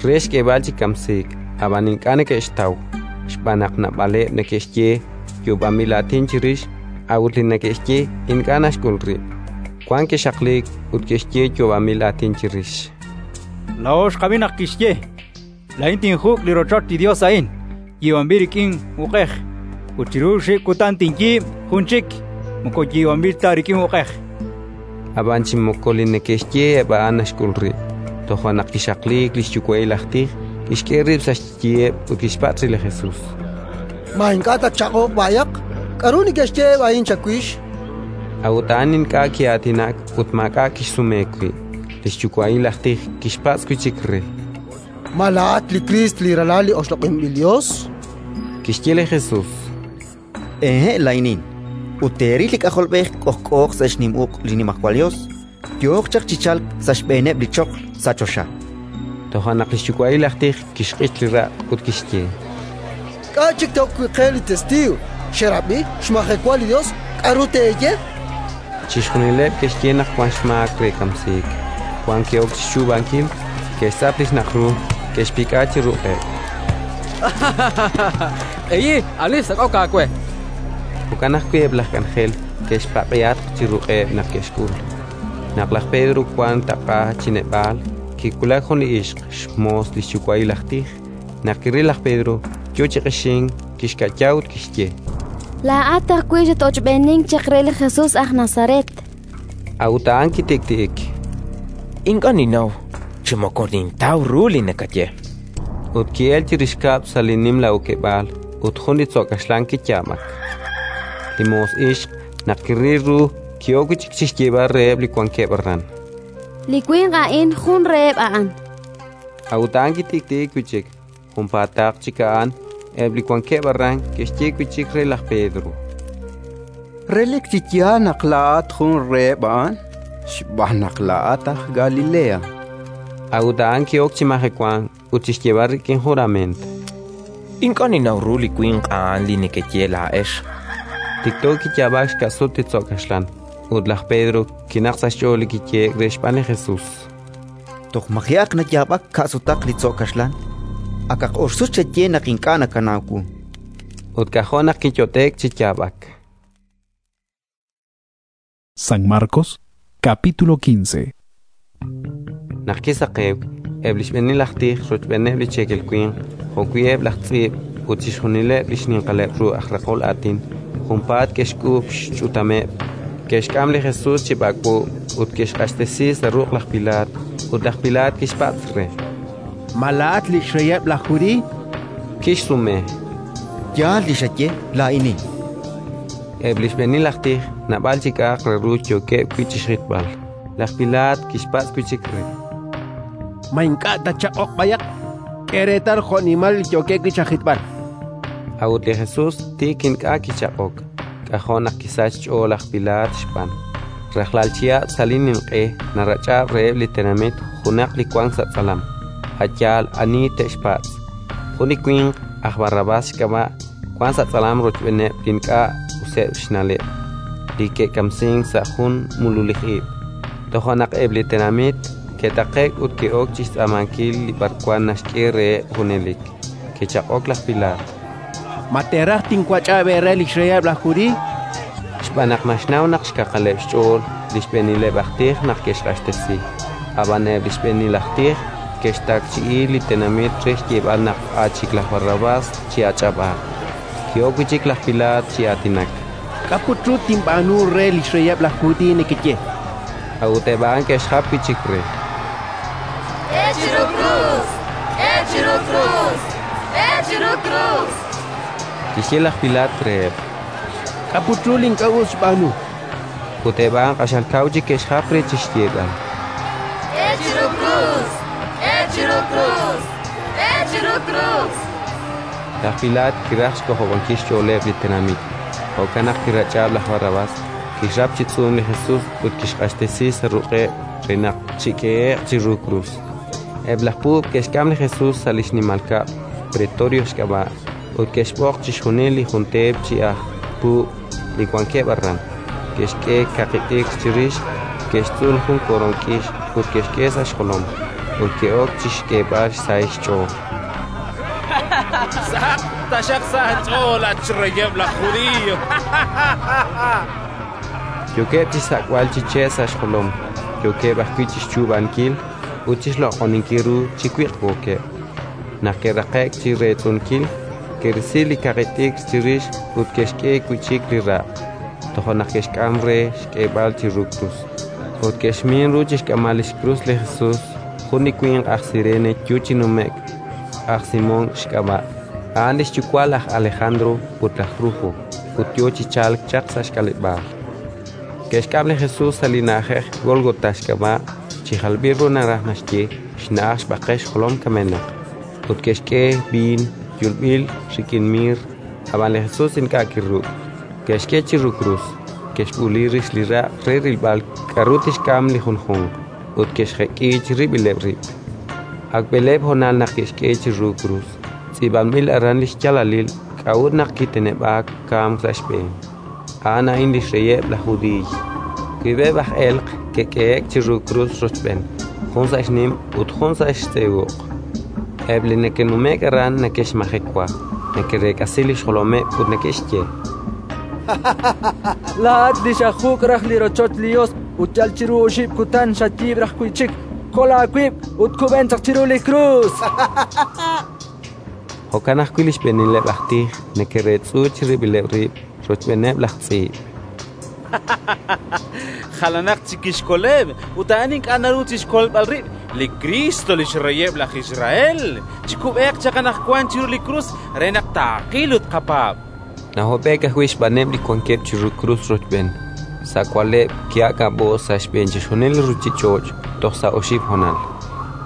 re xk'eeb'al chi kamsiik, ab'an ink'a' neke'xtaw, xb'aan naq naab'aleb' neke'xye yoob'anb'il aatin chirix, a'ut li neke'xye ink'a' naxk'ul rib'. Wank ke'xaqliik ut ke'xye yoob'anb'il aatin chirix: Laa'o xqab'i naq kixye: “Laa'in tinjuk' li rochoch li Yos a'in, yiib'anb'il rik'in uq'ej, ut chiru oxib' kutan tinyiib' jun chik moko yiib'anb'il ta rik'in uq'ej”. Ab'an chi moko li neke'xye eb' a'an naxk'ul rib'. Toja' naq kixaqliik li xyuwa'il aj tij, kixk'e rib' sa' xyiheb' ut kixpatz' re li Jesus: Ma ink'a' tatchaq'oq b'ayaq? K'aru neke'xye eb' a'in chawix? A'ut a'an ink'a' ki'aatinak ut maak'a' kixsume wi'. Li xyuwa'il aj tij kixpatz' wi' chik re: Ma laa'at li Kriist, li Ralal li oxloq'inb'il Yos? Kixye li Jesus: Ehe', laa'inin. Ut teeril li K'ajolb'ej k'ojk'ooq sa' xnim uq' li Nimajwal Yos, yooq chaq chi chalk sa' xb'eeneb' li choql sa' choxa. Toja' naq li xyuwa'il aj tij kixq'ich li raq' ut kixye: K'a' chik te'ok wi' qe li testiiw? Xerab'i, xmajewa li Yos. K'aru teeye? Chixjunileb' ke'xye naq wank xmaak re kamsiik. Wank ke'ok chi xchuub'ankil, ke'xtz'ap li xnaq' ru, ke'xpik'a chi ruq'eb'. Q'eyi, ani xsak'ok aawe? Jo'kan ajwi' eb' laj k'anjel ke'xpaq'ihatq chi ruq'eb' naq ke'xk'ul. Naq laj Pedro wank taq'a chi neb'aal, kiwulak jun li ixq, xmoos li xyuwa'il aj tij. Naq kiril laj Pedro yo chi q'ixink, kixka'ya ut kixye: Laa'at ajwi' xat-ochb'eenink chaq re li Jesus aj Nazaret. A'ut a'an kitik'ti'ik: Ink'a' ninnaw chi moko nintaw ru li nakaye. Ut ki'elk chirix kab'l sa' li nimla okeb'aal, ut jun li tzo' kaxlan kiyaab'ak. Li moos ixq, naq kiril ru, ki'ok wi' chik chi xyeeb'al reheb' li wankeb' aran: Li winq a'in jun reheb' a'an. A'ut a'an kitik'ti'ik wi' chik. Junpaataq chik a'an, eb' li wankeb' aran ke'xye wi' chik re laj Pedro: Relik chi yaal naq laa'at jun reheb' a'an, xb'aan naq laa'at aj Galilea. A'ut a'an ki'ok chi majewank ut chi xyeeb'al rik'in jurament: Ink'a' ninnaw ru li winq a'an li nekeye laa'ex. Tikto kiyaab'ak xka'sut li tzo' kaxlan, ut laj Pedro kinaqk sa' xch'ool li kiyehe'k re xb'aan li Jesus: Toj maji'aq nayaab'ak ka'sutaq li tzo' kaxlan, akaq oxsut xaye naq ink'a' nakanaw wu. Ut k'ajo' naq kiyot'e'k chi yaab'ak. San Marcos, capítulo 15. Naq kisaqewk, eb' li xb'eenil aj tij rochb'eeneb' li cheekel winq jo'wi' eb' laj tz'iib' ut chixjunileb' li xninqaleb' ru aj raqol aatin junpaat ke'xk'uub' xch'utameb', ke'xk'am li Jesus chi b'ak'b'o ut ke'xq'axtesi sa' ruq' laj Pilaat. Ut laj Pilaat kixpatz' re: Ma laa'at li xreyeb' laj Judiiy? Kixsume: Yaal li xaye, laa'inin. Eb' li xb'eenil aj tij naab'al chi k'a'aq re ru yookeb' wi' chi xjitb'al. Laj Pilaat kixpatz' wi' chik re: Ma ink'a' tatchaq'oq b'ayaq? K'e reetal jo'nimal li yookeb' wi' chajitb'al. A'ut li Jesus tiik ink'a' kichaq'ok, k'ajo' naq kisachk xch'ool laj Pilaat xb'aan. Rajlal chihab' sa' li ninq'e narach'ab' reheb' li tenamit junaq li wank sa' tz'alam, a' yaal ani te'xpatz'. Jun li winq aj Barrabás xk'ab'a' wank sa' tz'alam rochb'eeneb' li ink'a' useb' xna'leb', li ke'kamsink sa' jun mululij ib'. Toja' naq eb' li tenamit ke'taqe'k ut ke'ok chi xtz'aamankil li b'arwan naxk'e reheb' junelik. Kichaq'ok laj Pilaat: Ma teeraj tinwach'ab' eere li xreyeb' laj Judiiy? Xb'aan naq naxnaw naq xkaqaleb' xch'ool li xb'eenileb' aj tij naq ke'xq'axtesi. Ab'an eb' li xb'eenil aj tij ke'xtakchi'i li tenamit re xyeeb'al naq a' chik laj Barrabás chi'ach'ab'aaq. Ki'ok wi' chik laj Pilaat chi aatinak: K'a' put ru tinb'aanu re li xreyeb' laj Judiiy nekeye? A'ut eb' a'an ke'xjap wi' chik re: K'e chiru krus! K'e chiru krus! K'e chiru krus! Kixye laj Pilaat reheb': K'a' put ru li ink'a' us xb'aanu? Ut eb' a'an q'axal kaw chik ke'xjap re chi xyeeb'al: K'e chiru krus! K'e chiru krus! K'e chiru krus! Laj Pilaat kiraj xk'ojob'ankil xch'ooleb' li tenamit, jo'kan naq kirach'ab' laj Barrabás, kixrap chi tz'uum li Jesus ut kixq'axtesi sa' ruq'eb' re naq chik'ehe'q chiru krus. Eb' laj puub' ke'xk'am li Jesus sa' li xnimal kab'l, Pretorio xk'ab'a', ut ke'xb'oq chixjunil li jun teep chi aj puub' li wankeb' aran. Ke'xk'e kaqi t'ikr chirix, ke'xtz'ul jun koroon k'ix ut ke'xk'e sa' xjolom, ut ke'ok chi xk'eeb'al xsahil xch'ool. Sahaq taxaq sa' aach'ool, at xreyeb' laj Judiiy! Yookeb' chi xsak'b'al chi che' sa' xjolom, yookeb' ajwi' chi xchuub'ankil ut chi xloq'oninkil ru chi wiq'wookeb'. Naq ke'raqe'k chi reetz'unkil, ke'risi li kaqi t'ikr chirix ut ke'xk'e wi' chik li raq'. Toja' naq ke'xk'am re xk'eeb'al chiru krus. Ut ke'xmin ru chi xk'amb'al li xkrus li Jesus jun li winq aj Sirene yo chi nume'k, aj Simón xk'ab'a', a'an li xyuwa' laj Alejandro ut laj Rufo, ut yo chi chalk chaq sa' xk'aleb'aal. Ke'xk'am li Jesus sa' li na'ajej Gólgota xk'ab'a', chi jalb'il ru naraj naxye: xna'aj xb'aqel xjolom kamenaq. Ut ke'xk'e b'iin yulb'il rik'in miir, ab'an li Jesus ink'a' kiruk'. Ke'xk'e chiru krus, ke'xb'uuli rix li raq' re rilb'al k'aru tixk'am li junjunq, ut ke'xjek'i chirib'ileb' rib'. Ak b'eleeb' honal naq ke'xk'e chiru krus. Tz'iib'anb'il aran li xyaalalil k'a'ut naq kiteneb'aak kamk sa' xb'een: A'an a'in li xreyeb' laj Judiiy. Wiib'eb' aj elq' ke'k'ehe'k chiru krus rochb'een, jun sa' xnim ut jun sa' xtz'e uq'. Eb' li neke'nume'k aran neke'xmajewa, neke'reek'asi li xjolomeb' ut neke'xye: Laa'at li xajuk' raj li rochoch li Yos ut yal chiru oxib' kutan xayiib' raj wi' chik, kol aawib' ut kub'en chaq chiru li krus! Jo'kan ajwi' li xb'eenileb' aj tij neke'reetz'u chirib'ileb' rib' rochb'eeneb' laj tz'iib'. Jalanaq chik kixkoleb', ut a'an ink'a' naru chi xkolb'al rib', li Kristo, li xreyeb' laj Israel. Chikub'eeq chaq anaqwan chiru li krus re naq taaqil ut tqapaab'. Nahob'e'k ajwi' xb'aaneb' li wankeb' chiru krus rochb'een. Sa' wa'leb' ki'aak'ab'o'k sa' xb'een chixjunil li ruuchich'och' toj sa' oxib' honal.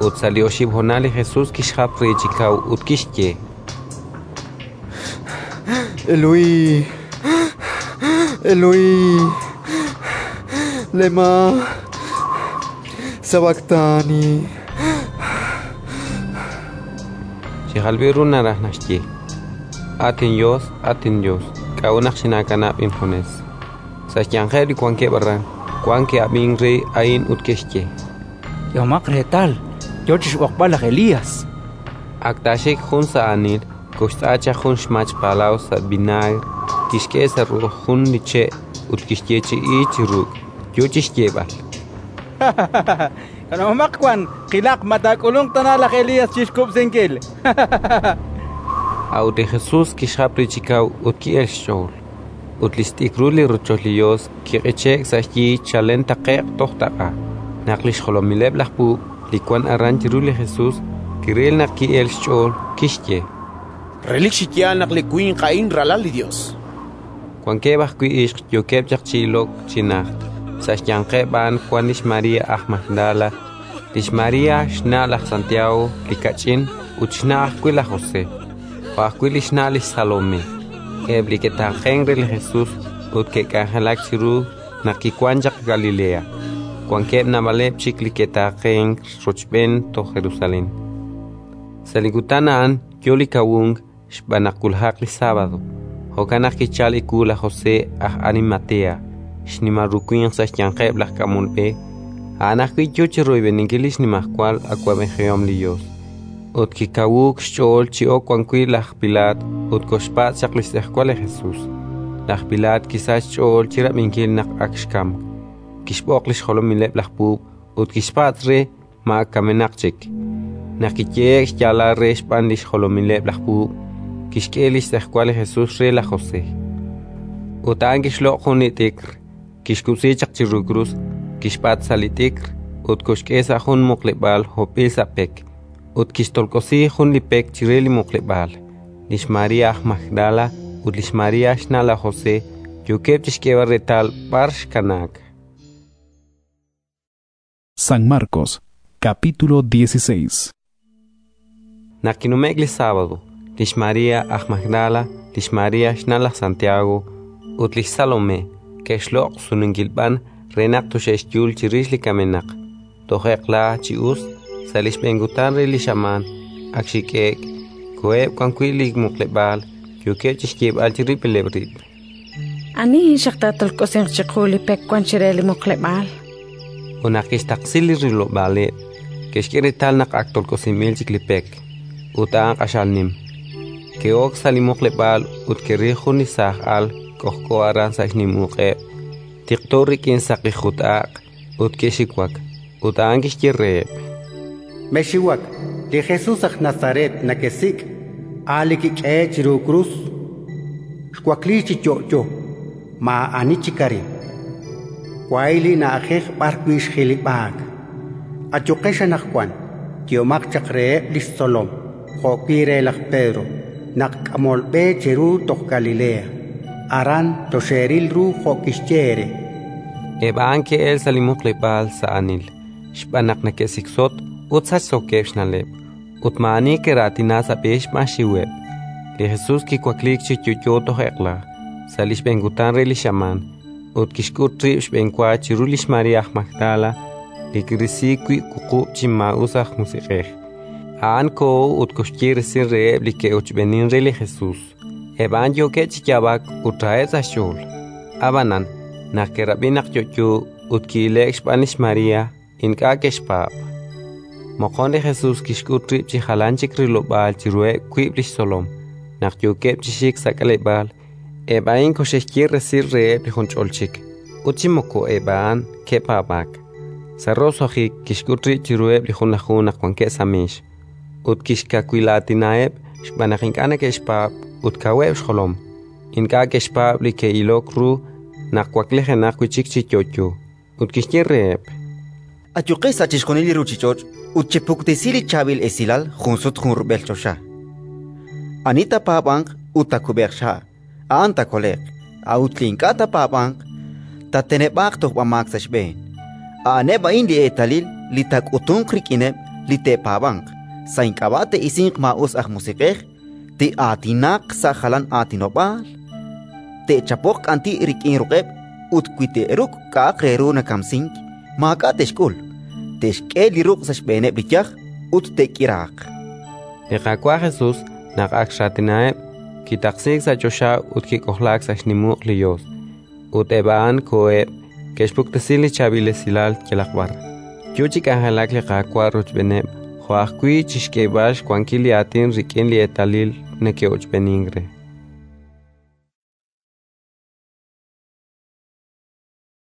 Ut sa' li oxib' honal li Jesus kixjap re chi kaw ut kixye: Eloí, Eloí, lema sabactani. Chi jalb'il ru naraj naxye: At inYos, at inYos, k'a'ut naq xinaakanab' injunes? Sa' xyanqeb' li wankeb' aran, wank ke'ab'ink re a'in ut ke'xye: K'ehomaq reetal, yo chi xb'oqb'al laj Elías. Ak taaxik jun sa' aanil, koxtz'a chaq jun xmach palaw sa' vinaagr, kixk'e sa' ru'uj jun li che' ut kixyeechi'i chi ruk', yo chi xyeeb'al: Kanab'omaq wan, qilaq ma taak'ulunq tana laj Elías chi xkub'sinkil. A'ut li Jesus kixjap re chi kaw ut ki'elk xch'ool. Ut li xt'ikrul li rochoch li Yos kiq'iche'k sa' xyi chalen taqe'q toj taq'a. Naq li xjolomileb' laj puub' li wank aran chiru li Jesus kiril naq ki'elk xch'ool, kixye: Relik chi yaal naq li winq a'in Ralal li Yos. Wankeb' ajwi' ixq yookeb' chaq chi ilok chi najt. Sa' xyanqeb' a'an wank lix María aj Magdala, lix María xna' laj Santiago li kach'in ut xna' ajwi' laj José, jo' ajwi' li xna' lix Salomé. Eb' li ke'taaqenk re li Jesus ut ke'k'anjelak chiru naq kiwank chaq Galilea. Wankeb' naab'aleb' chik li ke'taaqenk rochb'een toj Jerusalén. Sa' li kutan a'an yo li kawunk xb'aan naq wulajaq li sábado. Jo'kan naq kichalk ewu laj José aj Arimatea, xnimal ru winq sa' xyanqeb' laj k'amol b'e. A'an ajwi' yo chi royb'eninkil li xnimajwal awab'ejihom li Yos. Ut kikawuuk xch'ool chi ok wan wi' laj Pilaat ut koxpatz' chaq li xtz'ejwal li Jesus. Laj Pilaat kisachk xch'ool chi rab'inkil naq ak xkamk. Kixb'oq li xjolomileb' laj puub' ut kixpatz' re ma ak kamenaq chik. Naq kiyehe'k xyaalal re xb'aan li xjolomileb' laj puub', kixk'e li xtz'ejwal li Jesus re laj José. Ut a'an kixloq' jun li t'ikr, kixkub'si chaq chiru krus, kixb'at sa' li t'ikr ut koxk'e sa' jun muqleb'aal hopb'il sa' pek, ut kixtolk'osi jun li pek chire li muqleb'aal. Lix María aj Magdala ut lix María xna' laj José yookeb' chi xk'eeb'al reetal b'ar xkanaak. San Marcos, capítulo 16. Naq kinume'k li sábado, lix María aj Magdala, lix María xna' laj Santiago ut lix Salomé ke'xloq' sununkil b'an re naq toxe'xyul chirix li kamenaq. Toj eq'la chi us, sa' li xb'een kutan re li xamaan, ak xik'e'k, koheb' wan wi' li muqleb'aal, yookeb' chi xyeeb'al chirib'ileb' rib': Ani xaq taatolk'osinq chiqu li pek wank chire li muqleb'aal? Ut naq ke'xtaqsi li rilob'aaleb', ke'xk'e reetal naq ak tolk'osinb'il chik li pek, ut a'an q'axal nim. Ke'ok sa' li muqleb'aal ut ke'ril jun li saaj al k'ojk'o aran sa' xnim uq'eb', tiqto rik'in saqi jut-aq', ut ke'xiwak. Ut a'an kixye reheb': Mexxiwak, li Jesus aj Nazaret nekesik', a' li kik'ehe'k chiru krus. Xwakliik chi yo'yo, maa'ani chik arin. Wahi' li na'ajej b'arwi' xjilib'aak. Ayuqex anaqwan, yehomaq chaq reheb' li xtzolom jo'wi' re laj Pedro naq k'amol b'e cheru toj Galilea. Aran toxeeril ru jo' kixye eere. Eb' a'an ke'elk sa' li muqleb'aal sa' aanil, xb'aan naq neke'siksotk ut sachsookeb' xna'leb', ut maa'ani ke'raatina sa' b'e xb'aan xxiweb'. Li Jesus kiwakliik chi yo'yo toj eq'la, sa' li xb'een kutan re li xamaan, ut kixk'ut rib' xb'enwa chiru lix María aj Magdala, li kirisi wi' wuqub' chi maa'us aj musiq'ej. A'an koho ut koxye resil reheb' li ke'ochb'eenink re li Jesus. Eb' a'an yookeb' chi yaab'ak ut raheb' sa' xch'ool. Ab'anan, naq ke'rab'i naq yo'yo ut ki'ile'k xb'aan lix María, ink'a' ke'xpaab'. Moqon li Jesus kixk'ut rib' chi jalan chik rilob'aal chiruheb' wiib' li xtzolom, naq yookeb' chi xik sa' k'aleb'aal. Eb' a'in koxe'xye resil reheb' li junch'ol chik, ut chi moko eb' a'an ke'paab'aak. Sa' roso'jik kixk'ut rib' chiruheb' li Junlaju naq wankeb' sa' meex, ut kixkawilaatinaheb' xb'aan naq ink'a' neke'xpaab' ut kaweb' xjolom. Ink'a' ke'xpaab' li ke'ilok ru naq waklijenaq wi' chik chi yo'yo. Ut kixye reheb': Ayuqex sa' chixjunil li ruuchich'och' ut chepuktesi li Chaab'il Esilal junsut junrub'el choxa. Ani taapaab'anq ut taakub'eeq xha', a'an taakole'q; a'ut li ink'a' taapaab'anq, taateneb'aaq tojb'amaak sa' xb'een. A'aneb' a'in li eetalil li taak'utunq rik'ineb' li te'paab'anq: sa' ink'ab'a' te'isinq maa'us aj musiq'ej, te'aatinaq sa' jalan aatinob'aal, te'chapoq k'anti' rik'in ruq'eb' ut wi te'ruk' k'a'aq re ru nakamsink, maak'a' te'xk'ul; te'xk'e li ruq' sa' xb'eeneb' li yaj ut te'k'iraaq. Li Qaawa' Jesus, naq ak xraatinaheb', kitaqsiik sa' choxa ut kik'ojlaak sa' xnim uq' li Yos. Ut eb' a'an koheb', ke'xpuktesi li Chaab'il Esilal yalaq b'ar. Yo chi k'anjelak li Qaawa' rochb'eeneb' jo' ajwi' chi xk'eeb'al xwankil li Aatin rik'in li eetalil neke'ochb'eenink re.